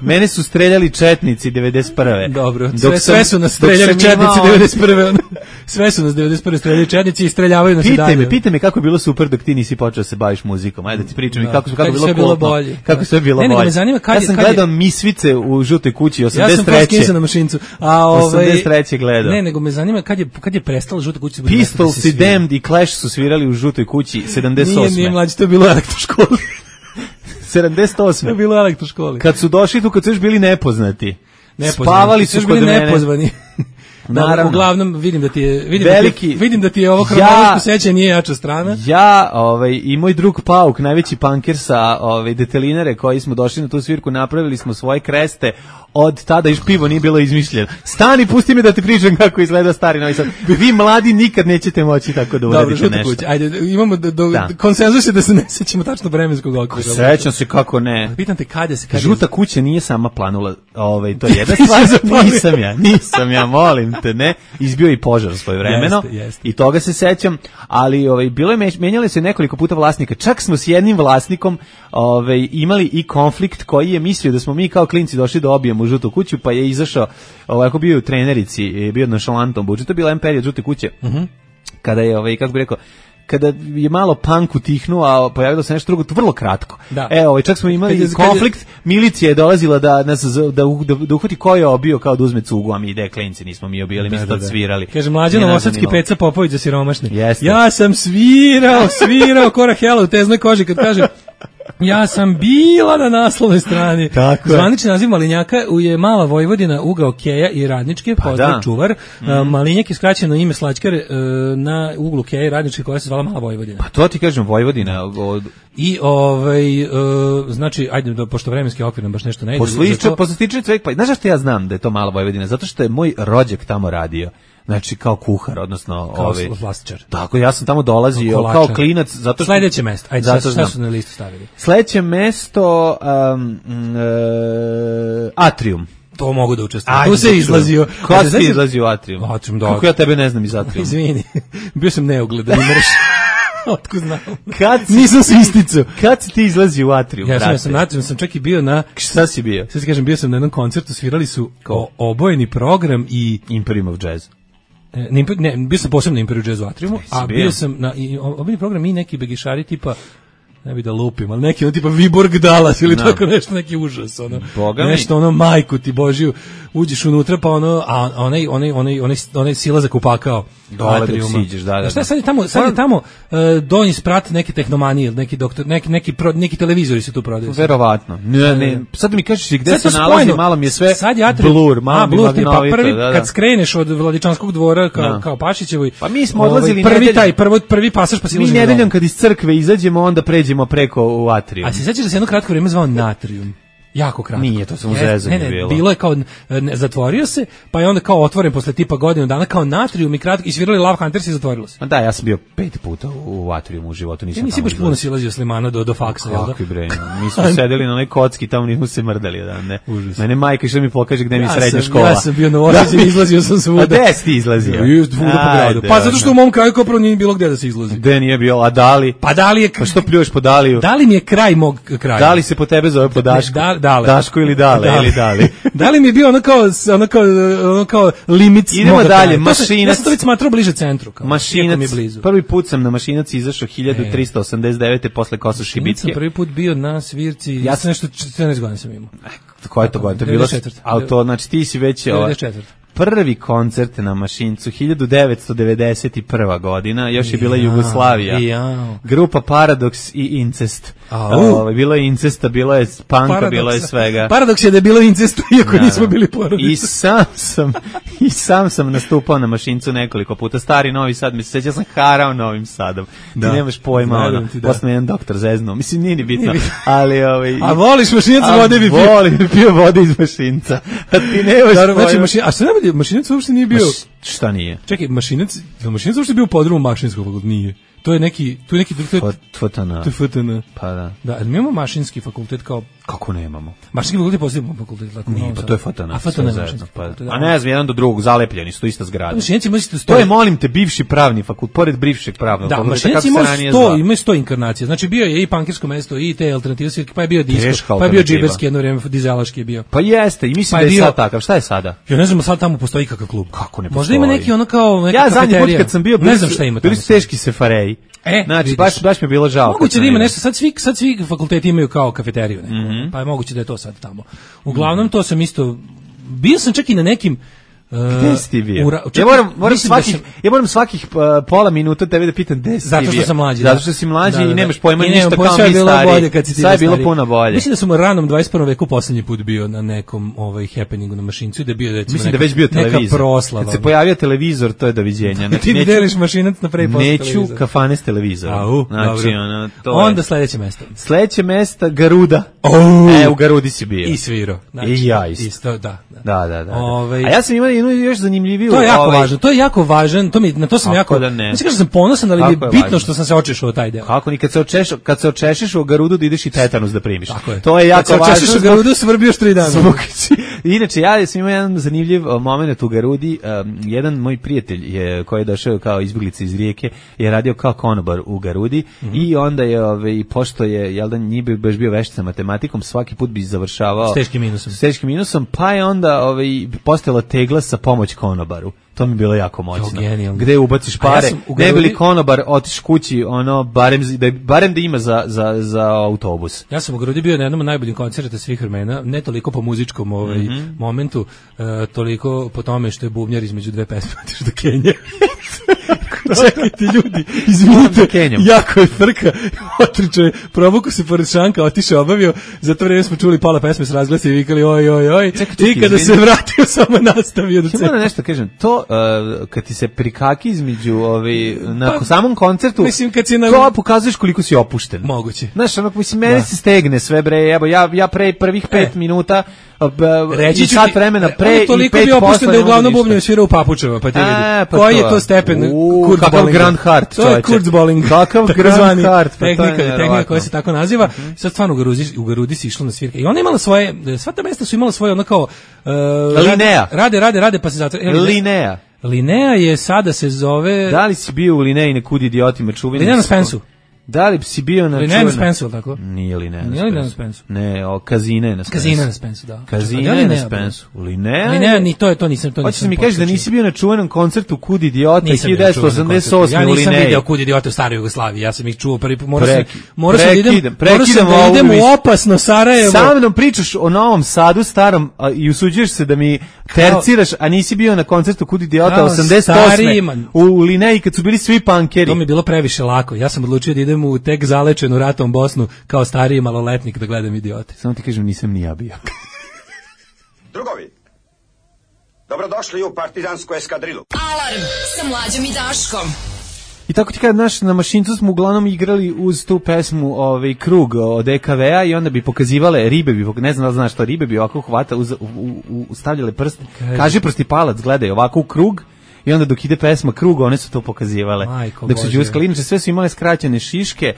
Mene su streljali četnici 91. Dobro, sve su nas streljali četnici 91. Sve su nas 91. streljali četnici i streljavaju nas i dalje. Pitaj me kako je bilo super dok ti nisi počeo se baviš muzikom. Ajde da ti pričam i kako je bilo bolje. Kako sve bilo bolje. Me zanima ja sam gledao Misvice u žutoj kući 83. Ja sam Paskinsa na mašincu. 83. gledao. Ne, nego me zanima kad je prestala žuta kuća. Pistols i Damned i Clash su svirali u žutoj kući 78. Nije mlađi, to je bilo u elektroškoli. 78. To je bilo u elektroškoli. Kad su došli tu, kad su još bili nepoznati. Spavali su kod mene. Nepozvani. Naravno. Uglavnom vidim da ti je ovo hronološko sećanje nije jača strana. Ja, i moj drug Pauk, najveći panker sa detelinare koji smo došli na tu svirku, napravili smo svoje kreste. Od tada još pivo nije bilo izmišljeno. Stani, pusti me da ti pričam kako izgleda stari Novi Sad. Vi mladi nikad nećete moći tako da uradite nešto. Kuće. Ajde, imamo konsenzus je da se ne sećamo tačno vremenskog okvira. Sećam se kako ne. Pitam te kad je žuta kuća nije sama planula, to je jedna stvar. Nisam ja, molim te, ne. Izbio i požar svoje vremeno. I toga se sećam, ali bilo je menjali se nekoliko puta vlasnika. Čak smo s jednim vlasnikom imali i konflikt koji je mislio da smo mi kao klinci došli da obijemo u žutu kuću, pa je izašao, ako bio u trenerici, bio na šalantom budžetu, to je bila period žute kuće, kada je, kako bih rekao, kada je malo punk utihnuo, a pojavilo se nešto drugo, to vrlo kratko. Čak smo imali konflikt, milicija je dolazila da uhvati ko je obio, kao da uzme cugu, a mi klinci nismo mi obijali, mi smo tad svirali. Kaže, Mlađan Novosadski Peca Popović za siromašne. Ja sam svirao korak hela u teznoj koži, kad kaže... Ja sam bila na naslovnoj strani. Zvanični naziv Malinjaka je Mala Vojvodina, ugao Keja i Radničke, pozdrav čuvar. Malinjak je skraćeno ime slačkare na uglu Keja i Radničke koja se zvala Mala Vojvodina. Pa to ti kažem, Vojvodina. I znači, ajde, pošto vremenski okvir nam baš nešto ne ide. Poslističe cvek, pa znaš što ja znam da je to Mala Vojvodina? Zato što je moj rođak tamo radio. Znači kao kuhar, odnosno kao vlastičar. Tako, ja sam tamo dolazio kao klinac, zato što sledeće mesto. Ajde, šta su na listu stavili? Sledeće mesto Atrium. To mogu da učestvujem. Tu se izlazio. Kako si izlazio u Atrium? Kako ja tebe ne znam iz Atrium? Izvini. Bio sam neugledan i mrš. Otko znam. Nisam svisticu. Kad si ti izlazio u Atrium? Ja sam na Atrium, sam čak i bio na... Šta si bio? Sad ti kažem, bio sam na jednom koncertu, svirali su obojeni program i... Imperium of Jazz. Ne, bio sam posebno na Imperium Jazz u Atriumu, a bio sam na obojeni program i neki begišari tipa Ne bi da lupim, ali neki on tipa Viborg Dallas ili tako nešto, neki užas, ono. Nešto ono, majku ti Božiju, uđeš unutra pa ono, a onaj silazak upakao. Dole dok siđeš, da. Šta sad je tamo donji sprat neke tehnomanije, neki doktor, neki televizori se tu prodaju. Verovatno. Ne, sad mi kažeš gde se nalazi, malo mi je sve blur, malo mi je prvi, kad skreneš od Vladičanskog dvora kao Pašićevoj. Pa mi smo odlazili prvi pasaž pa silazimo. Mi nedeljom kad iz crkve izađemo, onda pređemo preko u atrium. A se sećaš da se jedno kratko vrijeme zvao Natrium? Jako kratko. Nije, to sam u zezanju bilo. Bilo je kao, zatvorio se, pa je onda kao otvoren posle tipa godinu dana, kao Natrium i kratko, isvirali Love Hunters i zatvorilo se. Da, ja sam bio 5 puta u atriumu u životu, nisam tamo. Nisi baš puno silazio s Limana do faksa, jel da? Kako bre, mi smo sedeli na onoj kocki, tamo nismo se mrdali jedan, ne. Mene majka išla mi pokaže gde mi je srednja škola. Ja sam bio na Orađe, izlazio sam svuda. A gde si ti izlazio? Svuda po gradu. Pa zato što u mom kraju kao prvo nije bilo gde da se izlazi. Gde nije bilo, a Dali? Pa Dali je... Pa što pljuješ po Daliju? Dali mi je kraj mog kraja. Dali se po tebe zove po Dašku? Daško ili Dale, ili Dali. Dali mi je bio ono kao limit. Idemo dalje, Mašinac. Ja sam to već smatrao bliže centru. Mašinac, prvi put sam na Mašinac izašao 1389. posle Kosošibitske. Sam prvi put bio na svirci, ja sam nešto 14 godina sam imao. Koja je to godina? To je bilo auto, znači ti si već... 94. Prvi koncert na Mašincu 1991. godina, još je bila Jugoslavija. Grupa Paradoks i Incest. Bilo je incesta, bilo je punka, bilo je svega. Paradoks je da je bilo incestu, iako nismo bili porodica. I sam sam nastupao na Mašincu nekoliko puta. Stari Novi Sad, mi se seća, sam harao Novim Sadom. Ti nemaš pojma, posle jedan doktor zeznuo. Mislim, nije ni bitno. Ali, a voliš Mašinac, vode bi pio? Volim, pio vode iz Mašinca. A ti nemaš pojma. A što ne Mašinac uopšte nije bio... Šta nije? Čekaj, Mašinac uopšte bio u podrumu Mašinskog fakulteta? Nije. To je neki... FTN. To je FTN. Pa da. Da, ali mi imamo Mašinski fakultet kao... Kako nemamo? Mašinski fakultet je posljedno fakultet. Nije, pa to je FTN. A FTN je Mašinski fakultet. A ne znam, jedan do drugog, zalepljeni su, ista zgrada. Mašinci imaju to je, molim te, bivši pravni fakultet, pored bivšeg pravnog fakulteta. Da, Mašinci imaju 100 inkarnacija. Znači bio je i pankirsko mesto, i te alternative svirke, pa je bio disko, pa je bio džiberski jedno vrijeme, dizelaški je bio. Pa jeste, i mislim da je sad takav. Šta je sada? Ja ne znam, sad tamo postoji kakav klub. Kako ne postoji? Možda ima neki ono kao neka kafeterija. Ja zadnji put kad sam bio, ne znam šta ima tamo. Bili su teški sefareji. Znači, baš mi je bilo žao. Moguće da ima nešto, sad svi fakulteti imaju kao kafeteriju neku, pa je moguće da je to sad tamo. Uglavnom, to sam isto, bio sam čak i na nekim... Gde si ti bio? Ja moram svakih pola minuta tebe da pitam gde si ti bio. Zato što sam mlađi. Zato što si mlađi i nemaš pojma ništa kao mi stari. Sad je bilo puno bolje. Mislim da sam u ranom 21. veku poslednji put bio na nekom happeningu na Mašincu i da je bio mislim da već bio televizor. Proslava. Kad se pojavio televizor, to je doviđenja. Ti ne deliš Mašinac na pre posle televizora. Neću kafane s televizorom. Znači, onda sledeće mesto. Sledeće mesto Garuda. U Garudi si bio. I svirao. I ja isto. Da. A ja sam imao još zanimljiviju. To je jako važan, na to sam jako... Mislim da sam ponosan, ali je bitno što sam se očešao taj deo. Kako ni kad se očešeš u Garudu da ideš i tetanus da primiš. To je jako važno. Kad se očešeš u Garudu svrbioš 3 dana. Inače, ja sam imao jedan zanimljiv moment u Garudi. Jedan moj prijatelj koji je došao kao izbjeglica iz Rijeke je radio kao konobar u Garudi i onda je, pošto je, jel da nije baš bio vešt sa matematikom, svaki put bi završavao s teškim minusom, pa je onda postojala tegla sa pomoć konobaru. To mi je bilo jako moćno. Gde ubaciš pare, ne bi li konobar otiš kući, barem da ima za autobus. Ja sam u Garudi bio na jednom od najboljih koncerta svih vremena, ne toliko po muzičkom momentu, toliko po tome što je bubnjar između dve pesme otiš do Kenije. Čekajte ljudi, izvinite, jako je frka, otričao je, probuku se pored šanka, otišao, obavio, za to vreme smo čuli pola pesme s razglasa i vikali oj, i kada se vratio samo nastavio da moram nešto kažem, to kad ti se prikaki između na samom koncertu, mislim kad si to pokazuješ koliko si opušten. Moguće. Znaš, mislim, mene se stegne sve, bre, evo, ja pre prvih 5 minuta reći ću sat vremena pre i 5 toliko bi opušten da uglavnom bubnjaju svira u papučama, pa ti vidi. Koji je to stepen Kurzbolling? Grand Heart, to je Kurzbolling. Kakav Grand Heart? Tehnika koja se tako naziva. Sad stvarno u Garudi si išlo na svirke. I ona imala svoje, sva ta mesta su imala svoje ono kao... Linea. Rade, pa se zatvore. Linea. Linea je sada se zove... Da li si bio u Lineji nekud idiotima čuveni? Linea na Spensu. Da li si bio na Linnea na Spensu, tako? Nije Linnea na Spensu. Ne, Kazine na Spensu. Kazine na Spensu, da. Kazine na Spensu. Linnea, ni to nisam. Hoćeš mi kažeš da nisi bio na čuvenom koncertu Kud idiota 1988 ja u nisam Linneji. video Kud idiota u staroj Jugoslaviji, ja sam ih čuo prvi put, morao sam da idem u opasno Sarajevo. Sa mnom pričaš o Novom Sadu starom i usuđuješ se da mi terciraš, a nisi bio na koncertu Kud idiota 88 u Linneji kad su bili svi punkeri. To mi je bilo previše lako, ja sam odlučio da idem u tek zalečenu ratom Bosnu kao stariji maloletnik da gledam idiote. Samo ti kažem, nisam ni ja bio. Drugovi, dobrodošli u partizansku eskadrilu. Alarm sa Mlađom i Daškom. I tako ti kada na mašincu smo uglavnom igrali uz tu pesmu Krug od EKV-a i onda bi pokazivale ribe, ne znam da znaš što, ribe bi ovako hvata, stavljale prst, kaži prst i palac, gledaj ovako u krug. I onda dok ide pesma Krug, one su to pokazivale. Dok su džuskali, inače sve su imale skraćene šiške,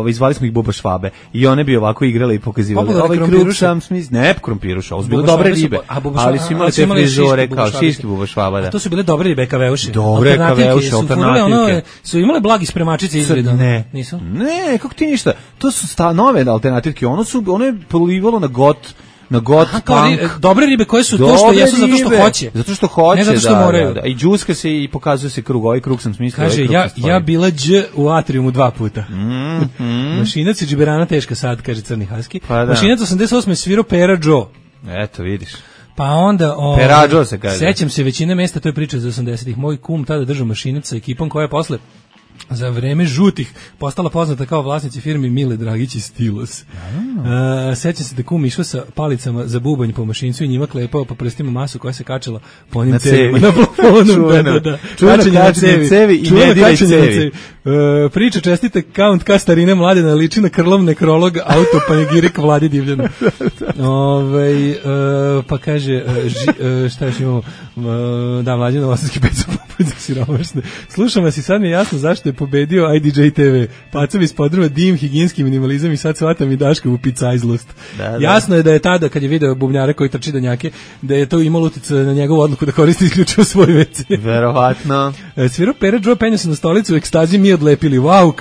izvali smo ih Buba Švabe. I one bi ovako igrale i pokazivale. Ovaj Krug sam smisli, ne krompiruša, ovo su bile dobre ribe, ali su imale te frizore kao šiške Buba Švaba. A to su bile dobre ribe EKV-uše. Dobre EKV-uše, alternativke. Su imale blagi spremačice izgleda? Ne. Nisu? Ne, kako ti ništa. To su nove alternativke, ono je polivalo na got punk. Dobre ribe koje su to što jesu zato što hoće. Zato što hoće, ne zato što moraju. Da. I džuska se i pokazuje se krug. Ovaj krug sam smislio. Kaže, ja bila Đ u atriumu 2 puta. Mašinac i džiberana teška sad, kaže Crni Haski. Mašinac 88. svirao Pera Joe. Eto, vidiš. Pa onda, Perađo se kaže. Sećam se većine mesta, to je priča za 80-ih. Moj kum tada držao mašinac sa ekipom koja je posle za vreme žutih postala poznata kao vlasnici firmi Mile Dragić i Stilos. Sećam se da kum išao sa palicama za bubanj po mašincu i njima klepao po prstima masu koja se kačala po onim cevima na plafonu. Čuveno kačenje cevi i ne diraj cevi. Priča čestite Count K starine Mladena liči na krlov nekrolog autopanegirika Vladi Divljana. Pa kaže šta još imamo? Da, Mlađe Novosadski pet su poput siromašne. Slušam vas i sad mi je jasno zašto je pobedio IDJ TV. Pacovi iz podruma, dim, higijenski minimalizam i sad shvatam i Daška u picajzlost. Jasno je da je tada, kad je video bubnjara koji trči danjake, da je to imalo utjecaj na njegovu odluku da koristi isključivo svoj WC. Verovatno. Svirao Pera Joe, penio se na stolicu, u ekstazi mi odlepili. Wow,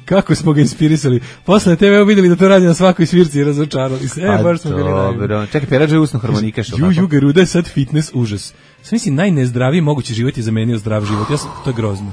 kako smo ga inspirisali. Posle na TV vidjeli da to radi na svakoj svirci i razočarali se. Baš smo bili najbolji. Čekaj, Pera Joe usno harmonikaš. Garuda je sad fitness užas. Sam mislim, najnezdraviji mogući život je zamenio zdrav život. To je grozno.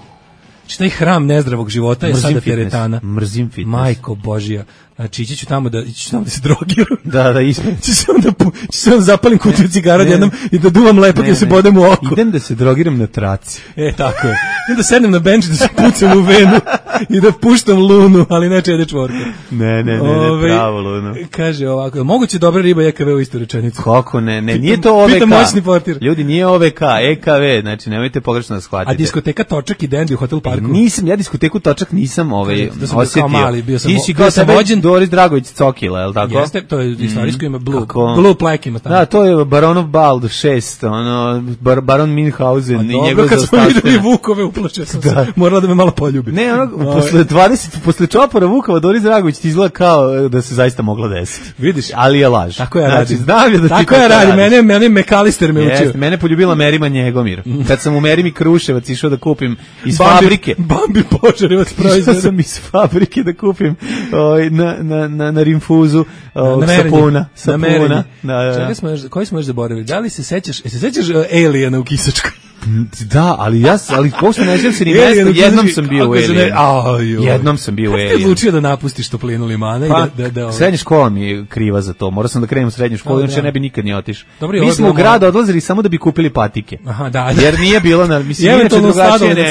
Taj hram nezdravog života je sada teretana. Mrzim fitness. Majko Božija. Znači, ići ću tamo da se drogiram. Da, ispred. Ću se onda zapalim kutiju cigara jednom i da duvam lepak i se bodem u oko. Idem da se drogiram na traci. Tako je. Idem da sednem na benč da se pucam u venu i da puštam lunu, ali ne čede čvorke. Ne, pravo lunu. Kaže ovako, moguće dobra riba EKV u istu rečenicu. Kako ne, nije to OVK. Pita moćni portir. Ljudi, nije OVK, EKV, znači nemojte pogrešno da shvatite. A diskoteka Točak i Dandy u Hotel Parku? Nisam, ja diskoteku Točak nisam osjetio. Bio sam vođen Doris Dragović Cokila, je li tako? Jeste, to je istorijsko ime Blue Plaque ima tamo. Da, to je Baronov bal 6, Baron Minhausen i njegov zaostaštena. Kad smo videli Vukove uplače sam se, morala da me malo poljubi. Ne, posle čopora Vukova Doris Dragović ti izgleda kao da se zaista mogla desiti. Vidiš? Ali je laž. Tako ja radim. Znam je da ti tako ja radim, mene Mekalister me učio. Mene poljubila Merima Njegomir. Kad sam u Merimi Kruševac išao da kupim iz fabrike. Bambi Požarevac proizvod. Išao sam iz fabrike da kupim na rinfuzu sapuna. Koji smo još zaboravili? Da li se sećaš Aliena u Kisačkoj? Da, ali posle ne želim se ni mesta, jednom sam bio u Alien. Jednom sam bio u Alien. Kako ti odlučio da napustiš toplinu limana? Srednja škola mi je kriva za to, morao sam da krenem u srednju školu, inače ne bi nikad ni otišao. Mi smo u grad odlazili samo da bi kupili patike. Jer nije bilo na, mislim, inače drugačije ne.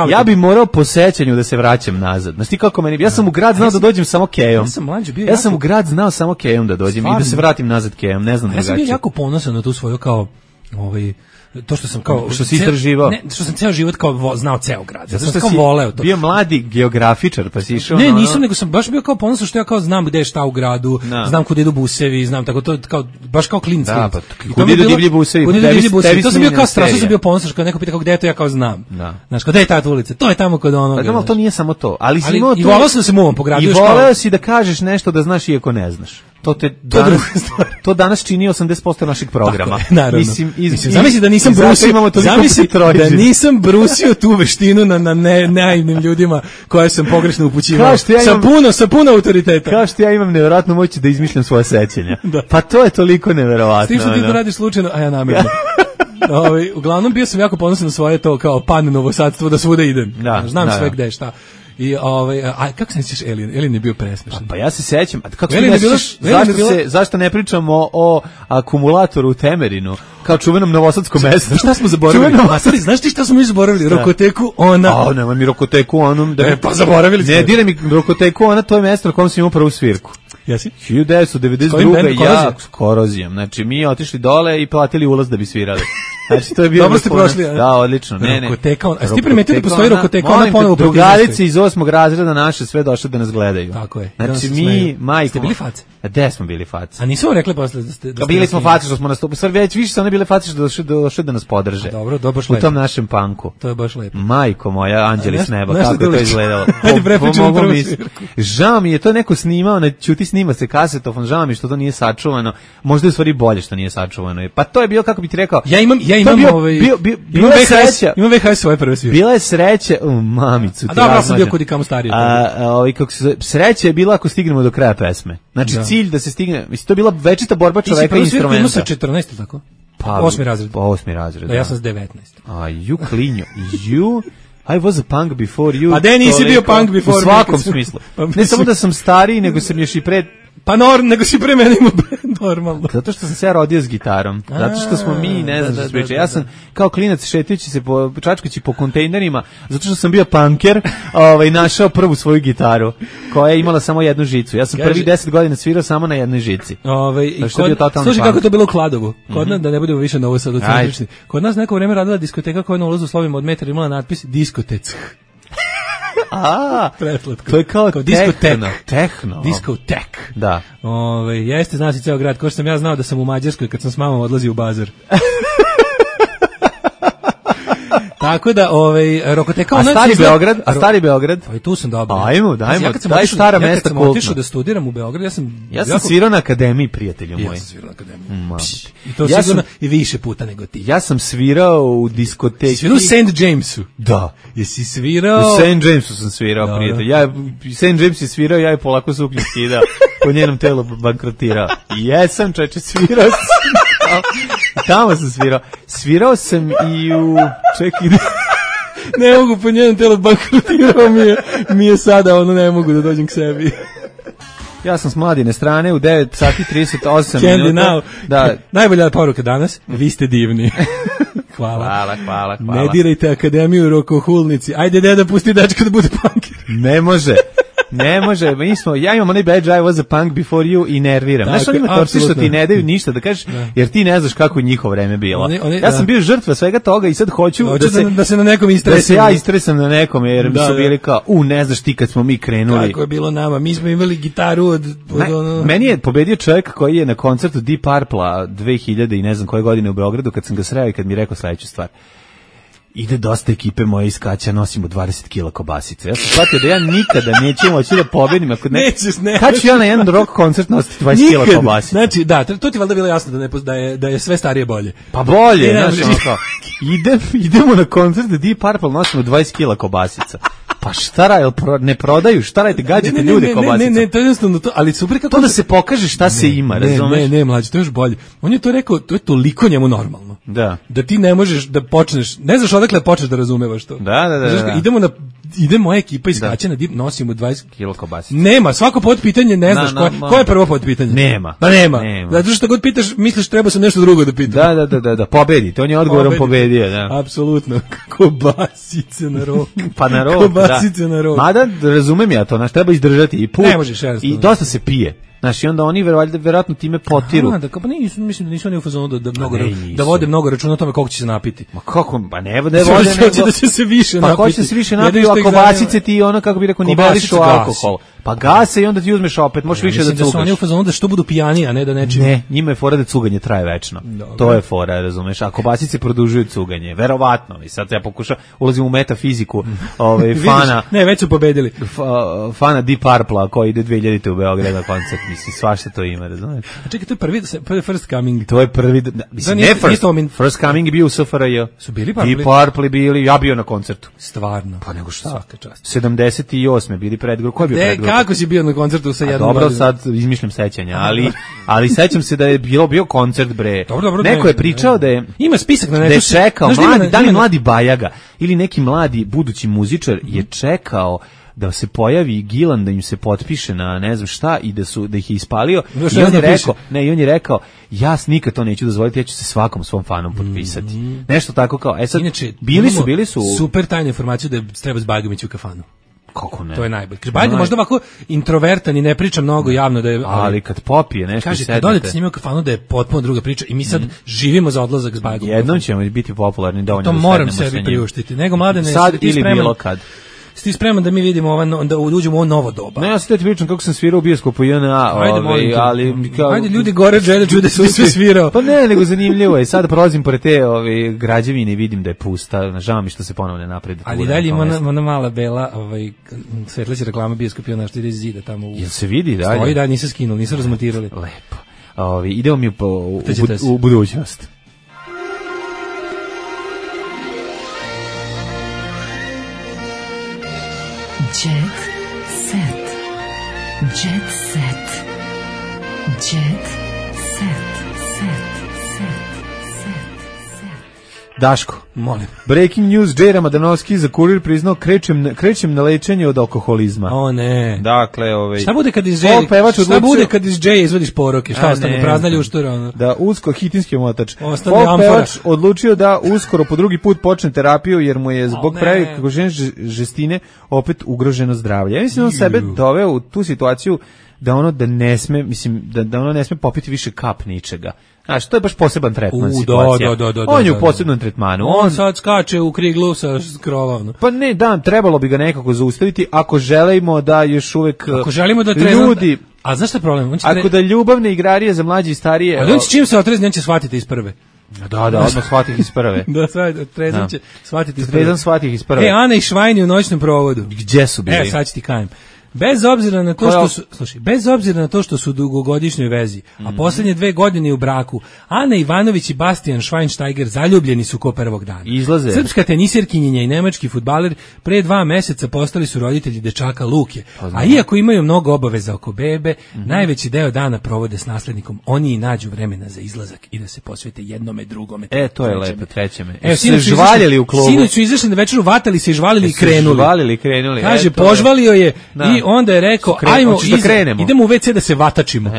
Ja bi morao po sećanju da se vraćam nazad. Znaš ti kako meni, ja sam u grad znao da dođem samo kejom. Ja sam u grad znao samo kejom da dođem i da se vratim nazad kejom, ne znam drugačije. Ja sam bio jako ponosan na tu svoju kao to što sam kao što si istraživao. Ne, što sam ceo život kao znao ceo grad. Zato što sam voleo to. Bio mladi geografičar, pa si išao. Ne, nisam, nego sam baš bio kao ponosan što ja kao znam gde je šta u gradu, znam kuda idu busevi, znam tako to kao baš kao klinac. Da, pa kuda idu divlji busevi. To sam bio kao strašno sam bio ponosan što neko pita kako gde je to, ja kao znam. Znaš, gde je ta ulica? To je tamo kod onoga. Pa to nije samo to, ali si imao to. I voleo sam da se muvam po gradu. I voleo si da kažeš nešto da znaš iako ne znaš. To danas čini 80% našeg programa. Naravno. Mislim, zamisli da nisam brusio tu veštinu na naivnim ljudima koje sam pogrešno upućivao. Sa puno autoriteta. Kao što ja imam nevjerojatnu moć da izmišljam svoje sećanja. Pa to je toliko nevjerovatno. S tim što ti to radiš slučajno, a ja namjerno. Uglavnom bio sam jako ponosan na svoje to kao pan novosadstvo da svuda idem. Znam sve gde šta. I a kako se sećaš Alien je bio presmešan. Pa ja se sećam. A kako se sećaš? Zašto ne pričamo o akumulatoru u Temerinu? Kao čuvenom novosadskom mestu. Šta smo zaboravili? Znaš ti šta smo mi zaboravili? Rokoteku ona. Nemoj mi Rokoteku onom. Pa zaboravili smo. Ne, diraj mi Rokoteku ona, to je mesto na kojem sam imao prvu svirku. Jesi? 1992. ja s Korozijom. Znači, mi otišli dole i platili ulaz da bi svirali. Znači, to je bio... Dobro ste prošli. Da, odlično. Rokoteka, a si ti primetio da postoji Rokoteka, ona ponovo... Drugarice iz 8. razreda naše sve došle da nas gledaju. Tako je. Znači, mi, majko... Ste bili face? Gde smo bili face? A nisu vam rekli posle da ste... Bili smo face što smo nastupili. Sad već više su one bile face što došle da nas podrže. Dobro, to je baš lepo. U tom našem panku. To je baš lepo. Majko moja, anđeli s neba, kako je to izgledalo. Hajde prepričamo prvu svirku. Žao mi je, to neko snimao, na ćuti snima se kasetofon, žao mi što to nije sačuvano. Možda je u stvari bolje što nije sačuvano. Pa to je bilo, kako bi ti rekao... Ja imam imam VHS svoje prve svirke. Bila je sreća, mamicu. A dobro, sam bio kod i kamo stariji. Sreća je bila ako stignemo do kraja pesme. Znači cilj da se stigne, mislim to je bila večita borba čoveka i instrumenta. Ti si prvu svirku imao sa 14, tako? Pa 8. razred. Pa 8. razred. Da, ja sam s 19. A you klinjo, I was a punk before you. A da nisi bio punk before me. U svakom smislu. Ne samo da sam stariji, nego sam još i pred... Pa nego si pre mene imao normalno. Zato što sam se ja rodio s gitarom. Zato što smo mi, ne znam što se priča. Ja sam kao klinac šetajući se, čačkajući po kontejnerima, zato što sam bio punker, našao prvu svoju gitaru, koja je imala samo jednu žicu. Ja sam prvih 10 godina svirao samo na jednoj žici. Slušaj kako to bilo u Kladovu. Kod nas, da ne budemo više novo sad ucentrični. Kod nas neko vreme radila diskoteka koja je na ulazu slovima od metra imala natpis diskotec. To je kao tehno. Diskotek. Da. Jeste, zna si ceo grad, ko što sam ja znao da sam u Mađarskoj kad sam s mamom odlazio u bazar. Tako da, Rokoteka... A stari Beograd? Pa i tu sam dobro. Ajmo, daj stara mesta kultna. Ja kad sam otišao da studiram u Beograd, ja sam svirao na akademiji, prijatelju moj. Ja sam svirao na akademiji. I to sigurno i više puta nego ti. Ja sam svirao u diskoteki. Svirao u St. Jamesu? Da. Jesi svirao... U St. Jamesu sam svirao, prijatelj. St. James je svirao, ja je polako suknju skidao. Po njenom telu bankrotirao. Jesam, čeče, svirao sam. Tamo sam svirao. Svirao sam i u... Čekaj... Ne mogu, po njenom telu bankrotirao mi je sada, ne mogu da dođem k sebi. Ja sam s Mladine strane u 9 sati 38 Candy minuta. Now. Da. Najbolja poruka danas, vi ste divni. Hvala. Ne dirajte akademiju rokohulnici. Ajde, deda, pusti dečka da bude punker. Ne može. Ja imam onaj badge, I was a punk before you i nerviram. Znaš, oni ima što ti ne daju ništa da kažeš, jer ti ne znaš kako je njihovo vreme bilo. Ja sam bio žrtva svega toga i sad hoću da se na nekom istresam. Da se ja istresam na nekom, jer mi su bili kao, ne znaš ti kad smo mi krenuli. Kako je bilo nama, mi smo imali gitaru od Meni je pobedio čovjek koji je na koncertu Deep Purple-a 2000 i ne znam koje godine u Beogradu, kad sam ga sreo i kad mi je rekao sledeću stvar. Ide dosta ekipe moje iz Kaća, nosimo 20 kila kobasice. Ja sam shvatio da ja nikada neću moći da pobedim. Kad ću ja na jedan rock koncert nositi 20 kila kobasice? Znači, da, to ti valjda bilo jasno da je sve starije bolje. Pa bolje, znaš, idemo na koncert Deep Purple, nosimo 20 kila kobasica. Pa šta ne prodaju, šta radite, gađate ljude kobasica. Ne, to je jednostavno to, ali super kako... To da se pokaže šta se ima, razumeš? Ne, mlađe, to je još bolje. On je to rekao, to je toliko njemu normalno. Da ti ne možeš da počneš, ne znaš odakle počneš da razumevaš to. Da. Ide moja ekipa iz Kaća na Deep, nosimo 20 kila kobasica. Nema, svako podpitanje ne znaš koje je prvo podpitanje. Nema. Pa nema. Zato što god pitaš, misliš treba sam nešto drugo da pitam. Da, pobedite, on je odgovorom pobedio, da. Apsolutno, kobasice na rok. Pa na rok, kobasice na rok. Mada, razumem ja to, treba izdržati i put. Ne možeš, i dosta se pije. Znači, onda oni verovatno time potiru. Mislim da nisu oni u fazonu da vode mnogo računa o tome koliko će se napiti. Ma kako, pa ne vode da će se više napiti. Pa ko će se više napiti, a kobasice ti kako bi rekao, nivelišu alkohol. Pa gase i onda ti uzmeš opet, možeš više da cugaš. Mislim da su oni u fazonu da što budu pijani, a ne da nečim... Ne, njima je fora da cuganje traje večno. Dobre. To je fora, razumeš. A kobasice produžuju cuganje, verovatno. I sad ja ulazim u metafiziku fana... Ne, već su pobedili. Fana Deep Purple-a koji ide 2000 u Beograd na koncert, mislim, svašta to ima, razumeš. A čekaj, to je prvi First Coming. To je prvi, mislim, ne First Coming je bio u SFRJ. Su bili Purple? Deep Purple bili, ja bio na koncertu. Stvarno. Pa nego što svaka čast. 78. bili predgrup. Ko je bio predgrup? Kako si bio na koncertu sa jednom dobro, sad izmišljam sećanja, ali sećam se da je bio koncert, bre. Dobro, neko je pričao da je... Ima spisak na netu. Da je čekao, mladi Bajaga ili neki mladi budući muzičar je čekao da se pojavi Gilan, da im se potpiše na ne znam šta i da ih je ispalio. I on je rekao, ja nikad to neću dozvoliti, ja ću se svakom svom fanom potpisati. Nešto tako kao, sad, inače, bili su... Super tajnu informaciju da treba s Bajagom ići u kafanu. Kako ne? To je najbolje. Bajga možda ovako introvertan i ne priča mnogo javno da je... Ali kad popije nešto kaže, kad odete s njima u kafanu da je potpuno druga priča i mi sad živimo za odlazak s Bajagom. Jednom ćemo biti popularni dovoljno to da moram sebi priuštiti. Nego mladene, sad ili bilo kad. Ti spreman da mi vidimo da uđemo u ovo novo doba? Ne, ja sad ti pričam kako sam svirao u bioskopu JNA, ali... Ajde, ljudi gore žele čude su sve svirao. Pa ne, nego zanimljivo je. Sada prolazim pored te građevine i vidim da je pusta. Žao mi što se ponovo ne napredi. Ali dalje ima ona mala bela svetleća reklama bioskop JNA što ide iz zida tamo. Jel se vidi dalje? Stoji da, nisu skinuli, nisu razmontirali. Lepo. Idemo mi u budućnost. Jet set. Jet set. Jet set. Daško, molim. Breaking news, Džej Ramadanovski za Kurir priznao krećem na lečenje od alkoholizma. O ne. Dakle, šta bude kad iz Džeja izvadiš poroke? Šta ostane prazna ljuštura? Da hitinski motač. Folk pevač odlučio da uskoro po drugi put počne terapiju jer mu je zbog prevelike žestine opet ugroženo zdravlje. Ja mislim on sebe doveo u tu situaciju da ono da ne sme, mislim da ono ne sme popiti više kap ničega. Znaš, to je baš poseban tretman situacija. On je u posebnom tretmanu. On sad skače u kriglu sa krova. Pa ne, trebalo bi ga nekako zaustaviti ako želimo da još uvek ljudi... A znaš šta je problem? Ako da ljubavne igrarije za mlađe i starije... Ali on će čim se otrezni, on će shvatiti iz prve. Da, odmah shvatih iz prve. Trezan će shvatiti iz prve. Trezan shvatih iz prve. Ana i Švajni u noćnom provodu. Gdje su bili? Sad ću ti kajem. Bez obzira na to što su u dugogodišnjoj vezi, a posljednje 2 godine u braku, Ana Ivanović i Bastian Schweinsteiger zaljubljeni su ko prvog dana. Izlaze. Srpska tenisirkinjenja i nemački fudbaler pre 2 meseca postali su roditelji dečaka Luke. A iako imaju mnogo obaveza oko bebe, najveći deo dana provode s naslednikom. Oni i nađu vremena za izlazak i da se posvete jednome drugome. To je lepo, trećeme. Se žvaljeli u klubu. Sinoć su izašli na večeru, vatali se i žvalili i krenuli. Kaže, požvalio je i onda je rekao, ajmo, idemo u WC da se vatačimo.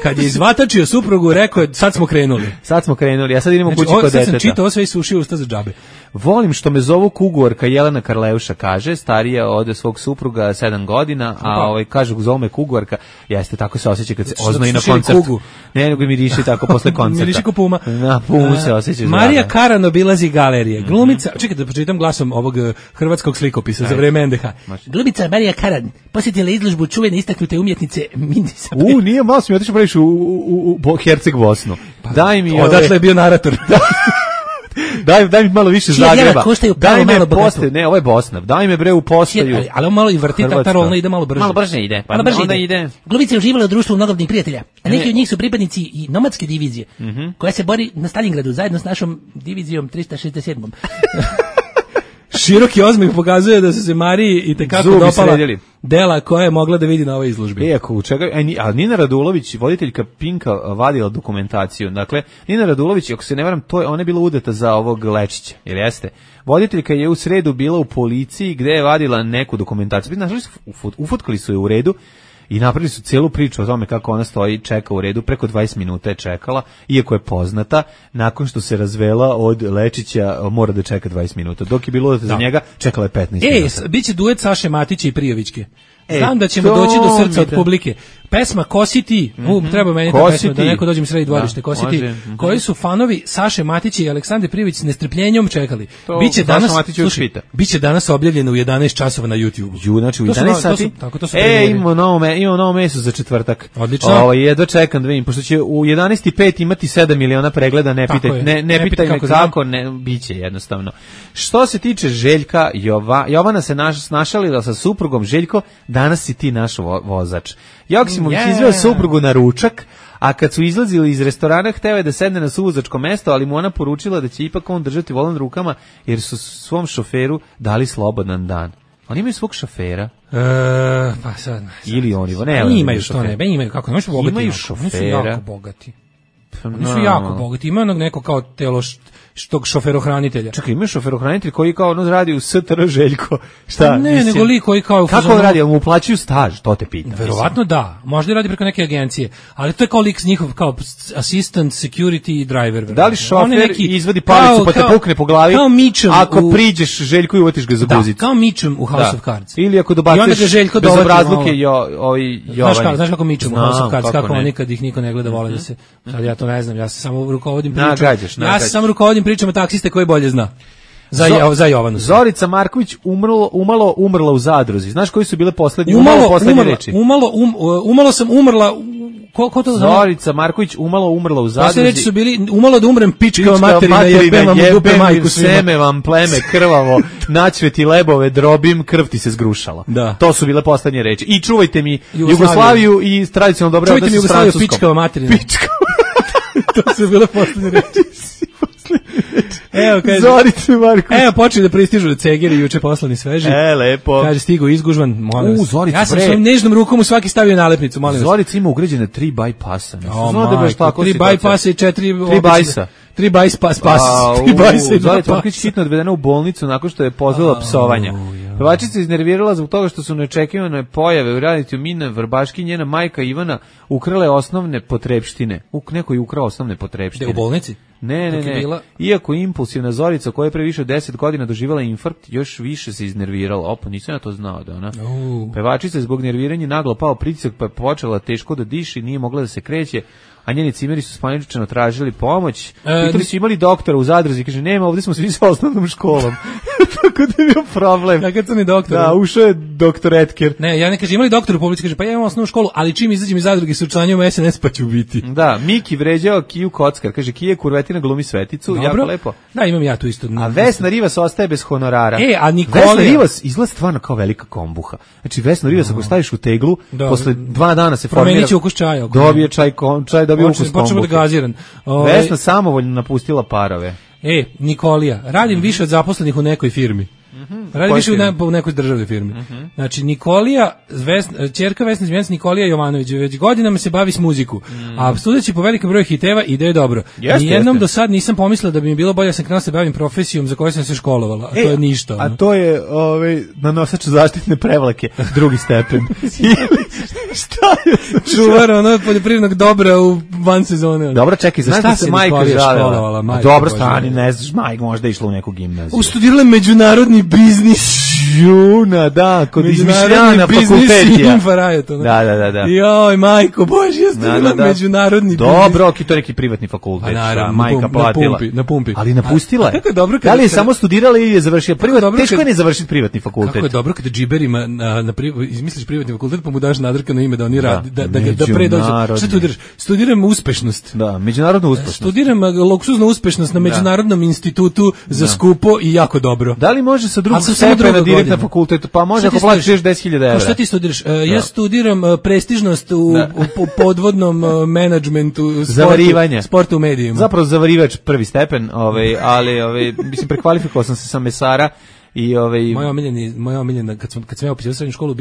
Kad je izvatačio suprugu, rekao je, sad smo krenuli, a sad idemo kući kod deteta. Sad sam čitao sve i sušio usta za džabe. Volim što me zovu Kugorka, Jelena Karleuša kaže, starija od svog supruga 7 godina, a kažu zovu me Kugorka, jeste, tako se osjeća kad se oznoji na koncertu. Ne, nego mi riši tako posle koncerta. Mi riši ko puma. Na pumu se osjeća. Marija Karan obilazi galerije. Glumica, čekaj da pročitam glasom ovog hrvatskog slikopisa za vreme NDH. Glumica Marija Karan posjetila izložbu čuvene istaknute umjetnice Mindisa. Nije, malo sam mi otišao praviš u Herceg Bosnu. Daj mi odatle je bio narator. Daj mi malo više Zagreba. Daj me postaju. Ne, ovo je Bosna. Daj me bre u postaju. Ali on malo i vrti ta rolna ide malo brže. Malo brže ide. Onda ide. Glumica je uživala u društvu mnogobrojnih prijatelja. A neki od njih su pripadnici i nomadske divizije, koja se bori na Stalingradu zajedno s našom divizijom 367. Široki ozmih pokazuje da su se Mariji i tekako dopala dela koja je mogla da vidi na ovoj izložbi. A Nina Radulović, voditeljka Pinka, vadila dokumentaciju. Dakle, Nina Radulović, ako se ne varam, ona je bila udata za ovog Lečića, jer jeste? Voditeljka je u sredu bila u policiji gde je vadila neku dokumentaciju. Ufotkali su je u redu i napravili su celu priču o tome kako ona stoji, čeka u redu, preko 20 minuta je čekala, iako je poznata, nakon što se razvela od Lečića, mora da čeka 20 minuta. Dok je bilo za njega, čekala je 15 minuta. Biće duet Saše Matića i Prijovićke. Znam da ćemo doći do srca od publike. Pesma Kosi ti, treba meni ta pesma, da neko dođe mi sredi dvorište, Kosi ti, koji su fanovi Saše Matića i Aleksandre Privić s nestrpljenjem čekali. Biće danas objavljeno u 11 časova na YouTube. Znači u 11 sati. Imamo novo meso za četvrtak. Odlično. Jedva čekam da vidim, pošto će u 11:05 imati 7 miliona pregleda, ne pitaj me kako, biće jednostavno. Što se tiče Željka, Jovana se našalila sa suprugom. Željko, danas si ti naš vozač. Joksimović izveo suprugu na ručak, a kad su izlazili iz restorana, hteo je da sedne na suvozačko mesto, ali mu ona poručila da će ipak on držati volan rukama, jer su svom šoferu dali slobodan dan. Oni imaju svog šofera? Pa sad. Ili oni, imaju što ne, imaju kako, ne bogati. Imaju šofera. Oni su jako bogati. Oni su jako bogati. Ima onog neko kao telo tog šoferohranitelja. Čekaj, ima šoferohranitelj koji kao radi u STR Željko. Šta? Ne, nego lik koji kao... Kako on radi? Mu uplaćuju staž? To te pitam. Verovatno da. Možda radi preko neke agencije. Ali to je kao lik njihov, kao assistant, security driver. Da li šofer izvadi palicu pa te pukne po glavi? Kao Mitchum. Ako priđeš Željku i uvatiš ga za guzicu. Da, kao Mitchum u House of Cards. Ili ako dobaciš bezobrazluke Jovani. Znaš kako Mitchum u House of Cards, kako oni kad ih niko ne gleda vole da se... Sad ja to ne znam, ja se samo rukovodim pričama taksiste koji bolje zna. Za Jovanu. Zorica Marković umrla u Zadruzi. Znaš koji su bile poslednje reči? Umalo sam umrla... Ko to zna? Zorica Marković umrla u Zadruzi. Poslednje reči su bili umalo da umrem pičkava materina, jebem vam dupe majku svima. Seme vam pleme krvavo, načveti lebove, drobim, krv ti se zgrušala. Da. To su bile poslednje reči. I čuvajte mi Jugoslaviju i tradicionalno dobro odnose s Francuskom. Čuvajte mi Jugoslaviju, pičkava materina. To su bile poslednje reči. Evo, kaže, Zorice Marković. Evo, počeli da pristižu cegeri juče poslani sveži. Lepo. Kaže, stigo izgužvan, molim vas. Zorica, ja sam svojim nežnom rukom u svaki stavio nalepnicu, molim vas. Zorica ima ugrađene 3 bypassa. 3 bypassa i 3 bajsa. 3 bajs pas. 3 bajsa i 2 Zorica Marković hitno odvedena u bolnicu nakon što je pozvala psovanja. Pevačica iznervirala zbog toga što su neočekivane pojave u realitiju Mina Vrbaški, njena majka Ivana ukrale osnovne potrepštine. Neko je ukrao osnovne potrepštine. U bolnici? Ne. Iako impulsivna Zorica koja je pre više od 10 godina doživjela infarkt, još više se iznervirala. Opa, nisam ja to znao da ona. Pevačica je zbog nerviranja naglo pao pritisak pa je počela teško da diši, nije mogla da se kreće, a njeni cimeri su spaničano tražili pomoć. Pitali su imali doktora u Zadruzi, kaže nema, ovdje smo svi sa osnovnom školom. Tako da je bio problem. Da, kad sam i doktor. Da, ušao je doktor Etker. Ne, ja ne kaže, imali doktor u publici, kaže, pa ja imam osnovnu školu, ali čim izađem iz Zadruge se učlanjujem u SNS pa ću biti. Da, Miki vređao Kiju Kockar, kaže, Kija Kurvetina glumi Sveticu, dobro. Jako lepo. Da, imam ja tu isto. A Vesna Rivas ostaje bez honorara. A Nikolija... Vesna Rivas izgleda stvarno kao velika kombuha. Znači, Vesna Rivas ako staviš u teglu, posle 2 dana se formira... Promenit će ukus čaja. Dobije čaj dobije ukus kombuha. Počemo da gaziran. Vesna samovoljno napustila parove. Nikolija, radim više od zaposlenih u nekoj firmi. Radi više u nekoj državnoj firmi. Znači, Nikolija, ćerka Vesna Zmijanac, Nikolija Jovanović, već godinama se bavi s muziku, a sudeći po velikom broju hiteva ide je dobro. Nijednom do sad nisam pomislila da bi mi bilo bolje, sam krenula se bavim profesijom za koju sam se školovala, a to je ništa. A to je nanosač zaštitne prevlake, drugi stepen. Šta je? Čuvar poljoprivrednog dobra u van sezone. Dobro, čekaj, za šta se majka žalila? Dobro, stani, ne znaš, majka možda išla u neku gimnaziju. Studirala međunarodni biznis. Juna, da, kod izmišljana fakultetija. Da. Joj, majko, bože, ja studirala međunarodni biznis. Dobro, to je neki privatni fakultet. Majka platila. Na pumpi. Ali napustila je. Kako je dobro da li je samo studirala ili je završila privatni? Teško je ne završiti privatni fakultet. Kako je dobro kada džiberima izmisliš privatni fakultet pa mu daš nadrkano ime da oni radi, da pre dođe. Šta studiraš? Studiram uspešnost. Da, međunarodnu uspešnost. Studiram luksuznu uspešnost na Međunarodnom institutu za skupo i jako dobro. Da li može sa drugog stepena direkt na fakultetu? Pa može ako platiš 10.000 evra. Šta ti studiraš? Ja studiram prestižnost u podvodnom menadžmentu sporta u medijima. Zapravo zavarivač prvi stepen, ali mislim prekvalifikovao sam se sa mesara. I moja omiljena kad sam ja upisao srednju školu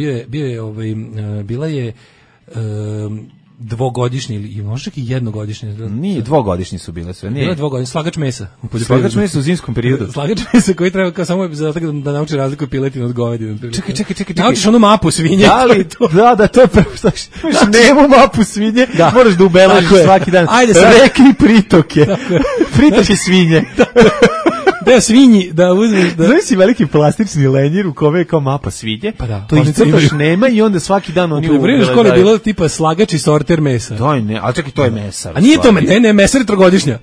bila je dvogodišnji ili možda i jednogodišnji. Nije, dvogodišnji su bile sve. Bila je dvogodišnji, slagač mesa. Slagač mesa u zimskom periodu. Slagač mesa koji treba kao samo da nauči razliku piletine od govedine. Čekaj. Naučiš onu mapu svinje. Da, to je prvo. Nemo mapu svinje, moraš da ubeležiš svaki dan. Ajde sad. Reke i pritoke. Pritoke svinje. deo svinji, da uzmeš... Znaš si veliki plastični lenjir u kome je kao mapa svinje, pa da, to iscrtaš nema i onda svaki dan oni... U poljoprivrednoj školi je bilo tipa slagač i sorter mesa. Daj ne, ali čekaj, to je mesar. A nije to, ne, mesar je trogodišnja.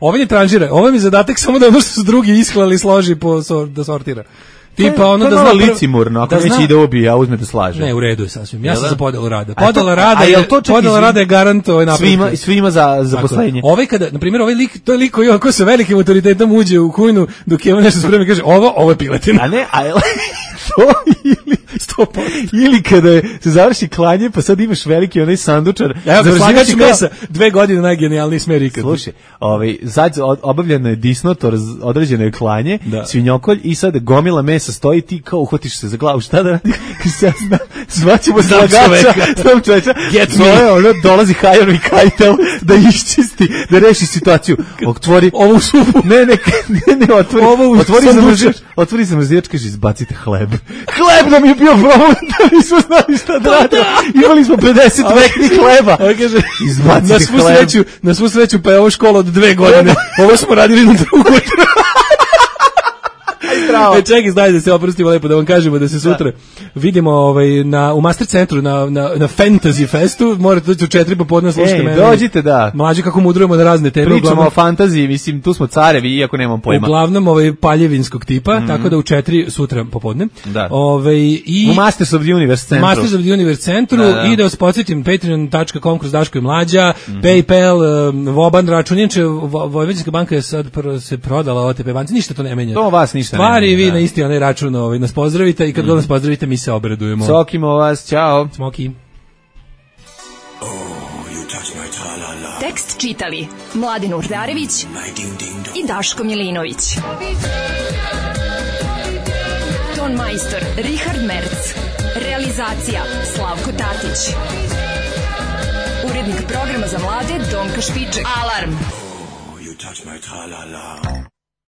Ovaj ne tranžira, ovaj mi zadatak samo da ono što su drugi isklali složi da sortira. Tipa ono da zna licimurno, ako neće ide obi, a uzme da slaže. Ne, u redu je sasvim. Ja sam za podelu rada. Podela rada je garant ovaj napred. Svima za zaposlenje. Ovaj kada, na primjer, ovaj lik, to je lik koji sa velikim autoritetom uđe u kujnu dok je on nešto sprema i kaže ovo je piletina. A ne, to ili kada se završi klanje, pa sad imaš veliki onaj sandučar. Evo, slagač mesa, 2 godine najgenijalniji smer ikad. Slušaj, obavljeno je disnotor, određeno je klanje, svinjokolj i sad gomila mesa stoji, ti kao uhvatiš se za glavu, šta da radi? Zvaćemo slagača, sam čovječa, dolazi Hajan i Kajtel da iščisti, da reši situaciju. Otvori ovu supu. Otvori zamrzivač, kaže, izbacite hleb. Hleb nam je bio problem, da nismo znali šta da radimo. Imali smo 50 veknih hleba. Izbacite hleb. Na svu sreću, pa je ovo škola od 2 godine. Ovo smo radili na drugoj. Čekaj, znaj da se oprostimo lepo, da vam kažemo da se sutra vidimo u Master centru na Fantasy Festu. Morate doći u 4 popodne, slušajte mene. Dođite, da. Mlađi kako mudrujemo na razne teme. Pričamo o fantaziji, mislim, tu smo carevi, iako nemam pojma. Uglavnom paljevinskog tipa, tako da u 4 sutra popodne. Da. U Masters of the Universe centru. Masters of the Universe centru i da vas podsjetim, patreon.com kroz Daško i Mlađa, PayPal, Voban račun. Inače, Vojvođanska banka je sad se prodala OTP banci, ništa to ne menja. To vas ništa stvari, vi na isti onaj račun nas pozdravite i kad god nas pozdravite mi se obradujemo. Sokimo vas, čao. Smoki. Tekst čitali Mladen Urdarević i Daško Milinović. Ton majstor Richard Merc. Realizacija Slavko Tatić. Urednik programa za mlade Donka Špiček. Alarm!